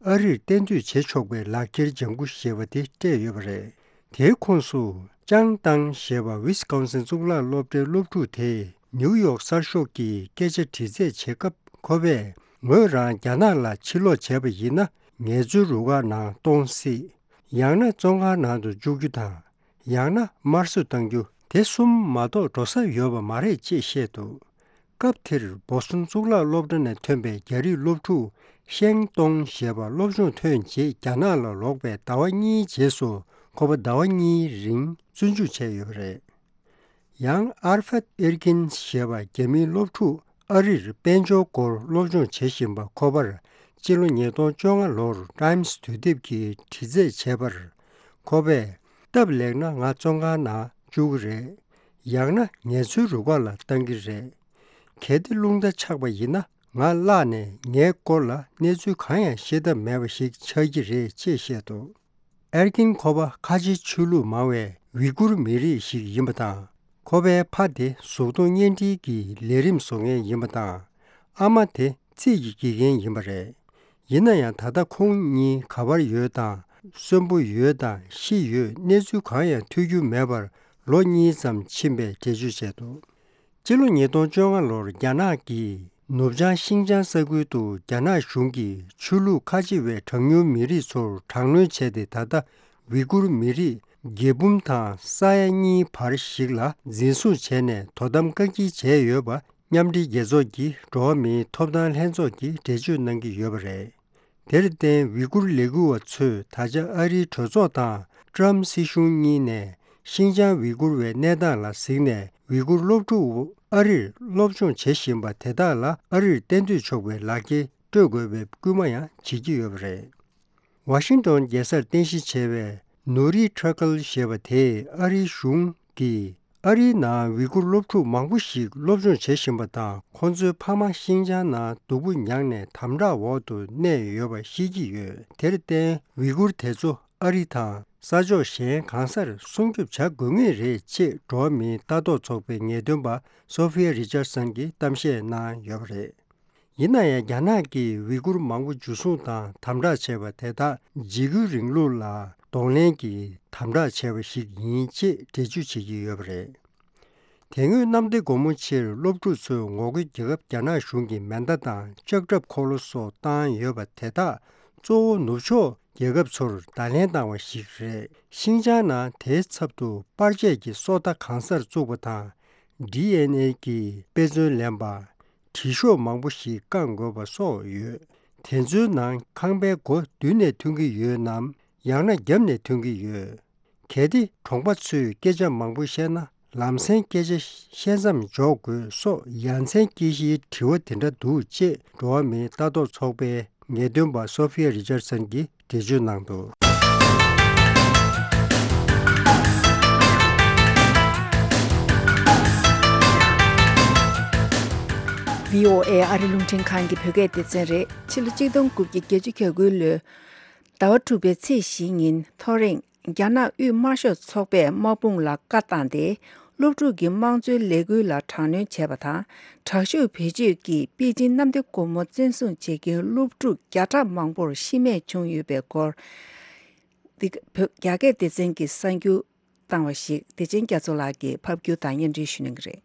ཨ་རིར་གཏན་སྡོད་བྱེད་ཆོག་པའི་ལག་འཁྱེར་ལྗང་ཁུ་ཞེས་པ་དེ་སྤྲད་ཡོད་པ་རེད། དེའི་ཁོངས་སུ་ཅང་ཏང་ཞེས་པ་ཝི་སི་ཀོན་སིན་གཙུག་ལག་སློབ་གྲྭའི་སློབ་ཕྲུག་དེས་ནིའུ་ཡོག་གསར་ཤོག་གི་སྐད་ཆ་དྲི་རྩད་བྱེད་སྐབས། ཁོ་པས་ངོས་རང་རྒྱ་ནག་ལ་ཕྱིར་ལོག་བྱས་པ་ཡིན་ན། ངལ་རྩོལ་རུ་ཁག་ནང་གཏོང་སྲིད། ཡང་ན་བཙོན་ཁང་ནང་དུ་བཅུག་རྒྱུ་དང་། ཡང་ན་དམར་གསོད་གཏང་རྒྱུ། དེ་གསུམ་མ་གཏོགས་འགྲོ་ས་ཡོད་པ་མ་རེད་ཅེས་བཤད་འདུག་སྐབས་དེར་བོ་སི་ཊོན་གཙུག་ལག་སློབ་གྲྭ་ནས་ཐོན་པའི་རྒྱ་རིགས་སློབ་ཕྲུག་ཤེང་ཏོང་ཞེས་པ་སློབ་སྦྱོང་ཐོན་རྗེས་རྒྱ་ནག་ལ་ལོག་པའི་ཟླ་བ་གཉིས་རྗེས་སུ་ཁོ་པ་ཟླ་བ་གཉིས་རིང་བཙོན་འཇུག་བྱས་ཡོད་པ་རེད། ཡང་ཨར་ཕད་ཨེར་ཀིན་ཞེས་པ་རྒྱ་མིའི་སློབ་ཕྲུག་ཨ་རིར་དཔལ་འབྱོར་སྐོར་སློབ་སྦྱོང་བྱེད་བཞིན་པ་ཁོ་པར་སྤྱི་ལོ་ཉིས་སྟོང་བཅོ་ལྔ་ལོར་ཊའིམ་སི་དུས་དེབ་ཀྱིས་དྲི་རྩད་བྱས་པར། ཁོ་པས་སྟབས་ལེགས་ན་ང་བཙོན་ཁང་ནང་བཅུག་གི་རེད། ཡང་ན་ངལ་རྩོལ་རུ་ཁག་ལ་བཏང་གི་རེད། གལ་ཏེ་རླུང་རྟ་ཆག་པ་ཡིན་ན་ང་བརླགས་ནས་ངའི་སྐོར་ལ་གནས་ཚུལ་གང་ཡང་ཤེས་ཐབས་མེད་པ་ཞིག་ཆགས་ཀྱི་རེད་ཅེས་བཤད་འདུག་ཨེར་ཀིན་ཁོ་པ་ཁ་ཆེ་ཆོས་ལུགས་མང་བའི་ཝི་གུར་མི་རིགས་ཤིག་ཡིན་པ་དང་། ཁོ་པའི་ཕ་དེ་གཟུགས་མཐོང་བརྙན་འཕྲིན་གྱི་ལས་རིམ་བཟོ་མཁན་ཡིན་པ་དང་། ཨ་མ་དེ་རྩིས་ཀྱི་དགེ་རྒན་ཡིན་པ་རེད། ཡིན་ན་ཡང་ད་ལྟ་ཁོང་གཉིས་ག་པར་ཡོད་དང་། གསོན་པོ་ཡོད་དང་ཤི་ཡོད་གནས་ཚུལ་གང་ཡང་ཐོས་རྒྱུ་མེད་པར་ལོ་གཉིས་ཙམ་ཕྱིན་པའི་འགྲེལ་བརྗོད་བྱས་འདུག་སྤྱི་ལོ་ཉིས་སྟོང་བཅོ་ལྔ་ལོར་རྒྱ་ནག་གིས་ནུབ་བྱང་ཤིང་ཅང་ས་ཁུལ་དུ་རྒྱ་ནག་གཞུང་གིས་ཆོས་ལུགས་ཁ་ཆེ་བའི་གྲངས་ཉུང་མི་རིགས་ཚོར་དྲག་གནོན་བྱས་ཏེ། ད་ལྟ་ཝི་གུར་མི་རིགས་རྒྱལ་འབུམ་དང་ས་ཡ་གཉིས་བར་ཞིག་ལ་འཛིན་བཟུང་བྱས་ནས་དོ་དམ་བཀག་སྐྱིལ་བྱས་ཡོད་པ། མཉམ་འབྲེལ་རྒྱལ་ཚོགས་ཀྱི་འགྲོ་བ་མིའི་ཐོབ་ཐང་ལྷན་ཚོགས་ཀྱིས་འགྲེལ་བརྗོད་གནང་གི་ཡོད་པ་རེད། དེར་བརྟེན་ཝི་གུར་ལས་འགུལ་བ་ཚོས་ད་ཆ་ཨ་རིའི་གྲོས་ཚོགས་དང་ཀྲམ་སྲིད་གཞུང་གཉིས་ནས་ཤིང་ཅང་ཝི་གུར་བའི་གནས་སྟངས་ལ་གཟིགས་ནས། ཝི་གུར་སློབ་ཕྲུག་ཨ་རིར་སློབ་སྦྱོང་བྱེད་བཞིན་པ་དེ་དག་ལ་ཨ་རིར་གཏན་སྡོད་ཆོག་པའི་ལག་འཁྱེར་སྤྲོད་དགོས་པའི་སྐུལ་མ་ཡང་བྱེད་ཀྱི་ཡོད་པ་རེད། ཝ་ཤིང་ཏོན་རྒྱལ་སར་རྟེན་གཞི་བྱས་པའི་ནུ་རི་ཁྲ་ཀལ་ཞེས་པ་དེས་ཨ་རིའི་གཞུང་གིས་ཨ་རིའི་ནང་ཝི་གུར་སློབ་ཕྲུག་མང་པོ་ཞིག་སློབ་སྦྱོང་བྱེད་བཞིན་པ་དང་། ཁོང་ཚོའི་ཕ་མ་ཤིང་ཅང་ནང་སྡུག་པོ་མྱངས་ནས་དམ་དྲག་འོག་ཏུ་གནས་ཡོད་པ་ཤེས་ཀྱི་ཡོད། དེར་བརྟེན་ཝི་གུར་དེ་ཚོ་ཨ་རི་དང་ས་ཕྱོགས་གཞན་གང་སར་སྲུང་སྐྱོབ་བྱ་དགོས་ངེས་རེད་ཅེས་འགྲོ་བ་མིའི་ལྟ་རྟོག་ཚོགས་པའི་ངེས་སྟོན་པ་སོ་ཕི་ཡ་རི་ཅར་སན་གྱིས་གཏམ་བཤད་གནང་ཡོད་པ་རེད། ཡིན་ན་ཡང་རྒྱ་ནག་གིས་ཝི་གུར་མང་པོ་འཇུ་བཟུང་དང་དམ་དྲག་བྱས་པ་དེ་དག་འཇིགས་སྐུལ་རིང་ལུགས་ལ་གདོང་ལེན་གྱིས་དམ་དྲག་བྱས་པ་ཞིག་ཡིན་ཅེས་འགྲེལ་བརྗོད་བྱེད་ཀྱི་ཡོད་པ་རེད། དེ་སྔོན་གནམ་བདེ་སྒོ་མོ་ཆེར་སློབ་ཕྲུག་ཚོའི་ངོ་རྒོལ་རྒྱལ་ཁབ་རྒྱ་ནག་གཞུང་གིས་མེ་མདའ་དང་ལྕགས་ཁྲབ་འཁོར་ལོ་སོགས་བཏང་ཡོད་པ་དེ་དག་གཙོ་བོ་ནུབ་ཕྱོགས་རྒྱལ་ཁབ་ཚོར་བརྡ་ལན་བཏང་བ་ཞིག་རེད། ཤིང་ཅང་ནང་དེའི་ཚབ་ཏུ་པར་ཆས་ཀྱི་སོ་ལྟ་གང་སར་བཙུགས་པ་དང་། ཌི་ཨེན་ཨེ་གི་དཔེ་མཚོན་ལེན་པ། དྲི་ཤོག་མང་པོ་ཞིག་བཀང་དགོས་པ་སོགས་ཡོད། དེ་ཚོའི་ནང་ཁང་པའི་སྒོ་མདུན་ནས་ཐོན་གྱི་ཡོད་ནམ། ཡང་ན་རྒྱབ་ནས་ཐོན་གྱི་ཡོད། གལ་ཏེ་གྲོང་པ་ཚོས་སྐད་ཆ་མང་པོ་བཤད་ན། ལམ་སེང་སྐད་ཆ་བཤད་མཚམས་འཇོག་དགོས་སོགས་ཡ་མཚན་སྐྱེ་གཞིའི་དྲི་བ་དེ་འདྲ་འདུག་ཅེས་འགྲོ་བ་མིའི་ལྟ་རྟོག་ཚོགས་པའི་ངེས་སྟོན་པ་སོ་ཕི་ཡ་རི་ཅར་སན་གྱིས་འགྲེལ་བརྗོད་གནང་འདུག་བྷི་ཨོ་ཨེ་ཨ་རི་རླུང་འཕྲིན་ཁང་གི་བོད་སྐད་སྡེ་ཚན་རེད། ཕྱི་ལོ་གཅིག་སྟོང་དགུ་བརྒྱ་བརྒྱད་ཅུ་གྱ་དགུ་ལོའི་ཟླ་བ་དྲུག་པའི་ཚེས་བཞི་ཉིན་ཐོ་རེངས། རྒྱ་ནག་དབུས་དམར་ཤོག་ཚོགས་པས་དམག་དཔུང་ལ་བཀའ་བཏང་སྟེ། སློབ་ཕྲུག་གི་དམངས་གཙོའི་ལས་འགུལ་ལ་དྲག་གནོན་བྱས་པ་དང་། དྲག་ཤུགས་བེད་སྤྱོད་ཀྱིས་པེ་ཅིན་གནམ་བདེ་སྒོ་མོ་བཙན་བཟུང་བྱེད་མཁན་སློབ་ཕྲུག་བརྒྱ་ཕྲག་མང་པོར་ཤི་རྨས་བྱུང་ཡོད་པའི་སྐོར། འདི་བོད་རྒྱ་སྐད་སྡེ་ཚན་གྱིས་གསར་འགྱུར་བཏང་བ་ཞིག་བདེ་ཆེན་རྒྱ་མཚོ་ལགས་ཀྱིས་ཕབ་སྒྱུར་དང་སྙན་སྒྲོན་ཞུ་གནང་གི་རེད།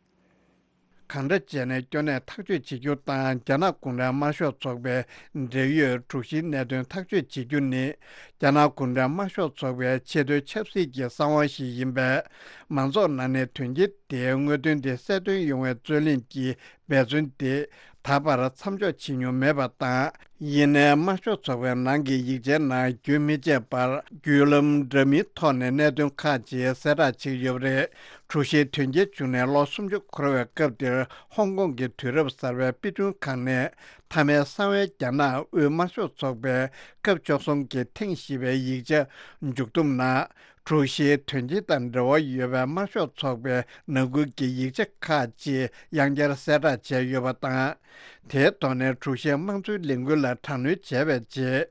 གང་འདྲ་བྱས་ནས་སྐྱོ་གནས་ཐག་གཅོད་བྱེད་རྒྱུ་དང་། རྒྱ་ནག་གུང་ཁྲན་དམར་ཤོག་ཚོགས་པའི་འབྲེལ་ཡོད་དྲུག་བཞིའི་གནད་དོན་ཐག་གཅོད་བྱེད་རྒྱུ་ནི། རྒྱ་ནག་གུང་ཁྲན་དམར་ཤོག་ཚོགས་པའི་ཆེས་མཐོའི་ཆབ་སྲིད་ཀྱི་གསང་བ་ཞིག་ཡིན་པས། མང་ཚོགས་ནང་ནས་དོན་རྐྱེན་དེའི་དངོས་དོན་དེ་གསལ་སྟོན་ཡོང་བའི་རྩོད་གླེང་གི་འབད་བརྩོན་དེ་ད་བར་མཚམས་འཇོག་བྱེད་མྱོང་མེད་པ་དང་། ཡིན་ནའི་དམར་ཤོག་ཚོགས་པའི་ནང་གི་ཡིག་ཆའི་ནང་རྒྱུན་མི་ཆད་པར་བརྒྱུད་ལམ་འདྲ་མིན་ཐོག་ནས་གནད་དོན་ཁག་ཅིག་གསལ་བསྒྲགས་བྱེད་ཀྱི་ཡོད་པ་རེད། དྲུག་བཞིའི་དོན་རྐྱེན་བྱུང་ནས་ལོ་སུམ་ཅུ་འཁོར་བའི་སྐབས་འདིར། ཧོང་ཀོང་གི་དུས་རབས་གསར་པའི་དཔེ་སྐྲུན་ཁང་ནས་མཐའ་མའི་གསང་བའི་རྒྱ་ནག་དབུས་དམར་ཤོག་ཚོགས་པའི་སྐབས་བཅུ་གསུམ་གྱི་ཐེངས་བཞི་པའི་ཡིག་ཆ་མཇུག་བསྡོམས་ནང་། དྲུག་བཞིའི་དོན་རྐྱེན་དང་འབྲེལ་བ་ཡོད་པའི་དམར་ཤོག་ཚོགས་པའི་ནང་ཁུལ་གྱི་ཡིག་ཆ་ཁག་ཅིག་ཡང་བསྐྱར་གསལ་བསྒྲགས་བྱས་ཡོད་པ་དང་། དེའི་ཐོག་ནས་དྲུག་བཞིའི་དམངས་གཙོའི་ལས་འགུལ་ལ་དྲག་གནོན་བྱས་པའི་རྗེས།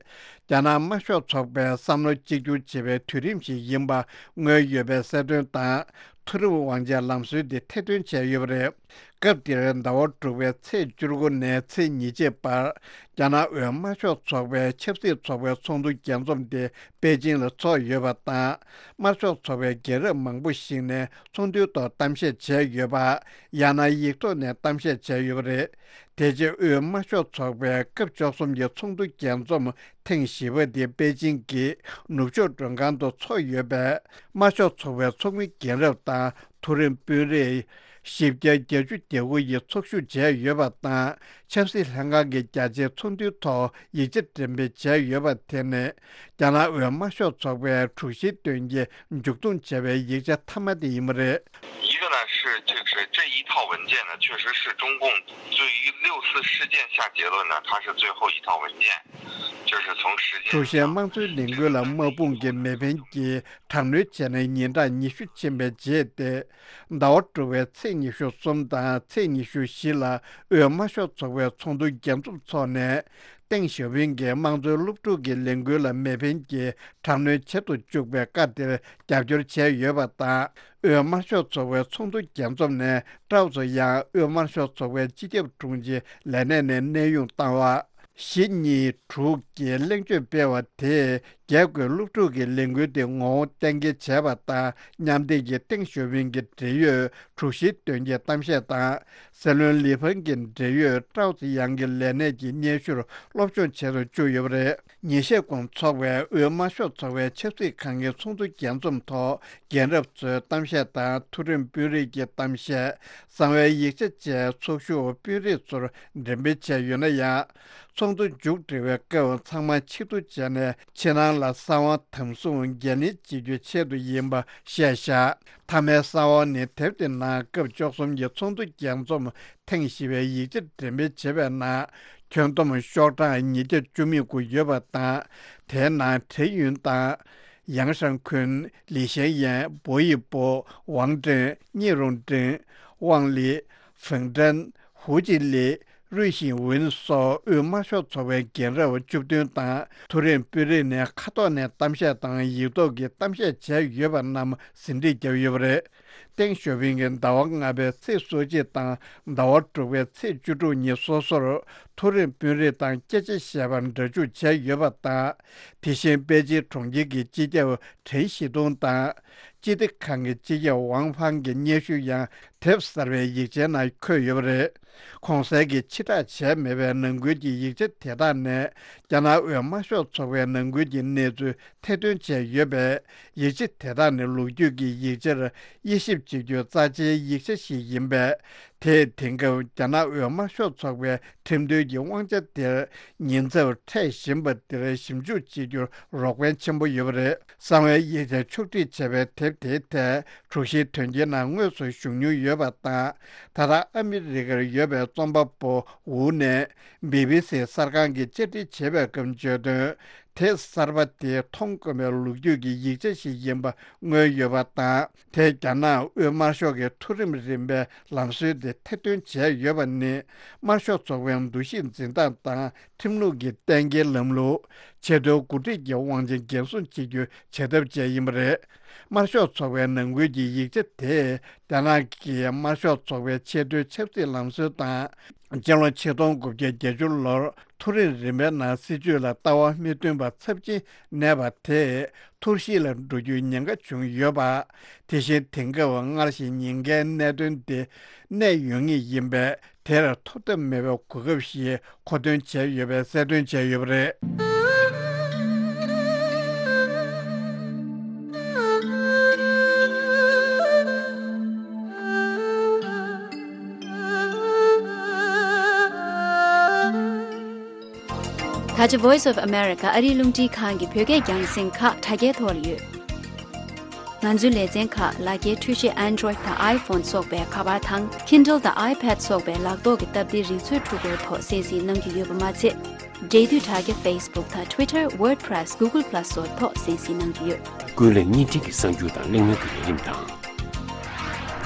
རྒྱ་ནག་དམར་ཤོག་ཚོགས་པའི་བསམ་བློ་གཅིག་གྱུར་བྱེད་པའི་དུས་རིམ་ཞིག་ཡིན་པ་མངོན་ཡོད་པའི་གསལ་སྟོན་དང་། མཐོ་རིམ་དབང་ཆའི་ལམ་སྲོལ་འདི་ཐེར་འདོན་བྱས་ཡོད་པ་རེད། སྐབས་འདིར་ཟླ་བ་དྲུག་པའི་ཚེས་བཅུ་དགུ་ནས་ཚེས་ཉེར་གཅིག་བར། རྒྱ་ནག་དབུས་དམར་ཤོག་ཚོགས་པའི་ཆབ་སྲིད་ཚོགས་པའི་ཚོགས་འདུ་རྒྱས་འཛོམས་དེ་པེ་ཅིང་ལ་ཚོགས་ཡོད་པ་དང་། དམར་ཤོག་ཚོགས་པའི་རྒན་རབས་མང་པོ་ཞིག་ནས་ཚོགས་འདུའི་ཐོག་གཏམ་བཤད་བྱས་ཡོད་པ། ཡང་ན་ཡིག་ཐོག་ནས་གཏམ་བཤད་བྱས་ཡོད་པ་རེད། དེ་རྗེས་དབུས་དམར་ཤོག་ཚོགས་པའི་སྐབས་བཅུ་གསུམ་གྱི་ཚོགས་འདུ་རྒྱས་འཛོམས་ཐེངས་བཞི་པ་དེ་པེ་ཅིང་གི་ནུབ་ཕྱོགས་མགྲོན་ཁང་དུ་ཚོགས་ཡོད་པས། དམར་ཤོག་ཚོགས་པའི་ཚོགས་མི་རྒན་རབས་དང་མཐོ་རིམ་དཔོན་རིགས་བཞི་བརྒྱ་བརྒྱད་ཅུ་གྱ་དགུ་ཡིས་ཚོགས་ཞུགས་བྱས་ཡོད་པ་དང་། ཆབ་སྲིད་ལྷན་ཁང་གི་རྒྱ་ཆེའི་ཚོགས་འདུའི་ཐོག་ཡིག་ཆ་འགྲེམས་སྤེལ་བྱས་ཡོད་པ་དེ་ནི། རྒྱ་ནག་དབུས་དམར་ཤོག་ཚོགས་པའི་དྲུག་བཞིའི་དོན་རྐྱེན་མཇུག་བསྡོམས་བྱས་པའི་ཡིག་ཆ་མཐའ་མ་དེ་ཡིན་པ་རེད། 一个呢是这个是这一套文件呢，确实是中共对于六四事件下结论呢，它是最后一套文件，就是从时间上。 དྲུག་བཞིའི་དམངས་གཙོའི་ལས་འགུལ་ལ་དམག་དཔུང་གི་མེ་འཕེན་གྱིས་དྲག་གནོན་བྱས་ནས་ཉིན་གྲངས་ཉི་ཤུ་ཕྱིན་པའི་རྗེས་ཏེ། ཟླ་བ་དྲུག་པའི་ཚེས་ཉི་ཤུ་གསུམ་དང་ཚེས་ཉི་ཤུ་བཞི་ལ་དབུས་དམར་ཤོག་ཚོགས་པའི་ཚོགས་འདུ་རྒྱས་འཛོམས་འཚོགས་ནས། ཏེང་ཞའོ་ཕིང་གིས་དམངས་གཙོའི་སློབ་ཕྲུག་གི་ལས་འགུལ་ལ་མེ་འཕེན་གྱིས་དྲག་གནོན་བྱེད་དུ་བཅུག་པའི་བཀའ་དེར་རྒྱབ་སྐྱོར་བྱས་ཡོད་པ་དང་། དབུས་དམར་ཤོག་ཚོགས་པའི་ཚོགས་འདུ་རྒྱས་འཛོམས་ནས་ཀྲའོ་ཙེ་ཡང་དབུས་དམར་ཤོག་ཚོགས་པའི་སྤྱི་ཁྱབ་དྲུང་ཆེའི་ལས་གནས་ནས་གནས་དབྱུང་བཏང་བ། བཞི་གཉིས་དྲུག་གི་གླེང་བརྗོད་སྤེལ་བ་དེས། རྒྱལ་སྒོའི་སློབ་ཕྲུག་གི་ལས་འགུལ་དེ་ངོ་བོ་གཏན་འཁེལ་བྱས་པ་དང་། མཉམ་འདེགས་ཀྱིས་ཏེང་ཞའོ་ཕིང་གི་འབྲེལ་ཡོད་དྲུག་བཞིའི་དོན་རྐྱེན་གཏམ་བཤད་དང་། སྲིད་བློན་ལི་ཕང་གི་འབྲེལ་ཡོད་ཀྲའོ་ཙེ་ཡང་གི་ལས་གནས་ཀྱི་སྙན་ཞུར་སློབ་སྦྱོང་བྱེད་དུ་བཅུག་ཡོད་པ་རེད། ཉིན་ཤས་གོང་འཚོགས་པའི་དབུས་དམར་ཤོག་ཚོགས་པའི་ཆབ་སྲིད་ཁང་གི་ཚོགས་འདུ་རྒྱས་འཛོམས་ཐོག་རྒན་རབས་ཚོའི་གཏམ་བཤད་དང་། མཐོ་རིམ་དཔོན་རིགས་ཀྱི་གཏམ་བཤད། གསང་བའི་ཡིག་ཆ་བཅས་ཚོགས་ཞུགས་དཔོན་རིགས་ཚོར་འགྲེམས་སྤེལ་བྱས་ཡོད་ན་ཡང་། ཚོགས་འདུ་མཇུག་སྒྲིལ་བའི་སྐབས་ཚང་མ་ཆེད་དུ་བྱས་ནས་ཕྱི་ནང་ལ་གསང་བ་དམ་བཟུང་འགན་ལེན་བྱེད་རྒྱུའི་ཆེད་དུ་ཡིན་པ་བཤད་བཞག་མཐའ་མའི་གསང་བ་ནི་དེབ་དེ་ནང་སྐབས་བཅུ་གསུམ་གྱི་ཚོགས་འདུ་རྒྱས་འཛོམས་ཐེངས་བཞི་པའི་ཡིག་ཆ་འགྲེམས་སྤེལ་བྱས་པའི་ནང་། ཁྱོན་བསྡོམས་ཤོག་གྲངས་ཉིས་བརྒྱ་བཅུ་མེད་དགུ་ཡོད་པ་དང་། དེའི་ནང་ཁྲེན་ཡུན་དང་། ཡང་ཧྲང་ཁུན། ལི་ཞན་ཡན། བོ་ཡི་པོ། ཝང་ཀྲེན། ཉི་རུང་ཀྲེན། ཝང་ལི། ཧྥེང་ཀྲན། ཧུའུ་ཅི་ལི། རུས་ཤིང་ཝུན་སོགས་དབུས་དམར་ཤོག་ཚོགས་པའི་རྒན་རབས་བཅུ་བདུན་དང་། མཐོ་རིམ་དཔོན་རིགས་ནས་ཁ་ཐོག་ནས་གཏམ་བཤད་དང་ཡིག་ཐོག་གི་གཏམ་བཤད་བྱས་ཡོད་པ་རྣམས་ཟིན་བྲིས་བརྒྱབ་ཡོད་པ་རེད། ཏེང་ཞའོ་ཕིང་གིས་ཟླ་བ་ལྔ་པའི་ཚེས་སོ་གཅིག་དང་ཟླ་བ་དྲུག་པའི་ཚེས་བཅུ་དྲུག་ཉིན་སོ་སོར་མཐོ་རིམ་དཔོན་རིགས་དང་སྐད་ཆ་བཤད་པར་སྒྲ་འཇུག་བྱས་ཡོད་པ་དང་། དེ་བཞིན་པེ་ཅིན་གྲོང་ཁྱེར་གྱི་སྤྱི་ཁྱབ་ཁྲེན་ཞི་ཏུང་དང་། སྤྱི་བདེ་ཁང་གི་སྤྱི་ཁྱབ་ཝང་ཧྥང་གི་སྙན་ཞུ་ཡང་དེབ་གསར་པའི་ཡིག་ཆའི་ནང་འཁོད་ཡོད་པ་རེད། གོང་གསལ་གྱི་ཕྱིར་བསྒྲགས་བྱས་མེད་པའི་ནང་ཁུལ་གྱི་ཡིག་ཆ་དེ་དག་ནས། རྒྱ་ནག་དབུས་དམར་ཤོག་ཚོགས་པའི་ནང་ཁུལ་གྱི་གནས་ཚུལ་ཐེར་འདོན་བྱས་ཡོད་པས། ཡིག་ཆ་དེ་དག་ནི་ལོ་རྒྱུས་ཀྱི་ཡིག་ཆར་དབྱེ་ཞིབ་བྱེད་རྒྱུའི་རྩ་ཆེའི་ཡིག་ཆ་ཞིག་ཡིན་པས། དེས་དེང་སྐབས་རྒྱ་ནག་དབུས་དམར་ཤོག་ཚོགས་པའི་ཁྲིམས་དོན་གྱི་དབང་ཆ་དེར་ཉེན་ཚབས་འཕྲད་བཞིན་པ་དེར་ཞིབ་འཇུག་བྱེད་རྒྱུར་རོགས་ཕན་ཆེན་པོ་ཡོད་པ་རེད། གསང་བའི་ཡིག་ཆ་ཕྱོགས་སྒྲིག་བྱས་པའི་དེབ་དེའི་ཐད་དྲུག་བཞིའི་དོན་རྐྱེན་ནང་དངོས་སུ་ཞུགས་མྱོང་ཡོད་པ་དང་། ད་ལྟ་ཨ་མི་རི་ཀར་ཡོད་པའི་རྩོམ་པ་པོ་ཝུ་ནས་བི་བི་སི་གསར་ཁང་གིས་བཅར་འདྲི་བྱས་པའི་སྐབས་བརྗོད་དོན། དེབ་གསར་པ་དེ་མཐོང་དཀོན་པའི་ལོ་རྒྱུས་ཀྱི་ཡིག་ཆ་ཞིག་ཡིན་པ་མངོན་ཡོད་པ་དང་། དེས་རྒྱ་ནག་དབུས་དམར་ཤོག་གི་མཐོ་རིམ་རིམ་པའི་ལམ་སྲོལ་དེ་ཐེར་འདོན་བྱས་ཡོད་པ་ནི། དམར་ཤོག་ཚོགས་པའི་འདུ་ཤེས་འཛིན་སྟངས་དང་། ཁྲིམས་ལུགས་ཀྱི་གཏན་འཁེལ་ལམ་ལུགས། ཆེས་མཐོའི་འགོ་ཁྲིད་ཀྱི་དབང་ཆ་འགན་སྲུང་བྱེད་རྒྱུའི་བྱ་ཐབས་བཅས་ཡིན་པ་རེད། དམར་ཤོག་ཚོགས་པའི་ནང་ཁུལ་གྱི་ཡིག་ཆ་དེས། རྒྱ་ནག་གིས་དམར་ཤོག་ཚོགས་པའི་ཆེས་མཐོའི་ཆབ་སྲིད་ལམ་སྲོལ་དང་ སྤྱི་ལོ་ཆིག་སྟོང་དགུ་བརྒྱ་བརྒྱད་ཅུ་ལོར་མཐོ་རིམ་རིམ་པའི་ནང་སྲིད་བྱུས་ལ་ལྟ་བ་མི་མཐུན་པ་ཚབས་ཆེན་གནས་པ་དེས་ཐུར་ཞིག་ལ་འགྲོ་རྒྱུའི་ཉེན་ཁ་བྱུང་ཡོད་པ། དེ་བཞིན་དེང་སྐབས་སྔར་བཞིན་ཉེན་ཁའི་གནད་དོན་དེ་གནས་ཡོད་ངེས་ཡིན་པས། དེར་ཐོབ་ཐབས་མེད་པའི་གོ་སྐབས་ཤིག་མཁོ་འདོན་བྱས་ཡོད་པའི་གསལ་སྟོན་བྱས་ཡོད་པ་རེད། ད་ཆ་Voice of America ཨ་རིའི་རླུང་འཕྲིན་ཁང་གི་བོད་སྐད་རྒྱང་སྲིང་ཁག་དྲ་རྒྱའི་ཐོག་ལ་ཡོད། ང་ཚོའི་ལེ་ཚན་ཁག་ལག་འཁྱེར་འཕྲུལ་ཆས་Android དང་iPhone སོགས་པའི་ཁ་པར་དང་Kindle དང་iPad སོགས་པའི་ལག་ཐོག་གི་སྟབས་བདེའི་རིག་མཛོད་འཕྲུལ་འཁོར་ཐོག་གསན་གཟིགས་གནང་རྒྱུ་ཡོད་པ་མ་ཚད། འབྲེལ་མཐུད་དྲ་རྒྱ་Facebook དང་Twitter, WordPress, Google Plus སོགས་ཐོག་གསན་གཟིགས་གནང་རྒྱུ་ཡོད། ཀུན་གླེང་བརྙན་འཕྲིན་གྱི་གསར་འགྱུར་དང་གླེང་མོལ་གྱི་ལས་རིམ་དང་།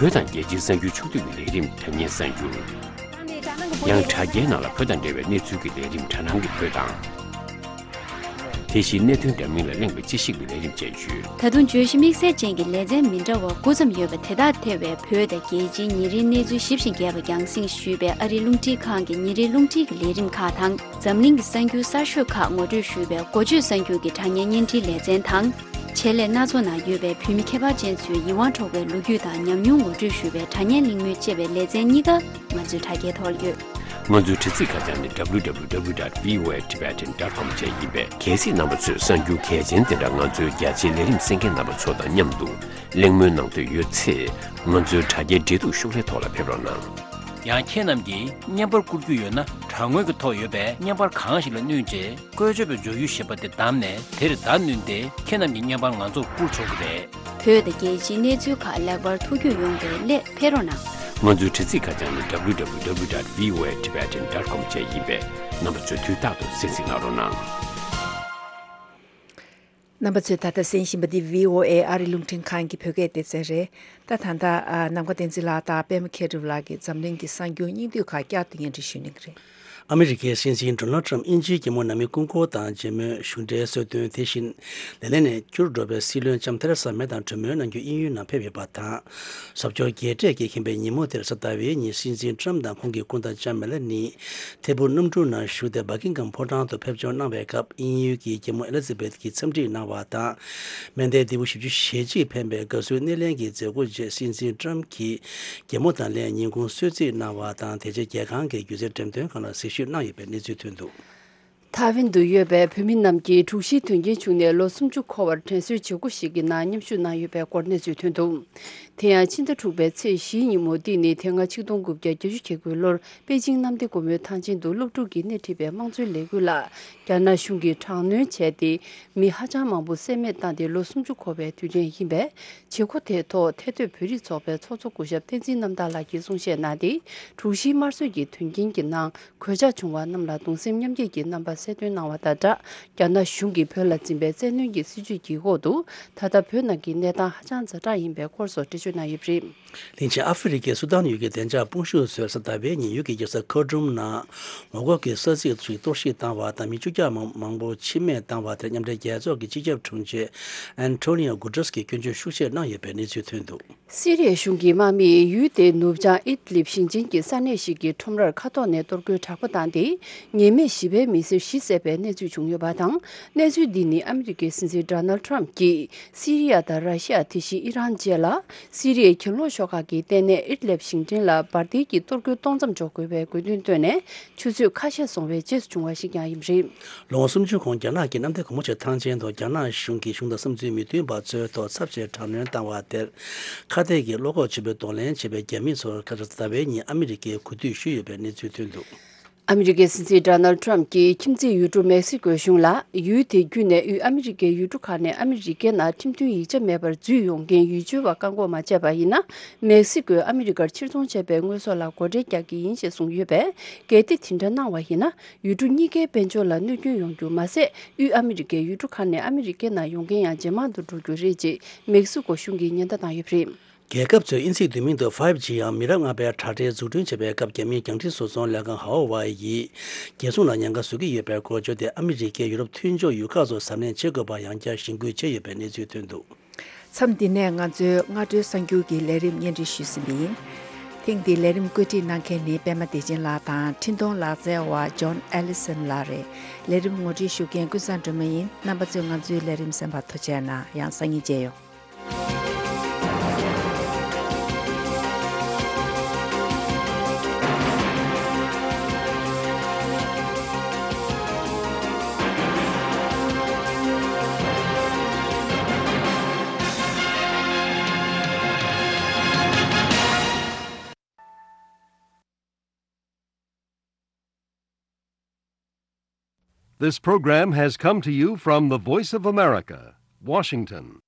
བོད་དང་རྒྱལ་སྤྱིའི་གསར་འགྱུར་ཕྱོགས་བསྡུས་ཀྱི་ལས་རིམ་དྲ་བརྙན་གསར་འགྱུར། ཡང་དྲ་རྒྱའི་ནང་ལ་བོད་དང་འབྲེལ་བའི་གནས་ཚུལ་གྱི་ལས་རིམ་དྲ་སྣང་གི་བོད་དང་། དེ་བཞིན་གནད་དོན་འདྲ་མིན་ལ་གླེང་བའི་དཔྱད་ཞིབ་ཀྱི་ལས་རིམ་བཅས་ཡོད། ད་དུང་བརྗོད་གཞི་དམིགས་བསལ་ཅན་གྱི་ལེ་ཚན་མི་འདྲ་བ་དགུ་ཙམ་ཡོད་པ་དེ་དག་ཐེ་བའི་བོད་དང་རྒྱལ་སྤྱིའི་ཉིན་རེའི་གནས་ཚུལ་ཞིབ་ཅིང་རྒྱས་པ་རྒྱང་སྲིང་ཞུས་པའི་ཨ་རིའི་རླུང་འཕྲིན་ཁང་གི་ཉིན་རེའི་རླུང་འཕྲིན་གྱི་ལས་རིམ་ཁག་དང་། འཛམ་གླིང་གི་གསར་འགྱུར་གསར་ཤོས་ཁག་ངོ་སྤྲོད་ཞུས་པའི་འགོ་བརྗོད་གསར་འགྱུར་གྱི་དྲ་བརྙན་བརྙན་འཕྲིན་ལེ་ཚན་དང་། ཆེད་ལས་སྣ་ཚོགས་ནང་ཡོད་པའི་བོད་མི་ཁྱད་པར་ཅན་ཚོའི་ཡིད་དབང་འཕྲོག་པའི་ལོ་རྒྱུས་དང་ཉམས་མྱོང་ངོ་སྤྲོད་ཞུ་བའི་དྲ་བརྙན་གླེང་མོལ་ཅེས་པའི་ལེ་ཚན་གཉིས་ཀ་ང་ཚོའི་དྲ་རྒྱའི་ཐོག་ལ་ཡོད། ང་ཚོའི་དྲ་ཚིགས་ཁ་བྱང་ནི་W W W dot V O A Tibetan dot com བཅས་ཡིན་པས། གལ་སྲིད་རྣམ་པ་ཚོས་གསར་འགྱུར་གལ་ཆེན་དེ་འདྲ་ང་ཚོའི་རྒྱ་ཆེའི་ལས་རིམ་གསན་མཁན་རྣམ་པ་ཚོ་དང་མཉམ་དུ་གླེང་མོལ་གནང་འདོད་ཡོད་ཚེ། ང་ཚོའི་དྲ་རྒྱའི་འབྲེལ་གཏུག་ཤོག་ལྷེ་ཐོག་ལ་ཕེབས་རོགས་གནང་། ཡང་ཁྱེད་རྣམས་ཀྱིས་བརྙན་པར་བསྐུར་རྒྱུ་ཡོད་ན། དྲ་ངོས་ཀྱི་ཐོག་ཡོད་པའི་བརྙན་པར་གང་ཞིག་ལ་བསྣུན་རྗེས། བཀོལ་སྤྱོད་པའི་བརྗོད་གཞི་ཞེས་པ་དེ་བདམས་ནས་དེར་བརྡ་བསྣུན་ཏེ། ཁྱེད་རྣམས་ཀྱི་བརྙན་པར་ང་ཚོར་བསྐུར་ཆོག་གི་རེད། བོད་དང་རྒྱལ་སྤྱིའི་གནས་ཚུལ་ཁག་ལེགས་པར་ཐུགས་རྒྱུས་ཡོང་བའི་སླད་ཕེབས་རོགས་གནང་། ང་ཚོའི་དྲ་ཚིགས་ཁ་བྱང་ནི་W W W dot V O A Tibetan dot com བཅས་ཡིན་པས། རྣམ་པ་ཚོས་དུས་རྟག་ཏུ་གསན་གཟིགས་གནང་རོགས་གནང་། རྣམ་པ་ཚོས་ད་ལྟ་གསན་བཞིན་པ་འདི་V O A ཨ་རི་རླུང་འཕྲིན་ཁང་གི་བོད་སྐད་སྡེ་ཚན་རེད། ད་ད་ལྟ་ཨ་ནམ་མཁའ་བསྟན་འཛིན་ལགས་དང་པད་མ་མཁས་གྲུབ་ལགས་ཀྱིས་འཛམ་གླིང་གི་གསར་འགྱུར་སྙིང་བསྡུས་ཁག་བསྐྱར་དུ་སྙན་སྒྲོན་ཞུ་གནང་གི་རེད། ཨ་མི་རི་ཀའི་སྲིད་འཛིན་ཌོ་ནལ་ཊམ་དབྱིན་ཇིའི་རྒྱལ་མོ་ནང་མི་སྐུ་འཁོར་དང་མཇལ་མོལ་གཞུང་འབྲེལ་གསོལ་སྟོན། དེ་བཞིན་ལས་ལས་ནས་འཁྱུར་འགྲོ་བའི་སྲིད་བློན་ལྕམ་ཐེ་རེ་ས་མེ་དང་གྲོས་མོལ་གནང་རྒྱུ་དབྱིན་ཡུལ་ནང་ཕེབས་ཡོད་པ་དང་། ཟབ་སྦྱོར་རྒྱས་སྤྲས་ཀྱིས་ཁེངས་པའི་ཉིན་མོ་དེར་ས་ཏ་བའི་ཉིན་སྲིད་འཛིན་ཊམ་དང་ཁོང་གི་སྐུ་ཟླ་ལྕམ་མེ་ལ་ནི་ཐད་འཕུར་གནམ་གྲུ་ནང་ཞུགས་ཏེ་བྷ་ཀིང་ཧམ་ཕོ་བྲང་དུ་ཕེབས་འབྱོར་གནང་བའི་སྐབས། དབྱིན་ཡུལ་གྱི་རྒྱལ་མོ་ཨེ་ལི་ཛ་བེཐ་ཀྱིས་འཚམས་འདྲི་གནང་བ་དང་། མན་ཌེ་ལྡེའུ་བཞི་བཅུ་ཞེ་གཅིག་འཕེན་པའི་དགའ་བསུའི་སྣེ་ལེན་གྱི་མཛད་སྒོ་རྗེས་སྲིད་འཛིན་ཊམ་གྱིས་རྒྱལ་མོ་དང་ལྷན་ཉིན་གུང་གསོལ་ཚིགས་གནང་བ་དང་། དེ་རྗེས་རྒྱལ་ཁང་གི་སྒྱུ་རྩལ་འགྲེམས་སྟོན་ཁང་ལ་གཟིགས་ཞིབ་གནང་ཡོད་པའི་གནས་ཚུལ་ཐོན་འདུག། ཐའེ་ཝན་དུ་ཡོད་པའི་བོད་མི་རྣམས་ཀྱིས་དྲུག་བཞིའི་དོན་རྐྱེན་བྱུང་ནས་ལོ་སུམ་ཅུ་འཁོར་བར་དྲན་གསོའི་བྱེད་སྒོ་ཞིག་གི་ནང་མཉམ་ཞུགས་གནང་ཡོད་པའི་སྐོར་གནས་ཚུལ་ཐོན་འདུག། དེ་ཡང་ཕྱི་ཟླ་དྲུག་པའི་ཚེས་བཞིའི་ཉིན་མོ། འདི་ནི་དེ་སྔ་ཆིག་སྟོང་དགུ་བརྒྱ་བརྒྱད་ཅུ་གྱ་དགུའི་ལོར་པེ་ཅིང་གནམ་བདེ་སྒོ་མོའི་ཐང་ཆེན་དུ་སློབ་ཕྲུག་གིས་སྣེ་ཁྲིད་པའི་དམངས་གཙོའི་ལས་འགུལ་ལ་རྒྱ་ནག་གཞུང་གིས་དྲག་གནོན་བྱས་ཏེ། མི་ཧ་ཅང་མང་པོ་བསད་རྨས་བཏང་སྟེ་ལོ་སུམ་ཅུ་འཁོར་བའི་དུས་དྲན་ཡིན་པས། བྱེད་སྒོ་དེའི་ཐོག་ཐད་སྡོད་བོད་རིགས་ཚོགས་པའི་ཚོགས་གཙོ་སྐུ་ཞབས་བསྟན་འཛིན་རྣམ་དག་ལགས་ཀྱིས་གསུང་བཤད་གནང་སྟེ། དྲུག་བཞིའི་དམར་གསོད་ཀྱི་དོན་རྐྱེན་གྱི་ནང་གོད་ཆག་བྱུང་བ་རྣམས་ལ་གདུང་སེམས་མཉམ་སྐྱེད་ཀྱི་རྣམ་པ་གསལ་སྟོན་གནང་བ་དང་སྦྲགས། རྒྱ་ནག་གཞུང་གིས་བོད་ལ་འཛིན་པའི་བཙན་གནོན་གྱི་སྲིད་བྱུས་ཀྱི་འོག་ཏུ། ད་ལྟ་བོད་ནང་གི་གནས་སྟངས་ཧ་ཅང་ཛ་དྲག་ཡིན་པའི་སྐོར་སོགས་འགྲེལ་བརྗོད་གནང་ཡོད་པ་རེད། གླིང་ཆེན་ཨ་ཧྥེ་རི་ཁའི་སུ་དཱན་ཡུལ་གྱི་བདེ་འཇགས་དཔུང་ཤུགས་ཚོས་ས་ཏ་བའི་ཉིན་ཡུལ་གྱི་རྒྱལ་ས་ཁར་ཊུམ་ནང་ངོ་རྒོལ་གྱི་ས་ཚིགས་ཤིག་གཏོར་བཤིག་བཏང་བ་དང་མི་བཅུ་གྱ་མང་མང་པོ་འཆི་རྨས་བཏང་བ་དེར་མཉམ་འབྲེལ་རྒྱལ་ཚོགས་ཀྱི་སྤྱི་ཁྱབ་དྲུང་ཆེ་ཨན་ཐོ་ནི་ཡོ་གུ་ཏྲེས་ཀྱིས་སྐྱོན་བརྗོད་ཤུགས་ཆེ་གནང་ཡོད་པའི་གནས་ཚུལ་ཐོན་འདུག། སི་རི་ཡའི་གཞུང་གི་དམག་མིས་ཡུལ་དེའི་ནུབ་བྱང་ཨིད་ལིབ་ཞིང་ཆེན་གྱི་ས་གནས་ཤིག་གི་ཁྲོམ་རར་མཁའ་ཐོག་ནས་གཏོར་རྒོལ་དྲག་པོ་བཏང་སྟེ། ཉེས་མེད་བཞི་པའི་མི་སེར་བཞི་བསད་པའི་གནས་ཚུལ་བྱུང་ཡོད་པ་དང་། གནས་ཚུལ་འདི་ནི་ཨ་མི་རི་ཀའི་སྲིད་འཛིན་ཌོ་ནལ་ཊམ་གྱིས། སི་རི་ཡ་དང་ར་ཤི་ཡ། དེ་བཞིན་ཨི་རན་བཅས་ལ། སི་རི་ཡའི་གྱེན་ལོག་ཤོག་ཁག་གི་ལྟེ་གནས་ཨིད་ལེབ་ཞིང་ཆེན་ལ་འབར་མདེལ་གྱི་གཏོར་རྒོལ་གཏོང་མཚམས་འཇོག་དགོས་པའི་དགོས་འདུན་བཏོན་ནས། ཆུ་ཚོད་ཁ་ཤས་སོང་བའི་རྗེས་སུ་བྱུང་བ་ཞིག་ཀྱང་ཡིན་པ་རེད། ལོ་ངོ་སུམ་ཅུ་གོང་རྒྱ་ནག་གི་གནམ་བདེ་སྒོ་མོ་ཆེ་ཐང་ཆེན་དུ་རྒྱ་ནག་གཞུང་གིས་གཞུང་དང་བསམ་ཚུལ་མི་མཐུན་པ་ཚོའི་ཐོག་ཚབས་ཆེའི་དྲག་གནོན་བཏང་བ་དེར། ཁ་གཏད་ཀྱིས་བློ་ཁོག་ཆེན་པོས་གདོང་ལེན་བྱས་པའི་རྒྱ་མི་ཚོར་ཁ་སང་ཟླ་བའི་ཉིན་ཨ་མི་རི་ཀས་གུས་འདུད་ཞུས་ཡོད་པའི་གནས་ཚུལ་ཐོན་འདུག། ཨ་མི་རི་ཀའི་སྲིད་འཛིན་ཌོ་ནལ་ཊམ་གྱིས་ཁྱིམ་མཚེས་ཡུལ་གྲུ་མེག་སི་ཀོའི་གཞུང་ལ། ཡུལ་དེ་བརྒྱུད་ནས་དབུས་ཨ་མི་རི་ཀའི་ཡུལ་གྲུ་ཁག་ནས་ཨ་མི་རི་ཀའི་ནང་ཁྲིམས་མཐུན་ཡིག་ཆ་མེད་པར་འཛུལ་ཡོང་མཁན་ཡུལ་ཆོལ་བ་བཀག་འགོག་མ་བྱས་པ་ཡིན་ན། མེག་སི་ཀོས་ཨ་མི་རི་ཀར་ཕྱིར་ཚོང་བྱས་པའི་དངོས་ཟོག་ལ་སྒོ་ཁྲལ་རྒྱག་གི་ཡིན་ཞེས་གསུངས་ཡོད་པས། གལ་ཏེ་དེ་འདྲ་གནང་བ་ཡིན་ན། ཡུལ་གྲུ་གཉིས་ཀའི་དཔལ་འབྱོར་ལ་གནོད་སྐྱོན་ཡོང་རྒྱུ་མ་ཟད། དབུས་ཨ་མི་རི་ཀའི་ཡུལ་གྲུ་ཁག་ནས་ཨ་མི་རི་ཀའི་ནང་ཡོང་མཁན་ཡང་ཇེ་མང་དུ་འགྲོ་རྒྱུ་རེད་ཅེས་མེག་སི་ཀོ་གཞུང་གིས་ཉེན་བརྡ་བཏང་ཡོད་པ་རེད། རྒྱལ་ཁབ་ཚོས་དབྱིན་ཚིག་བསྡུས་མིང་དུ་ཕའིབ་ཇི་ཡང་མི་རབས་ལྔ་པའི་དྲ་སྦྲེལ་འཛུགས་སྐྲུན་བྱེད་པའི་སྐབས། རྒྱ་མིའི་རྒྱང་འཕྲིན་བཟོ་ཚོང་ལས་ཁང་ཧྭ་ཝེ་ཡིས་རྒྱལ་སྲུང་ལ་ཉེན་ཁ་བཟོ་གི་ཡོད་པའི་སྐོར་བརྗོད་དེ། ཨ་མི་རི་ཀས་ཡུ་རོབ་མཐུན་ཕྱོགས་ཡུལ་ཁག་ཚོར་གཟབ་ནན་བྱེད་དགོས་པར་ཡང་བསྐྱར་གཞེན་སྐུལ་བྱས་ཡོད་པའི་གནས་ཚུལ་ཐོན་འདུག། མཚམས་འདི་ནས་ང་ཚོའི་སྔ་དྲོའི་གསར་འགྱུར་གྱི་ལས་རིམ་སྙན་སྒྲོན་ཞུས་ཟིན་པ་ཡིན། ཐེངས་འདིའི་ལས་རིམ་བཀོད་སྒྲིག་གནང་མཁན་ནི་པད་མ་བདེ་ཆེན་ལགས་དང་འཕྲིན་གཏོང་ལག་རྩལ་བ་ཇོན་ཨེ་ལི་སན་ལགས་རེད། ལས་རིམ་ངོ་སྤྲོད་ཞུ་མཁན་ཀུན་བཟང་སྒྲོལ་མ་ཡིན། རྣམ་པ་ཚོས་ང་ཚོའི་ལས་རིམ་གསན་པར་ཐུགས་རྗེ་གནང་། ཡང་སང་ཉིན་མཇལ་ཡོང་། This program has come to you from the Voice of America, Washington.